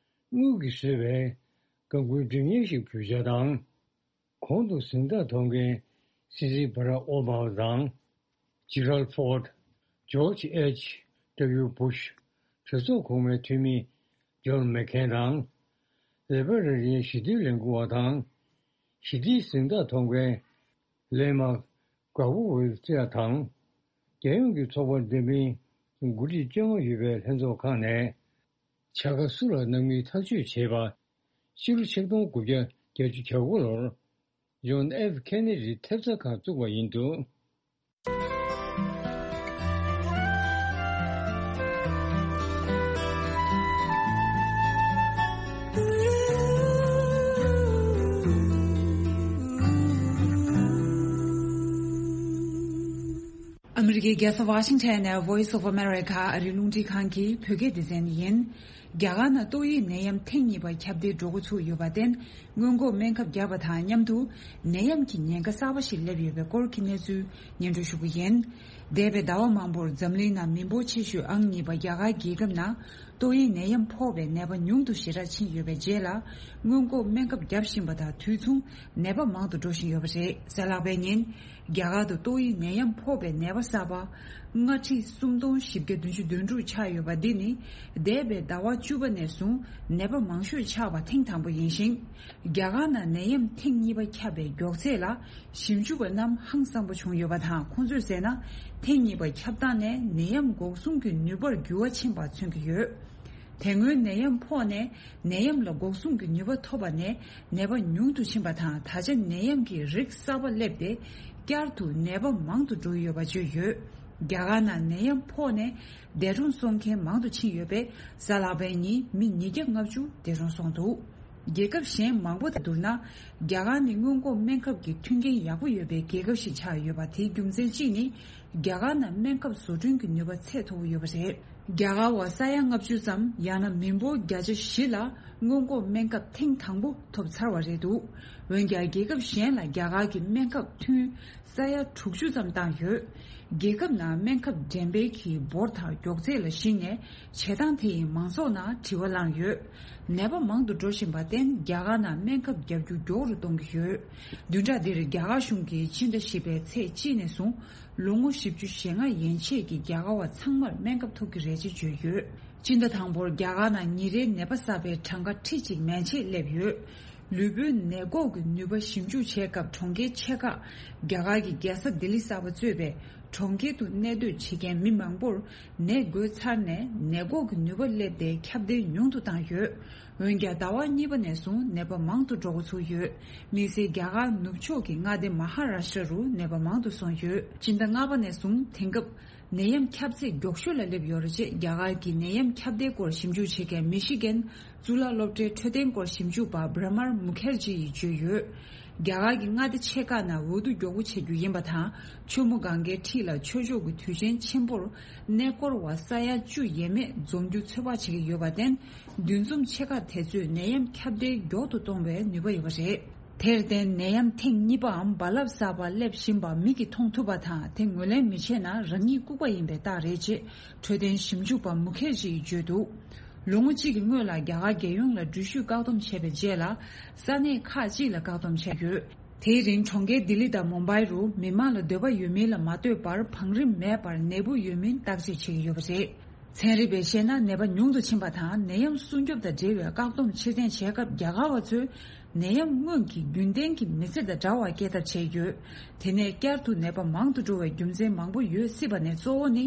དངུལ་གྱིས་བཟོས་པའི་སྒམ་སྒུར་སྒྲིག་བརྙན་ཞིག་འབུལ་འཆར་དང་། གོང་དུ་གཟེངས་རྟགས་ཐོབ་མཁན་སྲིད་འཛིན་བྷ་རག་ཨོ་བྷ་མ་དང་། ཇི་རལ་ཕོར་ཌི། ཇོར་ཇི་ཨེཆ་ཌབ་ལིའུ་བྷུ་ཤ། གྲོས་ཚོགས་གོང་མའི་འཐུས་མི་ཇོན་མེག་ཁེན་དང་། ལི་བྷ་རེ་རི་ཡན་ཞི་བདེའི་ལས་འགུལ་བ་དང་། ཞི་བདེའི་གཟེངས་རྟགས་ཐོབ་མཁན་ལེ་མ་ག་བོ་ཝེ་ཙེ་དང་། རྒྱལ་ཡོངས་ཀྱི་ཚོགས་པ་འདྲ་མིན་འགོ་ཁྲིད་བཅོ་ལྔ་ཡོད་པའི་ལྷན་ཚོགས་ཁང་ནས། བྱ་དགའ་སུ་ལ་གནང་མིན་ཐག་གཅོད་བྱས་པ། ཕྱི་ལོ་ཆིག་སྟོང་དགུ་བརྒྱ་བརྒྱད་ཅུ་གྱ་དགུ་ལོར། ཇོན་ཨེཕ་ཁེ་ནེ་ཌིས་ཐེབས་རྩ་ཁང་བཙུགས་པ་ཡིན་འདུག། ཨ་མི་རི་ཀའི་རྒྱལ་ས་ཝ་ཤིང་ཊོན་ནས་Voice of America ཨ་རིའི་རླུང་འཕྲིན་ཁང་གི་བོད་སྐད་སྡེ་ཚན་ཡིན། རྒྱ་གར་ནང་ཏོག་དབྱིབས་ནད་ཡམས་ཐེངས་གཉིས་པ་ཁྱབ་གདལ་འགྲོ་འགོ་ཚུགས་ཡོད་པར་བརྟེན། སྔོན་འགོག་སྨན་ཁབ་བརྒྱབ་པ་དང་མཉམ་དུ་ནད་ཡམས་ཀྱི་ཉེན་ཁ་གསར་པ་ཞིག་སླེབས་ཡོད་པའི་སྐོར་གྱི་གནས་ཚུལ་སྙན་སྒྲོན་ཞུ་རྒྱུ་ཡིན། འདས་པའི་ཟླ་བ་མང་པོར་འཛམ་གླིང་ནང་མི་འབོར་ཆེ་ཤོས་ཨང་གཉིས་པ་རྒྱ་གར་རྒྱལ་ཁབ་ནང་ཏོག་དབྱིབས་ནད་ཡམས་ཕོག་པའི་ནད་པ་ཉུང་དུ་ཞེ་དྲག་ཕྱིན་ཡོད་པའི་རྗེས་ལ། སྔོན་འགོག་སྨན་ཁབ་བརྒྱབ་བཞིན་པ་དང་དུས་མཚུངས་ནད་པ་མང་དུ་འགྲོ་བཞིན་ཡོད་པ་རེད། གཟའ་ལྷག་པའི་ཉིན། རྒྱ་གར་དུ་ཏོག་དབྱིབས་ནད་ཡམས་ཕོག་པའི་ནད་པ་གསར་པ་ལྔ་ཁྲི་སུམ་སྟོང་བཞི་བརྒྱ་བདུན་ཅུ་དོན་དྲུག་ཆགས་ཡོད་པ་འདི་ནི་འདས་པའི་ཟླ་བ་བཅུ་པ་ནས་བཟུང་ནད་པ་མང་ཤོས་ཆགས་པ་ཐེངས་དང་པོ་ཡིན་ཞིང་། རྒྱ་གར་ནང་ནད་ཡམས་ཐེངས་གཉིས་པ་ཁྱབ་པའི་མགྱོགས་ཚད་ལ་ཞིབ་འཇུག་པ་རྣམས་ཧང་སངས་པོ་བྱུང་ཡོད་པ་དང་། ཁོང་ཚོས་ཟེར་ན། ཐེངས་གཉིས་པ་ཁྱབ་སྟངས་ནས་ནད་ཡམས་འགོག་སྲུང་གི་ནུས་པར་འགྱུར་བ་ཕྱིན་པ་མཚོན་གྱི་ཡོད། དེ་སྔོན་ནད་ཡམས་ཕོག་ནས་ནད་ཡམས་ལ་འགོག་སྲུང་གི་ནུས་པ་ཐོབ་པ་ནས་ནད་པ་ཉུང་དུ་ཕྱིན་པ་དང་། ད་ཆ་ནད་ཡམས་ཀྱི་རིགས་གསར་པ་སླེབས་ཏེ་བསྐྱར་དུ་ནད་པ་མང་དུ་འགྲོ་ཡོད་པ་བརྗོད་ཡོད། རྒྱ་གར་ནང་ནད་ཡམས་ཕོག་ནས་འདས་གྲོངས་སོང་མཁན་མང་དུ་ཕྱིན་ཡོད་པས། གཟའ་ལྷག་པའི་ཉིན་མི་ཉིས་བརྒྱ་ལྔ་བཅུ་འདས་གྲོངས་སོང་འདུག་རྒྱལ་ཁབ་གཞན་མང་པོ་དང་བསྡུར་ན། རྒྱ་གར་ནི་སྔོན་འགོག་སྨན་ཁབ་ཀྱི་མཐུན་རྐྱེན་ཡག་པོ་ཡོད་པའི་རྒྱལ་ཁབ་ཞིག་ཆགས་ཡོད་པ། དེའི་རྒྱུ་མཚན་གཅིག་ནི། རྒྱ་གར་ནང་སྨན་ཁབ་བཟོ་སྐྲུན་གྱི་ནུས་པ་ཚད་མཐོ་པོ་ཡོད་པ་རེད། རྒྱ་གར་བ་ས་ཡ་ལྔ་བཅུ་ཙམ། ཡང་ན་མི་འབོར་བརྒྱ་ཆ་བཞི་ལ་སྔོན་འགོག་སྨན་ཁབ་ཐེངས་དང་པོ་ཐོབ་ཚར་བ་རེད་འདུག་འོན་ཀྱང་རྒྱལ་ཁབ་གཞན་ལ་རྒྱ་གར་གྱི་སྨན་ཁབ་ཐུན་ས་ཡ་དྲུག་ཅུ་ཙམ་བཏང་ཡོད། རྒྱལ་ཁབ་ནང་སྨན་ཁབ་འགྲེམས་སྤེལ་གྱི་འབོར་དང་མགྱོགས་ཚད་ལ་གཞིགས་ནས། བྱེད་སྟངས་དེ་ཡིས་མང་ཚོགས་ནང་དྲི་བ་བསླངས་ཡོད། ནད་པ་མང་དུ་འགྲོ་བཞིན་པར་བརྟེན། རྒྱ་གར་ནང་སྨན་ཁབ་བརྒྱབ་རྒྱུ་མགྱོགས་རུ་གཏོང་གི་ཡོད། བདུན་ཕྲག་འདིར་རྒྱ་གར་གཞུང་གིས་སྤྱི་ཟླ་བཞི་པའི་ཚེས་གཅིག་ནས་བཟུང་ལོ་ངོ་བཞི་བཅུ་ཞེ་ལྔ་ཡན་ཆད་ཀྱི་རྒྱ་གར་བ་ཚང་མར་སྨན་ཁབ་ཐོབ་ཀྱི་རེད་ཅེས་བརྗོད་ཡོད། སྤྱི་ཟླ་དང་པོར་རྒྱ་གར་ནང་ཉིན་རེའི་ནད་པ་གསར་པའི་གྲངས་ཀ་ཁྲི་གཅིག་མན་ཆད་སླེབས་ཡོད། ལུས་པོའི་ནད་འགོག་གི་ནུས་པ་ཞིབ་འཇུག་བྱེད་སྐབས། གྲོང་ཁྱེར་ཆེ་ཁག་རྒྱ་གར་གྱི་རྒྱལ་ས་ལྡི་ལི་གསར་པ་གཙོས་པའི་གྲོང་ཁྱེར་དུ་གནས་སྡོད་བྱེད་མཁན་མི་མང་པོར་ནད་འགོས་ཚར་ནས། ནད་འགོག་གི་ནུས་པ་སླེབས་ཏེ་ཁྱབ་གདལ་ཉུང་དུ་བཏང་ཡོད། འོན་ཀྱང་ཟླ་བ་གཉིས་པ་ནས་བཟུང་ནད་པ་མང་དུ་འགྲོ་འགོ་ཚུགས་ཡོད། དམིགས་བསལ་རྒྱ་གར་ནུབ་ཕྱོགས་ཀྱི་མངའ་སྡེ་མ་ཧ་ར་ཤྲ་རུ་ནད་པ་མང་དུ་སོང་ཡོད། སྤྱི་ཟླ་ལྔ་པ་ནས་བཟུང་དེང་སྐབས་ནད་ཡམས་ཁྱབ་ཚད་མགྱོགས་ཤོས་ལ་སླེབས་ཡོད་རེད་ཅེས་རྒྱ་གར་གྱི་ནད་ཡམས་ཁྱབ་གདལ་སྐོར་ཞིབ་འཇུག་བྱེད་མཁན་མི་ཤི་གན་གཙུག་ལག་སློབ་གྲྭའི་འཕྲོད་བསྟེན་སྐོར་ཞིབ་འཇུག་པ་བྷྲ་མར་མུ་ཁེར་ཇི་ཡིས་བརྗོད་ཡོད། རྒྱ་གར་གྱི་མངའ་སྡེ་ཆེ་ཁག་ནང་འོས་བསྡུ་མགྱོགས་པོ་བྱེད་རྒྱུ་ཡིན་པ་དང་། ཆུ་མོ་གངྒཱའི་འཁྲིས་ལ་ཆོས་ཕྱོགས་ཀྱི་དུས་ཆེན་ཆེན་པོར་གནས་སྐོར་བ་ས་ཡ་བཅུ་ཡས་མས་འཛོམས་རྒྱུ་ཚོད་དཔག་བྱེད་ཀྱི་ཡོད་པར་བརྟེན། འདུ་འཛོམས་ཆེ་ཁག་དེ་ཚོས་ནད་ཡམས་ཁྱབ་གདལ་མགྱོགས་དུ་གཏོང་བའི་ནུས་པ་ཡོད་པ་རེད། དེར་བརྟེན། ནད་ཡམས་ཐེངས་གཉིས་པའམ་རྦ་རླབས་གསར་པ་སླེབས་བཞིན་པ་མིག་གིས་མཐོང་ཐུབ་པ་དང་། དེ་ངོས་ལེན་མི་བྱེད་ན་རང་ཉིད་ལྐུགས་པ་ཡིན་པའི་རྟགས་རེད་ཅེས་འཕྲོད་བསྟེན་ཞིབ་འཇུག་པ་མུ་ཁེར་ཇི་ཡིས་བརྗོད་འདུག་ལོ་ངོ་གཅིག་གི་སྔོན་ལ་རྒྱ་གར་རྒྱལ་ཡོངས་ལ་འགྲུལ་བཞུད་བཀག་སྡོམ་བྱས་པའི་རྗེས་ལ། ས་གནས་ཁག་ཅིག་ལ་བཀག་སྡོམ་བྱས་ཡོད། དེའི་རིང་གྲོང་ཁྱེར་ལྡི་ལི་དང་མུམ་བྷའི་རུ་མི་མང་ལ་འདོད་པ་ཡོད་མིན་ལ་མ་ལྟོས་པར་བང་རིམ་མེད་པར་ནད་འབུ་ཡོད་མིན་བརྟག་དཔྱད་བྱེད་ཀྱི་ཡོད་པ་རེད། ཚན་རིག་པས་བཤད་ན། ནད་པ་ཉུང་དུ་ཕྱིན་པ་དང་ནད་ཡམས་སྲུང་སྐྱོབ་དང་འབྲེལ་བའི་བཀག་སྡོམ་ཕྱིར་འཐེན་བྱས་སྐབས། རྒྱ་གར་བ་ཚོས་ནད་ཡམས་སྔོན་གྱི་རྒྱུན་ལྡན་གྱི་མི་ཚེ་དང་འདྲ་བར་སྐྱེལ་ཐབས་བྱས་ཡོད། དེ་ནས་བསྐྱར་དུ་ནད་པ་མང་དུ་འགྲོ་བའི་རྒྱུ་མཚན་མང་པོ་ཡོད་སྲིད་པ་ནས་གཙོ་བོ་ནི།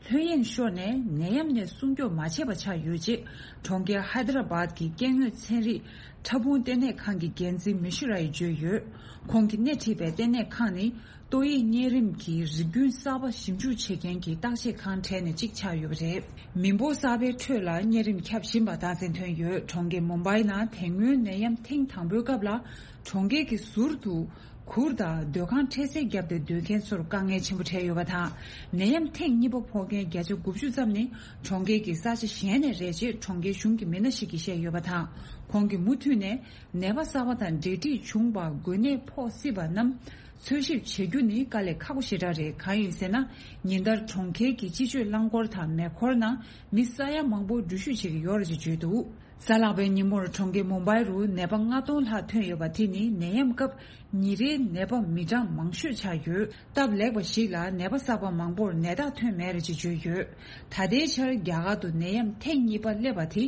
ལྷོད་གཡེང་ཤོར་ནས་ནད་ཡམས་ནས་སྲུང་སྐྱོབ་མ་བྱས་པ་ཆགས་ཡོད་ཅེས་གྲོང་ཁྱེར་ཧའི་ད་ར་བཱད་ཀྱི་སྐྱེ་དངོས་ཚན་རིག་ཕྲ་ཕུང་ལྟེ་གནས་ཁང་གི་འགན་འཛིན་མི་ཤུ་ར་ཡིས་བརྗོད་ཡོད། ཁོང་གིས་སྣེ་ཁྲིད་པའི་ལྟེ་གནས་ཁང་ནི། ཏོག་དབྱིབས་གཉན་རིམས་ཀྱི་རིགས་རྒྱུན་གསར་པ་ཞིབ་འཇུག་བྱེད་མཁན་གྱི་བརྟག་དཔྱད་ཁང་གྲས་ནས་གཅིག་ཆགས་ཡོད་པ་རེད། མི་འབོར་གསར་པའི་ཁྲོད་ལ་གཉན་རིམས་ཁྱབ་བཞིན་པ་རྟགས་མཚན་ཐོན་ཡོད། གྲོང་ཁྱེར་མུམ་བྷའི་ནང་དེ་སྔོན་ནད་ཡམས་ཐེངས་དང་པོའི་སྐབས་ལ། གྲོང་ཁྱེར་གྱི་ཟུར་དུ་གུར་དང་སྡོད་ཁང་འཕྲལ་སེལ་བརྒྱབ་སྟེ་སྡོད་མཁན་ཚོར་དཀའ་ངལ་ཆེན་པོ་འཕྲད་ཡོད་པ་དང་། ནད་ཡམས་ཐེངས་གཉིས་པ་ཕོག་མཁན་བརྒྱ་ཆ་དགུ་བཅུ་ཙམ་ནི་གྲོང་ཁྱེར་གྱི་ས་ཆ་གཞན་ནས་རེད་ཅེས་གྲོང་ཁྱེར་གཞུང་གི་མི་སྣ་ཞིག་གིས་བཤད་ཡོད་པ་དང་། ཁོང་གིས་མུ་མཐུད་ནས་ནད་པ་གསར་པ་དང་འབྲེལ་འདྲིས་བྱུང་བ་འགོས་ནད་ཕོག་སྲིད་པ་རྣམས། འཚོལ་ཞིབ་བྱེད་རྒྱུ་ནི་དཀའ་ལས་ཁག་པོ་ཞེ་དྲག་རེད། གང་ཡིན་ཟེར་ན། ཉིན་ལྟར་གྲོང་ཁྱེར་གྱི་སྤྱི་སྤྱོད་རླངས་འཁོར་དང་མེ་འཁོར་ནང་མི་ས་ཡ་མང་པོ་འགྲུལ་བཞུད་བྱེད་ཀྱི་ཡོད་རེད་ཅེས་བརྗོད་འདུག་གཟའ་ལྷག་པའི་ཉིན་མོར་གྲོང་ཁྱེར་མུམ་བྷའི་རུ་ནད་པ་ལྔ་སྟོང་ལྷག་ཐོན་ཡོད་པ་དེ་ནི་ནད་ཡམས་སྐབས་ཉིན་རེའི་ནད་པ་མི་གྲངས་མང་ཤོས་ཆགས་ཡོད། སྟབས་ལེགས་པ་ཞིག་ལ་ནད་པ་གསར་པ་མང་པོར་ནད་རྟགས་ཐོན་མེད་རེད་ཅེས་བརྗོད་ཡོད། ད་ལྟའི་ཆར་རྒྱ་གར་དུ་ནད་ཡམས་ཐེངས་གཉིས་པ་སླེབས་པ་དེ།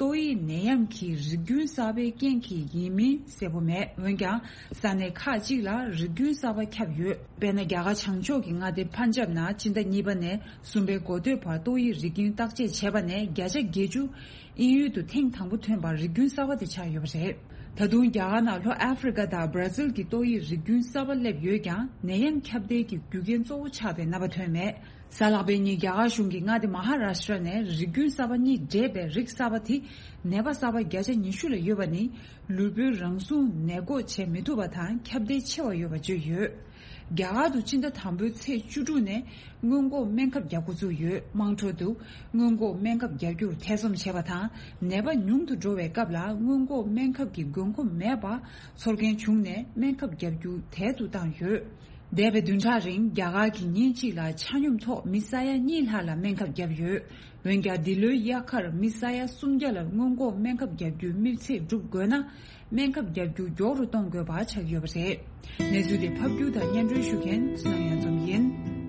ཏོག་དབྱིབས་ནད་ཡམས་ཀྱི་རིགས་རྒྱུན་གསར་པའི་རྐྱེན་གྱིས་ཡིན་མིན་གསལ་པོ་མེད། འོན་ཀྱང་། ས་གནས་ཁག་ཅིག་ལ་རིགས་རྒྱུན་གསར་པ་ཁྱབ་ཡོད། དཔེར་ན། རྒྱ་གར་བྱང་ཕྱོགས་ཀྱི་མངའ་སྡེ་པན་ཇབ་ནང་སྤྱི་ཟླ་གཉིས་པ་ནས་གསུམ་པའི་འགོ་སྟོད་བར་ཏོག་དབྱིབས་རིགས་རྒྱུན་བརྟག་དཔྱད་བྱས་པ་ནས་བརྒྱ་ཆ་བརྒྱད་ཅུ་དབྱིན་ཡུལ་དུ་ཐེངས་དང་པོ་ཐོན་པར་རིགས་རྒྱུན་གསར་པ་དེ་ཆགས་ཡོད་པ་རེད། ད་དུང་རྒྱ་གར་ནང་ལྷོ་ཨ་ཧྥེ་རི་ཀ་དང་བྷ་ར་ཟིལ་གྱི་ཏོག་དབྱིབས་རིགས་རྒྱུན་གསར་པ་སླེབས་ཡོད་ཀྱང་། ནད་ཡམས་ཁྱབ་གདལ་གྱི་རྒྱུ་རྐྱེན་གཙོ་བོ་ཆགས་པའི་རྣམ་པ་ཐོན་མེད། གཟའ་ལྷག་པའི་ཉིན་རྒྱ་གར་གཞུང་གིས་མངའ་སྡེ་མ་ཧཱ་རཱ་ཤྲ་ནས་རིགས་རྒྱུན་གསར་པ་གཉིས་འདྲེས་པའི་རིགས་གསར་པ་དེ་ནད་པ་གསར་པ་བརྒྱ་ཆ་ཉི་ཤུ་ལ་ཡོད་པ་ནི་ལུས་པོའི་རང་སྲུང་ནད་འགོག་བྱེད་མི་ཐུབ་པ་དང་ཁྱབ་གདལ་ཆེ་བ་ཡོད་པ་བརྗོད་ཡོད། རྒྱ་གར་དུ་སྤྱི་ཟླ་དང་པོའི་ཚེས་བཅུ་དྲུག་ནས་སྔོན་འགོག་སྨན་ཁབ་རྒྱག་འགོ་བཙུགས་ཡོད། དམངས་ཁྲོད་དུ་སྔོན་འགོག་སྨན་ཁབ་རྒྱག་རྒྱུར་ཐེ་ཚོམ་བྱེད་པ་དང་ནད་པ་ཉུང་དུ་འགྲོ་བའི་སྐབས་ལ་སྔོན་འགོག་སྨན་ཁབ་ཀྱི་དགོས་མཁོ་མེད་པ་ཚོར་མཁན་བྱུང་ནས་སྨན་ཁབ་རྒྱག་རྒྱུ་དལ་དུ་བཏང་ཡོད། འདས་པའི་བདུན་ཕྲག་རིང་རྒྱ་གར་གྱིས་ཉིན་གཅིག་ལ་ཆ་སྙོམས་ཐོག་མི་ས་ཡ་གཉིས་ལྷག་ལ་སྨན་ཁབ་བརྒྱབ་ཡོད། འོན་ཀྱང་འདི་ལོའི་དབྱར་ཁར་མི་ས་ཡ་སུམ་བརྒྱ་ལ་སྔོན་འགོག་སྨན་ཁབ་བརྒྱབ་རྒྱུའི་དམིགས་ཚད་འགྲུབ་དགོས་ན། སྨན་ཁབ་བརྒྱབ་རྒྱུ་མགྱོགས་རུ་གཏོང་དགོས་པ་ཆགས་ཡོད་པ་རེད། གནས་ཚུལ་དེ་ཕབ་སྒྱུར་དང་སྙན་སྒྲོན་ཞུ་མཁན་བསོད་ནམས་གཡང་འཛོམས་ཡིན།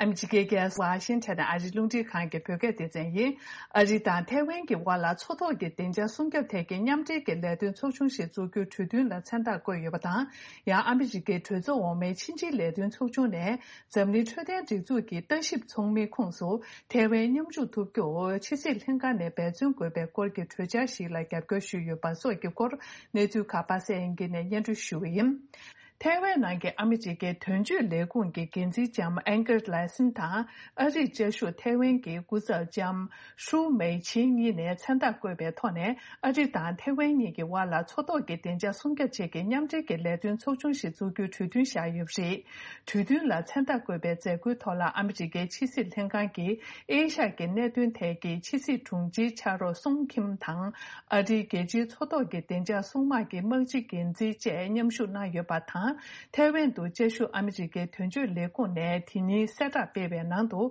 ཨ་མི་རི་ཀའི་རྒྱལ་ས་ཝ་ཤིང་ཊོན་ནས་ཨ་རིའི་རླུང་འཕྲིན་ཁང་གི་བོད་སྐད་སྡེ་ཚན་ཡིན། ཨ་རི་དང་ཐའེ་ཝན་གྱི་དབར་ལ་མཚོ་ཐོག་གི་བདེ་འཇགས་སྲུང་སྐྱོབ་ཐད་ཀྱི་མཉམ་འབྲེལ་གྱི་ལས་དོན་ཚོགས་ཆུང་ཞིག་འཛུགས་རྒྱུའི་གྲོས་མཐུན་ལ་མཚན་རྟགས་བཀོད་ཡོད་པ་དང་། ཡང་ཨ་མི་རི་ཀའི་གྲོས་ཚོགས་འོག་མའི་ཕྱི་འབྲེལ་ལས་དོན་ཚོགས་ཆུང་ནས་འཛམ་གླིང་འཕྲོད་བསྟེན་སྒྲིག་འཛུགས་ཀྱི་ལྟ་ཞིབ་ཚོགས་མིའི་ཁོངས་སུ་ཐའེ་ཝན་མཉམ་ཞུགས་ཐུབ་རྒྱུར་ཕྱི་སྲིད་ལྷན་ཁང་ནས་འབད་བརྩོན་དགོས་པའི་སྐོར་གྱི་གྲོས་འཆར་ཞིག་ལ་རྒྱབ་སྐྱོར་ཞུས་ཡོད་པ་སོགས་ཀྱི་སྐོར་གནས་ཚུལ་ཁག་པ་སངས་དབྱངས་སྐྱིད་ནས་སྙན་སྒྲོན་ཞུ་གི་ཡིན། ཐའེ་ཝན་ནང་གི་ཨ་མི་རི་ཀའི་དོན་གཅོད་ལས་ཁུངས་ཀྱི་འགན་འཛིན་ལྕམ་ཨན་ཀར་ལའེ་སན་དང་ཨ་རིའི་བཅའ་བཞུགས་ཐའེ་ཝན་གྱི་སྐུ་ཚབ་ལྕམ་ཧྲུའུ་མེ་ཆིང་གཉིས་ནས་མཚན་རྟགས་བཀོད་པའི་ཐོག་ནས་ཨ་རི་དང་ཐའེ་ཝན་གཉིས་ཀྱི་དབར་ལ་མཚོ་ཐོག་གི་བདེ་འཇགས་སྲུང་སྐྱོབ་ཆེད་ཀྱི་མཉམ་འབྲེལ་གྱི་ལས་དོན་ཚོགས་ཆུང་ཞིག་འཛུགས་རྒྱུའི་གྲོས་མཐུན་བཞག་ཡོད་པ་རེད། གྲོས་མཐུན་ལ་མཚན་རྟགས་བཀོད་པའི་མཛད་སྒོའི་ཐོག་ལ་ཨ་མི་རི་ཀའི་ཕྱི་སྲིད་ལྷན་ཁང་གི་ཨེ་ཤ་ཡའི་གནད་དོན་ཐད་ཀྱི་ཕྱི་སྲིད་དྲུང་ཆེའི་ཕྱག་རོགས་སུང་ཁིམ་དང་། ཨ་རིའི་རྒྱལ་སྤྱིའི་མཚོ་ཐོག་གི་བདེ་འཇགས་སྲུང་དམག་གི་དམག་སྤྱི་འགན་འཛིན་བཅས་མཉམ་ཞུགས་གནང་ཡོད་པ་དང་། ཐའེ་ཝན་དུ་བཅའ་བཞུགས་ཨ་མི་རི་ཀའི་དོན་གཅོད་ལས་ཁུངས་ནས་དེ་ཉིན་གསལ་བསྒྲགས་སྤེལ་བའི་ནང་དུ།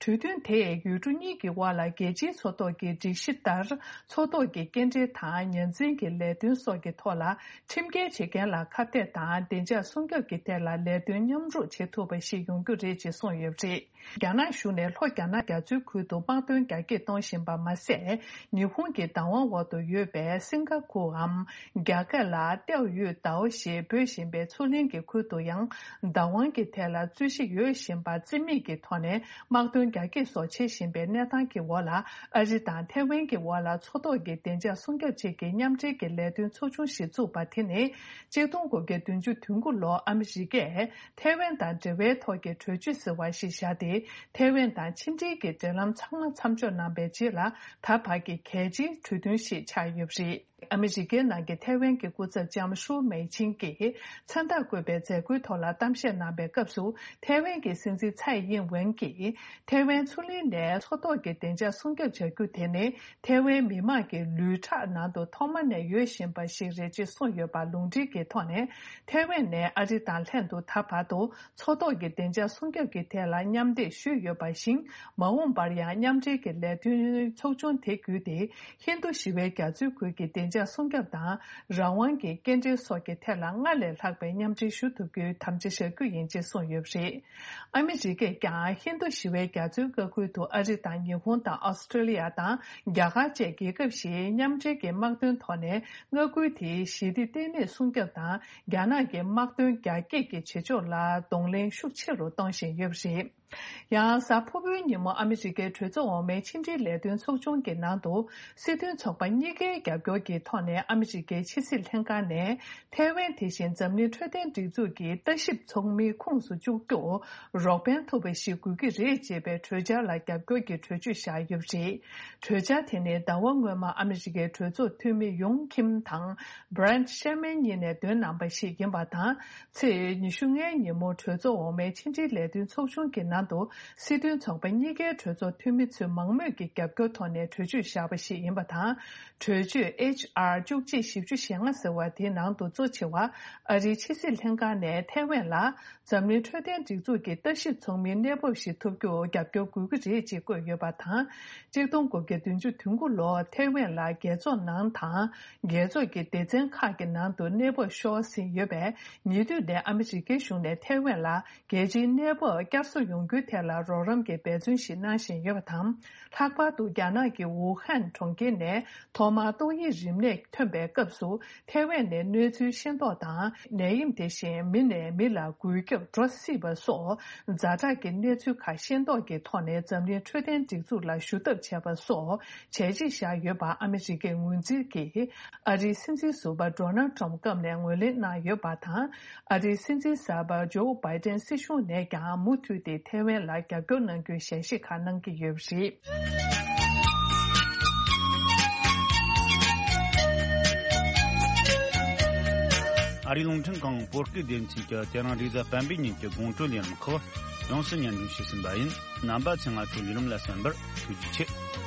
གྲོས་མཐུན་དེས་ཡུལ་གྲུ་གཉིས་ཀྱི་དབར་ལ་རྒྱལ་སྤྱིའི་མཚོ་ཐོག་གི་སྒྲིག་གཞི་ལྟར། མཚོ་ཐོག་གི་སྐྱེལ་འདྲེན་དང་ཉ་འཛིན་གྱི་ལས་དོན་སོགས་ཀྱི་ཐོག་ལ་ཁྲིམས་འགལ་བྱེད་མཁན་ལ་ཁ་གཏད་དང་བདེ་འཇགས་སྲུང་སྐྱོབ་ཀྱི་ཐད་ལ་ལས་དོན་མཉམ་རུབ་བྱེད་ཐུབ་པ་ཞིག་ཡོང་རྒྱུ་རེད་ཅེས་གསུངས་ཡོད་པ་རེད། རྒྱ་ནག་གཞུང་ནས་ལྷོ་རྒྱ་ནག་རྒྱ་མཚོའི་ཁུལ་དུ་དམག་དོན་རྒྱ་སྐྱེད་གཏོང་བཞིན་པ་མ་ཟད། ཉི་ཧོང་གི་བདག་དབང་འོག་ཏུ་ཡོད་པའི་སིང་ག་ཕུར་འམ། རྒྱ་སྐད་ལ་ཏེའོ་ཡུས་ཏའོ་ཞེས་འབོད་བཞིན་པའི་མཚོ་གླིང་གི་ཁུལ་དུ་ཡང་། བདག་དབང་གི་ཐད་ལ་རྩོད་གཞི་ཡོད་བཞིན་པ་རྩིས་མེད་ཀྱི་ཐོག་ནས་དམག་དོན་རྒྱ་སྐྱེད་སོགས་བྱེད་བཞིན་པའི་གནས་སྟངས་ཀྱི་འོག་ལ། ཨ་རི་དང་ཐའེ་ཝན་གྱི་དབར་ལ་མཚོ་ཐོག་གི་བདེ་འཇགས་སྲུང་སྐྱོབ་ཆེད་ཀྱི་མཉམ་འབྲེལ་གྱི་ལས་དོན་ཚོགས་ཆུང་ཞིག་བཙུགས་པ་དེ་ནི། གཅིག་སྟོང་དགུ་བརྒྱ་བདུན་ཅུ་དོན་དགུ་ལོར་ཨ་མི་རི་ཀས། ཐའེ་ཝན་དང་འབྲེལ་བའི་ཐོག་གི་གྲོས་ཆོད་ཟེར་བ་ཞིག་བཞག་སྟེ། ཐའེ་ཝན་དང་ཕྱི་འབྲེལ་གྱི་འབྲེལ་ལམ་ཚང་མ་མཚམས་འཇོག་གནང་པའི་རྗེས་ལ། ད་བར་གྱི་གལ་ཆེའི་གྲོས་མཐུན་ཞིག་ཆགས་ཡོད་པ་རེད། ཨ་མི་རི་ཀའི་ནང་གི་ཐའེ་ཝན་གྱི་སྐུ་ཚབ་ལྕམ་ཧྲུའུ་མེ་ཆིང་གིས་མཚན་རྟགས་བཀོད་པའི་མཛད་སྒོའི་ཐོག་ལ་གཏམ་བཤད་གནང་པའི་སྐབས་སུ། ཐའེ་ཝན་གྱི་སྲིད་འཛིན་ཚའེ་ཡིན་ཝེན་གྱིས། ཐའེ་ཝན་མཚོ་གླིང་ནས་མཚོ་ཐོག་གི་བདེ་འཇགས་སྲུང་སྐྱོབ་བྱ་རྒྱུ་དེ་ནི། ཐའེ་ཝན་མི་དམངས་ཀྱི་ལུས་ཁྲག་ནང་དུ་ཐོག་མ་ནས་ཡོད་བཞིན་པ་ཞིག་རེད་ཅེས་གསུངས་ཡོད་པ་ལུང་འདྲེན་གྱི་ཐོག་ནས། ཐའེ་ཝན་ནས་ཨ་རི་དང་ལྷན་དུ་ད་བར་དུ། མཚོ་ཐོག་གི་བདེ་འཇགས་སྲུང་སྐྱོབ་ཀྱི་ཐད་ལ་མཉམ་འདེགས་ཞུས་ཡོད་པ་བཞིན། མ་འོངས་པར་ཡང་མཉམ་འབྲེལ་གྱི་ལས་དོན་ཚོགས་ཆུང་དེ་བརྒྱུད་དེ། ཧིན་རྡུ་ཞི་བའི་རྒྱ་མཚོའི་ཁུལ་གྱི་བདེ་འཇགས་སྲུང་སྐྱོབ་དང་། རང་དབང་གི་སྐྱེལ་འདྲེན་སོགས་ཀྱི་ཐད་ལ་སྔར་ལས་ལྷག་པའི་མཉམ་འབྲེལ་ཞུ་ཐུབ་རྒྱུའི་དམ་བཅའ་བཞག་རྒྱུ་ཡིན་ཅེས་གསུངས་ཡོད་པ་རེད། ཨ་མི་རི་ཀས་ཀྱང་ཧིན་རྡུ་ཞི་བའི་རྒྱ་མཚོའི་མངའ་ཁུལ་དུ་ཨ་རི་དང་ཉི་ཧོང་དང་ཨོ་སི་ཀྲོ་ལི་ཡ་དང་རྒྱ་གར་བཅས་རྒྱལ་ཁབ་བཞིའི་མཉམ་འབྲེལ་གྱི་དམག་དོན་ཐོག་ནས་མངའ་ཁུལ་དེའི་ཞི་བདེ་ལྟེ་གནས་སྲུང་སྐྱོབ་དང་། རྒྱ་ནག་གི་དམག་དོན་རྒྱ་སྐྱེད་ཀྱི་བྱེད་ཕྱོགས་ལ་གདོང་ལེན་ཤུགས་ཆེ་རུ་གཏོང་བཞིན་ཡོད་པ་རེད། ཡང་གཟའ་ཕུར་བུའི་ཉིན་མོ་ཨ་མི་རི་ཀའི་གྲོས་ཚོགས་འོག་མའི་ཕྱི་འབྲེལ་ལས་དོན་ཚོགས་ཆུང་གི་ནང་དུ། སྲིད་དོན་ཚོགས་པ་གཉིས་ཀའི་རྒྱབ་སྐྱོར་གྱི་ཐོག་ནས་ཨ་མི་རི་ཀའི་ཕྱི་སྲིད་ལྷན་ཁང་ནས། ཐའེ་ཝན་དེ་བཞིན་འཛམ་གླིང་འཕྲོད་བསྟེན་སྒྲིག་འཛུགས་ཀྱི་ལྟ་ཞིབ་ཚོགས་མིའི་ཁོངས་སུ་བཅུག་རྒྱུར་རོགས་ཕན་ཐུབ་པ་ཞིག་དགོས་ཀྱི་རེད་ཅེས་པའི་གྲོས་འཆར་ལ་རྒྱབ་སྐྱོར་གྱི་གྲོས་ཆོད་བཞག་ཡོད་པ་རེད། གྲོས་འཆར་དེ་ནི་ཟླ་བ་སྔོན་མ་ཨ་མི་རི་ཀའི་གྲོས་ཚོགས་འཐུས་མི་ཡུང་ཁིམ་དང་། སྦྲེན་ཤེར་མན་གཉིས་ནས་འདོན་གནང་པ་ཞིག་ཡིན་པ་དང་། ཚེས་ཉི་ཤུ་ལྔའི་ཉིན་མོ་གྲོས་ཚོགས་འོག་མའི་ཕྱི་འབྲེལ་ལས་དོན་ཚོགས་ཆུང་གི་ནང་དུ། སྲིད་དོན་ཚོགས་པ་གཉིས་ཀའི་གྲོས་ཚོགས་འཐུས་མི་ཚོས་མང་མོས་ཀྱི་རྒྱབ་སྐྱོར་ཐོག་ནས་གྲོས་ཆོད་བཞག་པ་ཞིག་ཡིན་པ་དང་། གྲོས་ཆོད་ཨེཆ་ཨར་བཅུ་གཅིག་བཞི་བཅུ་ཞེ་ལྔ་ཟེར་བ་དེའི་ནང་དུ་གཙོ་ཆེ་བ། ཨ་རིའི་ཕྱི་སྲིད་ལྷན་ཁང་ནས་ཐའེ་ཝན་ལ། འཛམ་གླིང་འཕྲོད་བསྟེན་སྒྲིག་འཛུགས་ཀྱི་ལྟ་ཞིབ་ཚོགས་མིའི་གནས་བབ་ཞིག་ཐོབ་རྒྱུར་རྒྱབ་སྐྱོར་དགོས་ཀྱི་རེད་ཅེས་བཀོད་ཡོད་པ་དང་། གཅིག་སྟོང་དགུ་བརྒྱ་བདུན་ཅུ་དོན་དགུ་ལོར་ཐའེ་ཝན་ལ་རྒྱལ་ཚོགས་ནང་དང་། རྒྱལ་ཚོགས་ཀྱི་སྡེ་ཚན་ཁག་གི་ནང་དུ་གནས་བབ་ཤོར་ཟིན་ཡོད་པས། ཉེ་དུས་ནས་ཨ་མི་རི་ཀའི་གཞུང་ནས་ཐའེ་ཝན་ལ་རྒྱལ་སྤྱིའི་གནས་བབ་བསྐྱར་གསོ་ཡོང་ རྒྱུ་ཐད་ལ་རོགས་རམ་གྱི་འབད་བརྩོན་ཞིག་གནང་བཞིན་ཡོད་པ་དང་། ལྷག་པར་དུ་རྒྱ་ནག་གི་ཝུ་ཧན་གྲོང་ཁྱེར་ནས་ཐོག་མར་ཏོག་དབྱིབས་རིམས་ནད་ཐོན་པའི་སྐབས་སུ། ཐའེ་ཝན་ནས་གནས་ཚུལ་ཤེས་རྟོགས་དང་། ནད་ཡམས་དེ་བཞིན་མི་ནས་མི་ལ་འགོས་ཁྱབ་འགྲོ་སྲིད་པ་སོགས་ཛ་དྲག་གི་གནས་ཚུལ་ཁག་ཤེས་རྟོགས་ཀྱི་ཐོག་ནས་འཛམ་གླིང་འཕྲོད་བསྟེན་སྒྲིག་འཛུགས་ལ་ཞུ་ཐབས་བྱས་པ་སོགས་བྱས་རྗེས་བཞག་ཡོད་པ་ཨ་མི་རི་ཀའི་ངོས་འཛིན་གྱིས། ཨ་རིའི་སྲིད་འཛིན་ཟུར་པ་ཌོ་ནལ་ཊམ་སྐབས་ནས་ངོས་ལེན་གནང་ཡོད་པ་དང་། ཨ་རིའི་སྲིད་འཛིན་གསར་པ་ཇོ་བྷའི་ཏན་སྲིད་གཞུང་ནས་ཀྱང་མུ་མཐུད་དེ་ཐའེ་ཝན་ལ་རྒྱབ་སྐྱོར་གནང་རྒྱུའི་ཞལ་བཞེས་ཁག་གནང་གི་ཡོད་པ་རེད། ཨ་རིའི་རླུང་འཕྲིན་ཁང་བོད་སྐད་སྡེ་ཚན་གྱིས་དེ་རིང་རེས་གཟའ་སྤེན་པའི་ཉིན་གྱི་དགོང་དྲོ་ལས་རིམ་ཁག་ཡོངས་སུ་སྙན་སྒྲོན་ཞུས་ཟིན་པ་ཡིན། རྣམ་པ་ཚོས་ང་ཚོའི་ལས་རིམ་ལ་གསན་པར་ཐུགས་རྗེ་ཆེ།